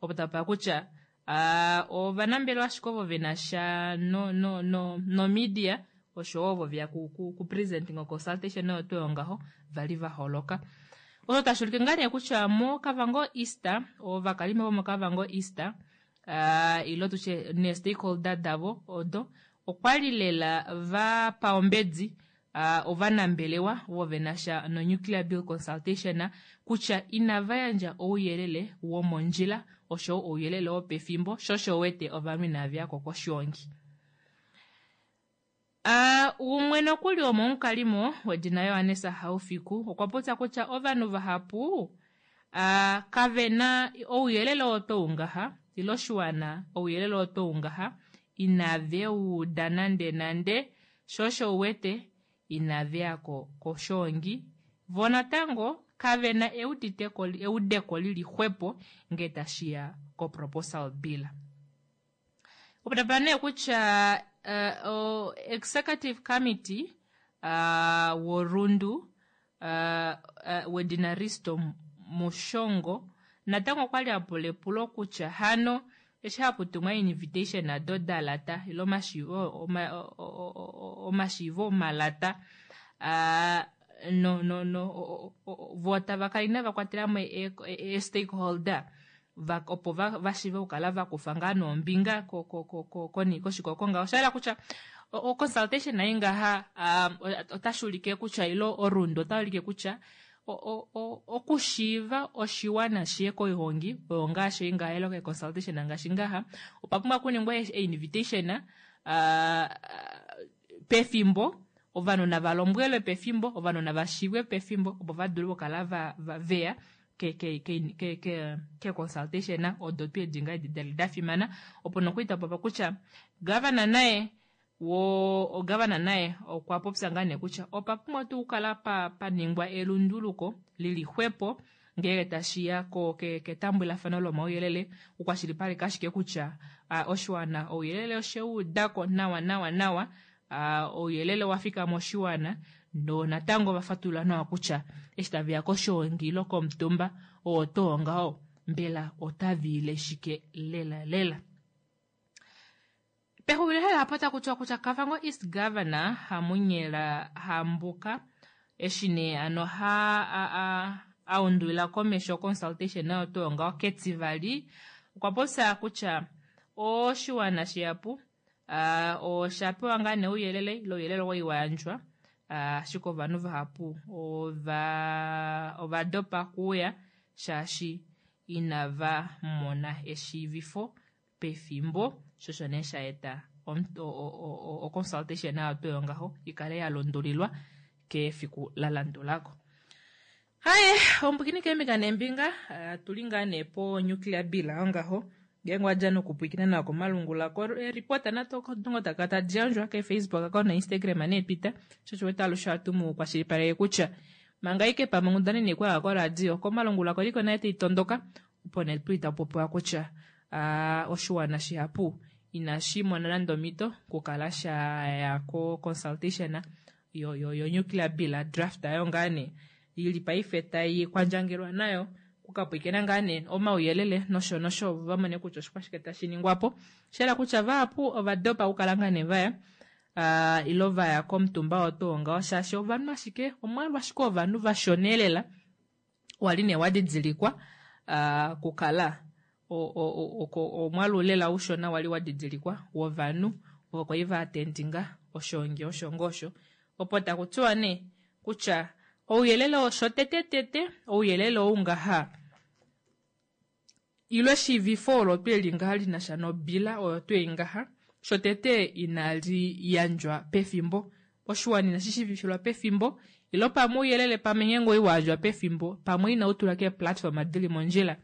opo tapa kutya uh, ovanambelewa ashike ovo vena sha no, no, no, no media oshowo ovo veya ku, ku, ku presenting consultation oyo tuu ngaho vali va holoka. Osho tashi ulike ngaa nee kutya moKavango East ovakalimo vomoKavango East uh, ilo tutye nee-stakeholder davo odo okwali lela va pa ombedi uh, ovanambelewa ovo venasha no-nuclear bill consultation kutya inava yandja ouyelele womondjila oshowo ouyelele wopefimbo sho osho wete ovanhu inaveyako koshiongi. Uh, umwe nokuli womomukalimo wedina Johannes Haufiku okwa popya kutya ovanhu vahapu uh, kave na ouyelele oo tou ngaha ile oshiwana ouyelele oo tou ngaha inave uda nande nande sho osho uwete inaveyako koshongi vo natango kave na euditeko eudeko lili xwepo ngee tashiya koproposal bill. Opo nee kutya uh, o executive committee uh, worundu uh, uh, wedina Risto Mushongo natango okwali apula epulo kutya hano eshi haputumwa invitation ado dalata ile omashiivo oma, omashiivo omalata uh, no no no vo tava kala inava kwatela mo e-stakeholder va, opo va, va shiive okukala vakufa ngaa nombinga koshikoko ngaho. Osha yela kutya o consultation ai ngaha um, otashi ulike kutya ilo orundo otashi ulike kutya okushiiva oshiwana shiye koihongi oyo ngaashi ngaha ilo ke consultation ngaashi ngaha opa pumbwa okuningwa e-invitation uh, pefimbo ovanhu nava lombwelwe pefimbo ovanhu nava shiivwe pefimbo opo va dule okukala va, va veya ke ke ke ke ke ke consultation odo tuu edi ngaa edi dali da fimana opo nokwiita popa kutya governor naye wo ogavana naye okwa popya ngaa nee kutya opa pumbwa tuu okukala pa paningwa elunduluko lili xwepo ngenge tashiya ko ke ketambulafano lomauyelele okukwashilipaleka ashike kutya uh, oshiwana ouyelele osheuudako nawa nawa nawa uh, ouyelele wafika moshiwana no natango vafatulula nawa kutya eshi taveya koshiongi ilo komutumba oo too ngaho mbela otaviile shike lela lela. Pexulilo hela apa taku tiwa kutya Kavango East Governor Hamunyela Hambuka eshi nee ano ha a, a, a undulila komesho consultation nayo tuu ngaho ketivali okwa popya kutya oshiwana shihapu uh, osha pewa ngaa nee ouyelele ile ouyelele owa wa yandjwa ashike ovanhu vahapu ova ova dopa kuuya shaashi inava mona eshiivifo pefimbo sho osho nee sha eta o consultation nayo tuu ngaho ikale ya lundulilwa kefiku la landulako. Haye ombwikini keembinga neembinga tuli ngaa nee po nuclear bill ngaho ngeenge wadja nokupwiikina nawa komalungula ko report natango taka tadi yandjwa ke-Facebook account na-Instagram nee-Twitter sho osho wete alushe ohatu mu kwashilipaleke kutya manga ike pamwe onghundana inai kwaya koradio komalungula koliko naye taitondoka opo nee tuli tapopiwa kutya uh, oshiwana shihapu inashi mona nande omhito okukala shaya ko consultation yo, yo, yo nuclear bill draft ayo ngaa nee ili paife tai kwandjangelwa nayo kukapwikena ngaa nee omauyelele nosho nosho va mone kutya oshikwashike tashi ningwapo. Shayela kutya vahapu ova dopa okukala ngaa nee vaya uh, ilo vaya komutumba oo tuu ngaho shaashi ovanhu ashike omwaalu ashike ovanhu vashona lela wali nee wadidilikwa uh, kukala omwaalu lela ushona wali wadidilikwa wovanhu ovo kwali va attendinga oshoongi osho ngosho opo taku tiwa nee kutya ouyelele osho tete tete ouyelele ou ngaha ilo eshiivifo olo tweli ngaha linasha nobila oyo twei ngaha shotete inali yandjwa pefimbo oshiwana inashi shiivifilwa pefimbo ilo pamwe ouyelele pamwe ngeenge oi wayandjwa pefimbo pamwe inau tulwa keeplatform dili mondjila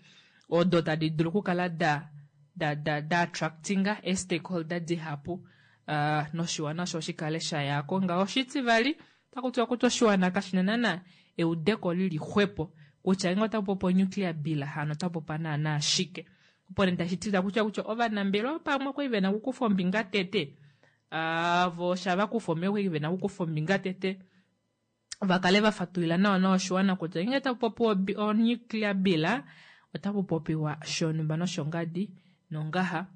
odo tadi dulu okukala da da da da attractinga ee-stakeholder dihapu uh, noshiwana osho shikale shayako ngaho. Oshitivali otaku tiwa kutya oshiwana kashina naana eudeko lili xwepo kutya ngeenge otaku popiwa nuclear bill hano otaku popiwa naana shike opo nee tashi ti kutya kutya ovanambelewa pamwe okwali vena okukufa ombinga tete uh, vo shava kufa ombinga okwali vena okukufa ombinga tete vakale vafatulila nawa nawa oshiwana kutya ngeenge taku popiwa o nuclear bill otaku popiwa shonumba noshongadi nongaha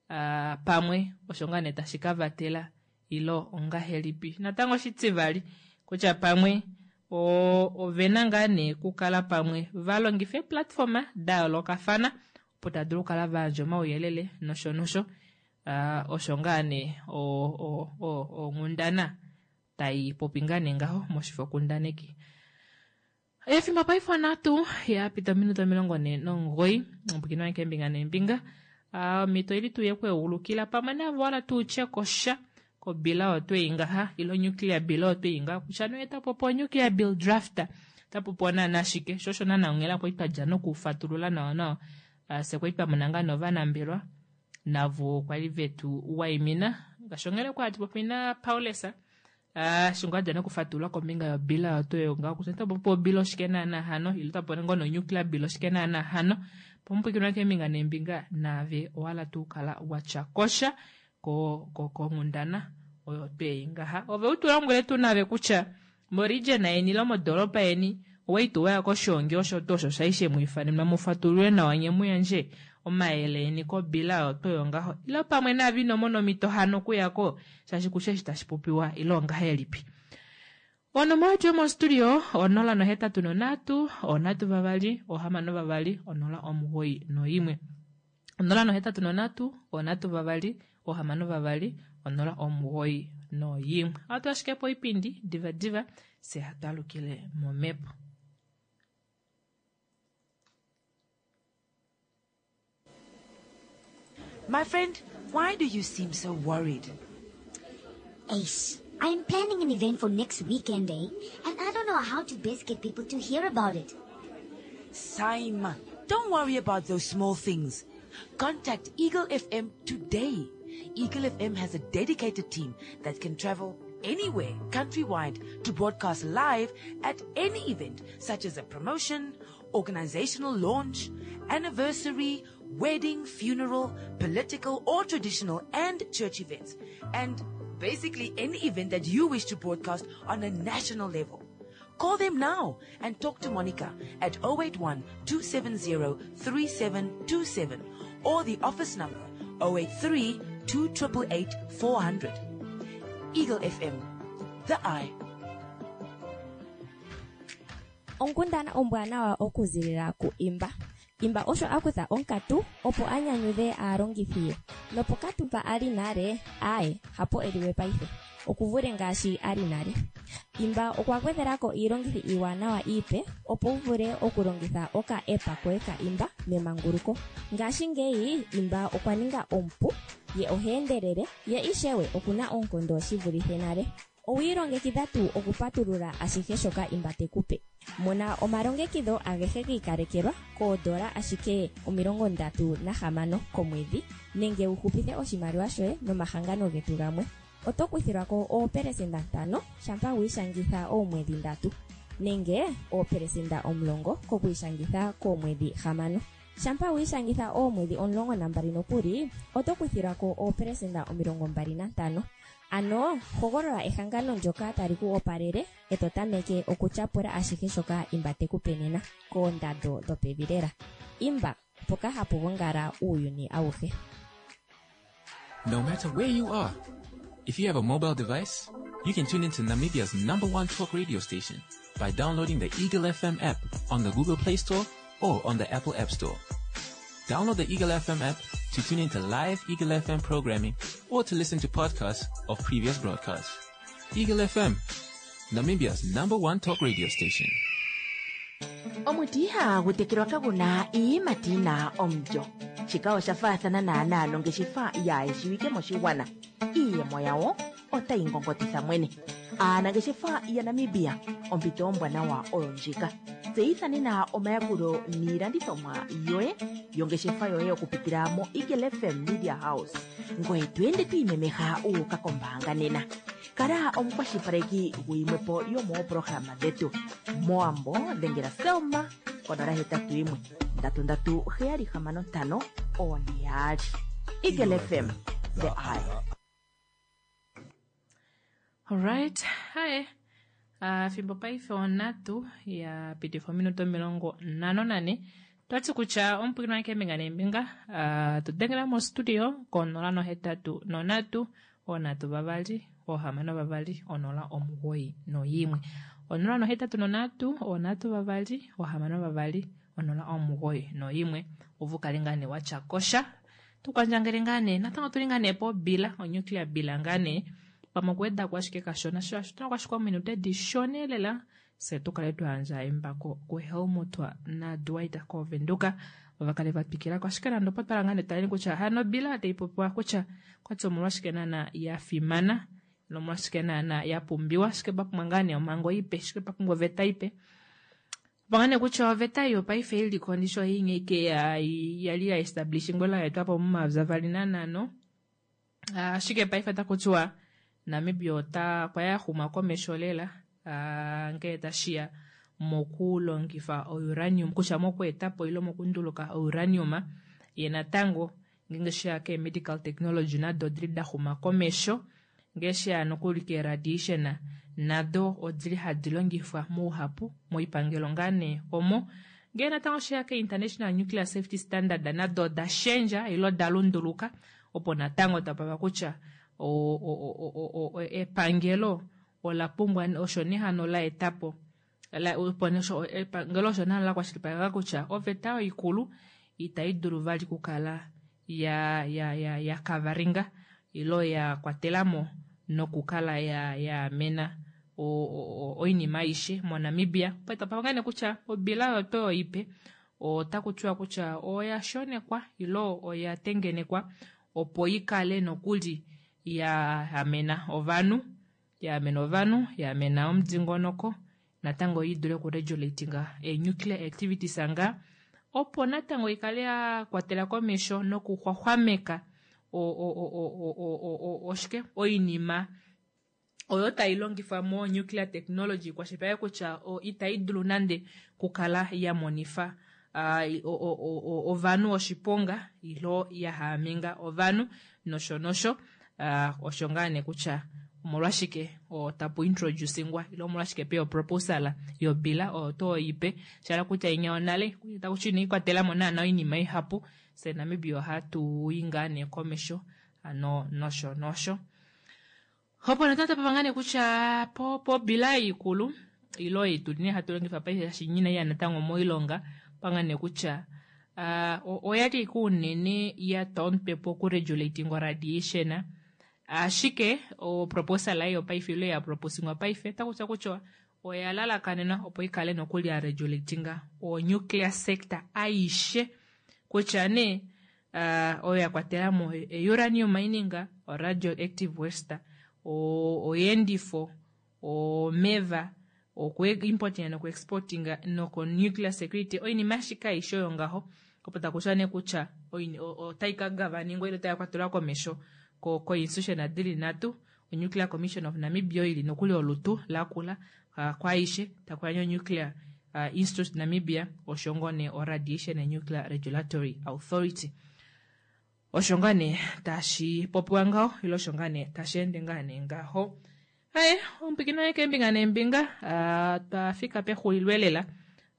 uh, pamwe osho ngaa nee tashi ka vatela ilo ongahelipi. Natango oshitivali kutya pamwe ovena ngaa nee kukala pamwe va longifa eeplatform da yoolokafana opo tava dulu okukala vayandja omauyelele nosho nosho. Uh, osho ngaa nee onghundana tai popi ngaa nee ngaho moshifokundaneki. Efimbo paife onhatu yapita ominute omilongo nhee nomugoyi, omupwiikini wange keembinga neembinga. Omhito ili tuu yekweulukila pamwe navo wala tuu tye kosha kobila oyo twei ngaha ilo nuclear bill oyo twei ngaha kutya nee tapopiwa onuclear bill draft tapopiwa naana shike, sho osho naana onghela kwali twadja nokufatulula nawa nawa. Fye kwali twamona ngaa novanambelwa navo kwali vetu waimina ngaashi onghela kwali hatu popi na Paulus eshi ngoo adja nokufatulula kombinga yobila oyo tweyo ngaho kutya otapopiwa obila oshike naana hano ile otapopiwa ngoo nonuclear bill oshike naana hano. Pomupwiikini keembinga neembinga naave owala tuu kala watya kosha konghundana oyo twei ngaha. Ove u tu lombwele tuu nave kutya moregion yeni ile modoropa yeni owali tuu waya koshoongi osho tuu osho shali shemwiifanenwa mufatulule nawa nye muyandje omayele eni kobila oyo tweyo ngaho ile pamwe naave ino mona omhito hano okuyako shaashi kushe eshi tashi popiwa ile ongahelipi. Onomola yetu yomostudio onola nohetatu nonhatu onhatu vavali ohamano vavali onola omugoyi noimwe, onola nohetatu nonhatu onhatu vavali ohamano vavali onola omugoyi noimwe. Ohatu ashike po oipindi diva diva fye hatu alukile momhepo. My friend, why do you seem so worried? Ace, I'm planning an event for next weekend, eh? And I don't know how to best get people to hear about it. Saima, don't worry about those small things. Contact Eagle F M today. Eagle F M has a dedicated team that can travel anywhere countrywide to broadcast live at any event, such as a promotion, organizational launch, anniversary, wedding, funeral, political or traditional and church events, and basically any event that you wish to broadcast on a national level. Call them now and talk to Monica at oh eight one, two seven zero, three seven two seven or the office number oh eight three, two triple eight, four hundred. Eagle F M, the eye. Onkundana ombwanawa okuzilila ku Imba. Imba osho a kutha onkatu opo a nyanyudhe aalongithi ye. Nopokatu mpa a li nale, aye, hapo e liwe paife. Okuvule ngaashi a li nale. Imba okwa gwedhelako iilongithi iiwanawa iipe opo u vule okulongitha oka app koye ka Imba memanguluko. Ngashingeyi Imba okwa ninga omupu, ye oha endelele, ye ishewe okuna oonkondo shi vulithe nale. Owi ilongekidha tuu okupatulula ashihe shoka Imba te ku pe? Mona omalongekidho agehe gi ikalekelwa koodola ashike omilongo ndatu nahamano komwedhi, nenge wu hupithe oshimaliwa shoye nomahangano getu gamwe. Oto kuthilwa ko oopelesenda ntano shampa wi ishangitha oomwedhi ndatu, nenge oopelesenda omulongo kokwiishangitha koomwedhi hamano. Shampa wi ishangitha oomwedhi omulongo nambali nokuli, oto kuthilwa ko oopelesenda omilongo mbali nantano. Ano, hogolola ehangano ndyoka tali ku opalele, e to tameke okutyapula ashihe shoka Imba te ku pe nena, koondando dhopevi lela. Imba, mpoka hapu gongala uuyuni auhe. No matter where you are, if you have a mobile device, you can tune into Namibia's number one talk radio station by downloading the Eagle F M app on the Google Play Store or on the Apple App Store. Download the Eagle F M app to tune into live Eagle F M programming or to listen to podcasts of previous broadcasts. Eagle F M, Namibia's number one talk radio station. Omuti ihagu tekelwa kaguna iiyimati yina omulyo. Shika osha faathana naanaa nongeshefa yaayeshiwike moshigwana. Iiyemo yawo otayi ngongotitha mwene. Aanangeshefa yaNamibia, ompito ombwanawa oyo ndjika. Tseyitha nena omayakulo niilandithomwa yoye yongeshefa yoye okupitila mo Eagle F M Media House. Ngoye to ende to imemeha wu uka kombaanga nena. Kala omukwashilipaleki guyimwepo yomoopolohalama dhetu. Moambo dhengela Selma konola hetatu yimwe ndatu ndatu heyali hamano ntano one yaali. Eagle F M, the eye. Alright, hi. Uh, fimbo paife onhatu ya pitifa ominute omilongo nhano nane. Twati kutya omupwiikini wange keembinga neembinga, uh, tu dengela mostudio konola nohetatu nonhatu, onhatu vavali, ohamano vavali, onola omugoyi noyimwe. Onola nohetatu nonhatu, onhatu vavali, ohamano vavali, onola omugoyi noyimwe. Ove ukale ngaa nee watya kosha. Tukwandjangele ngaa nee natango otuli ngaa nee pobila, onuclear bila ngaa nee. Pamwe okuwedako ashike kashona shaashi otuna ashike ominute dishona lela fye tukale twayandja embako kuHelmut naDwight koVenduka ovakale vatwikilako. Ashike nande opo twala ngaa nee taleni kutya hano obila taipopiwa kutya okwati omolwashike naana yafimana nomolwashike naana yapumbiwa, ashike papumbwa ngaa nee omhango ipe, ashike papumbwa oveta ipe. Opo nee kutya oveta ei yopaife iliko ndisho inya ike yali ya establishingwa ya etwapo momayovi avali nanhano, ashike paife otakutiwa Namibia ota okwa yaxuma komesho lela ngee tashiya mokulongifa ouranium, kutya mokweetapo ile mokunduluka ouranium, ye natango ngeenge sheya kee medical technology nado odili daxuma komesho, ngee sheya nokuli kee radiation nado odili hadi longifwa mouhapu moipangelo ngaa nee omo. Ngee natango sheya ke International Nuclear Safety Standard nado oda shendja ile oda lunduluka, opo natango tapava kutya epangelo ola pumbwa osho nee hano la etapo opo epangelo osho nee hano la kwashilipaleka kutya oveta oyo ikulu itai dulu vali okukala ya ya ya ya kavaringa ilo ya kwatelamo nokukala ya yaamena oinima aishe moNamibia. Opo tapava ngaa nee kutya obila oyo tuu ipe otaku tiwa kutya oya shonekwa ilo oya tengenekwa opo ikale nokuli ya amena ovanhu, ya amena ovanhu, ya amena omudingonoko, natango idule okuregulatinga ee-nuclear activities nga, opo natango ikale ya kwatela komesho nokuxwaxwameka oshike oinima oyo tai longifwa mo nuclear technology, kwashilipaleke kutya itai dulu nande kukala ya monifa ovanhu oshiponga ilo ya haaminga ovanhu nosho nosho. Osho ngaa nee kutya omolwashike tapu introducingwa ilo omolwashike peya oproposal yobila oyo tuu ipe, shala kutya inya yonale takuti inaikwatelamo naana oinima ihapu, fye Namibia ohatu i ngaa nee komesho hano nosho nosho. Opo natango tapapa ngaa nee kutya pobila ikulu ilo ei tuli nee hatu longifa paife shaashi inaiya natango moilonga, opa nee kutya oyali ashike unene yatwa omutwe pokuregulatingwa radiation, ashike oproposal ei yopaife ilo ya proposingwa paife otakutiwa kutya oya lalakanenwa opo ikale nokuli ya regulatinga o nuclear sector aishe, kutya nee oyo ya kwatelamo uranium mining, o radioactive waste, oyeendifo, omeva, oku importinga noku exportinga noko nuclear security, oinima ashike aishe oyo ngaho opo takutiwa nee kutya otai ka gavaningwa ile otai kwatelwa komesho ko institution dili nhatu, o Nuclear Commission of Namibia oyo ili nokuli olutu lakula kwaaishe, takuya Nuclear Institute Namibia, osho ngoo nee o Radiation and Nuclear Regulatory Authority. Osho ngaa nee tashi popiwa ngaho ile osho ngaa nee tashi ende ngaa nee ngaho. Aye, omupwikino waye keembinga neembinga, twafika pexulilo elela,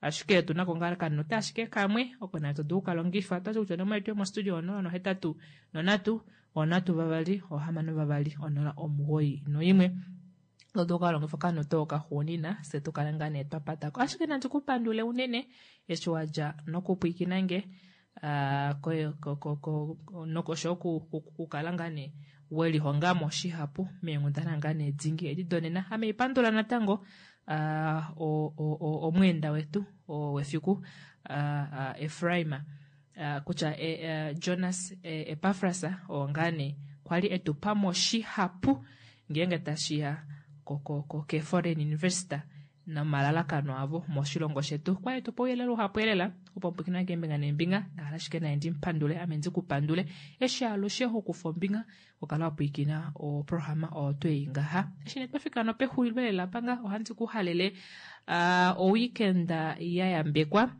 ashike otunako ngaa okaminute ashike kamwe oko nayo todulu okukalongifa. Otwati kutya onomola yetu yomostudio onola nohetatu nonhatu onhatu vavali ohamano vavali onola omugoyi noimwe. Otodulu okukalongifa okaminute oko kaxuunina fye tukale ngaa nee twapatako. Ashike nandi kupandule unene eshi wadja nokupwiikina nge nosho okukala ngaa nee welihongamo shihapu meenghundana ngaa nee dingi edi donena. Ame ipandula natango omweenda wetu wefiku Efraim kutya Jonas Epafras oo ngaa nee kwali etupamo shihapu ngeenge tashiya ke foreign investor nomalalakano avo moshilongo shetu. Kwali etupa ouyelele uhapu elela opo mupwikinwa keembinga neembinga, ndahala ashike naye ndimupandule ame ndikupandule eshi alushe hokufa ombinga okukala wapwiikina oprograma oyo twei ngaha. Eshi nee twafika nopexulilo lela panga ohandi kuhalele oweekend ya yambekwa,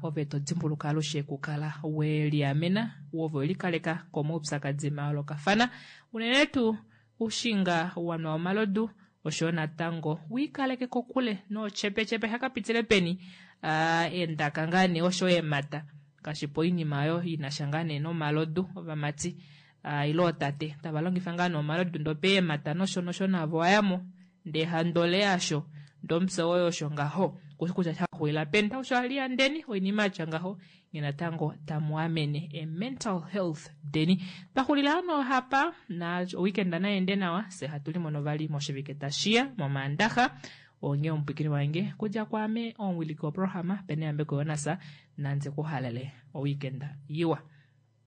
ove todimbuluka alushe okukala weliamena ove welikaleka komaupyakadi mayoolokafana, unene tuu ushinga wanwa omalodu oshoyo natango wiikaleke kokule nochepechepe hakapitile peni eendaka ngaa nee osho eemata ngaashi poinima oyo inasha ngaa nee nomalodu ovamati ile ootate tava longifa ngaa nee omalodu ndoo peemata nosho nosho navo wayamo ndee handole yasho Ndee omupya woye osho ngaho kushi kutya shaxulila peni tausho aliyandeni oinima yatya ngaho nye natango tamu amene e mental health deni. Twaxulila hano hapa na weekend nayeende nawa fye hatu limono vali moshivike tashiya momaandaxa onge omupwikini wange kudja kwaame omuwiliki woprograma Peneyambeko Jonas nandi kuhalele oweekend iwa.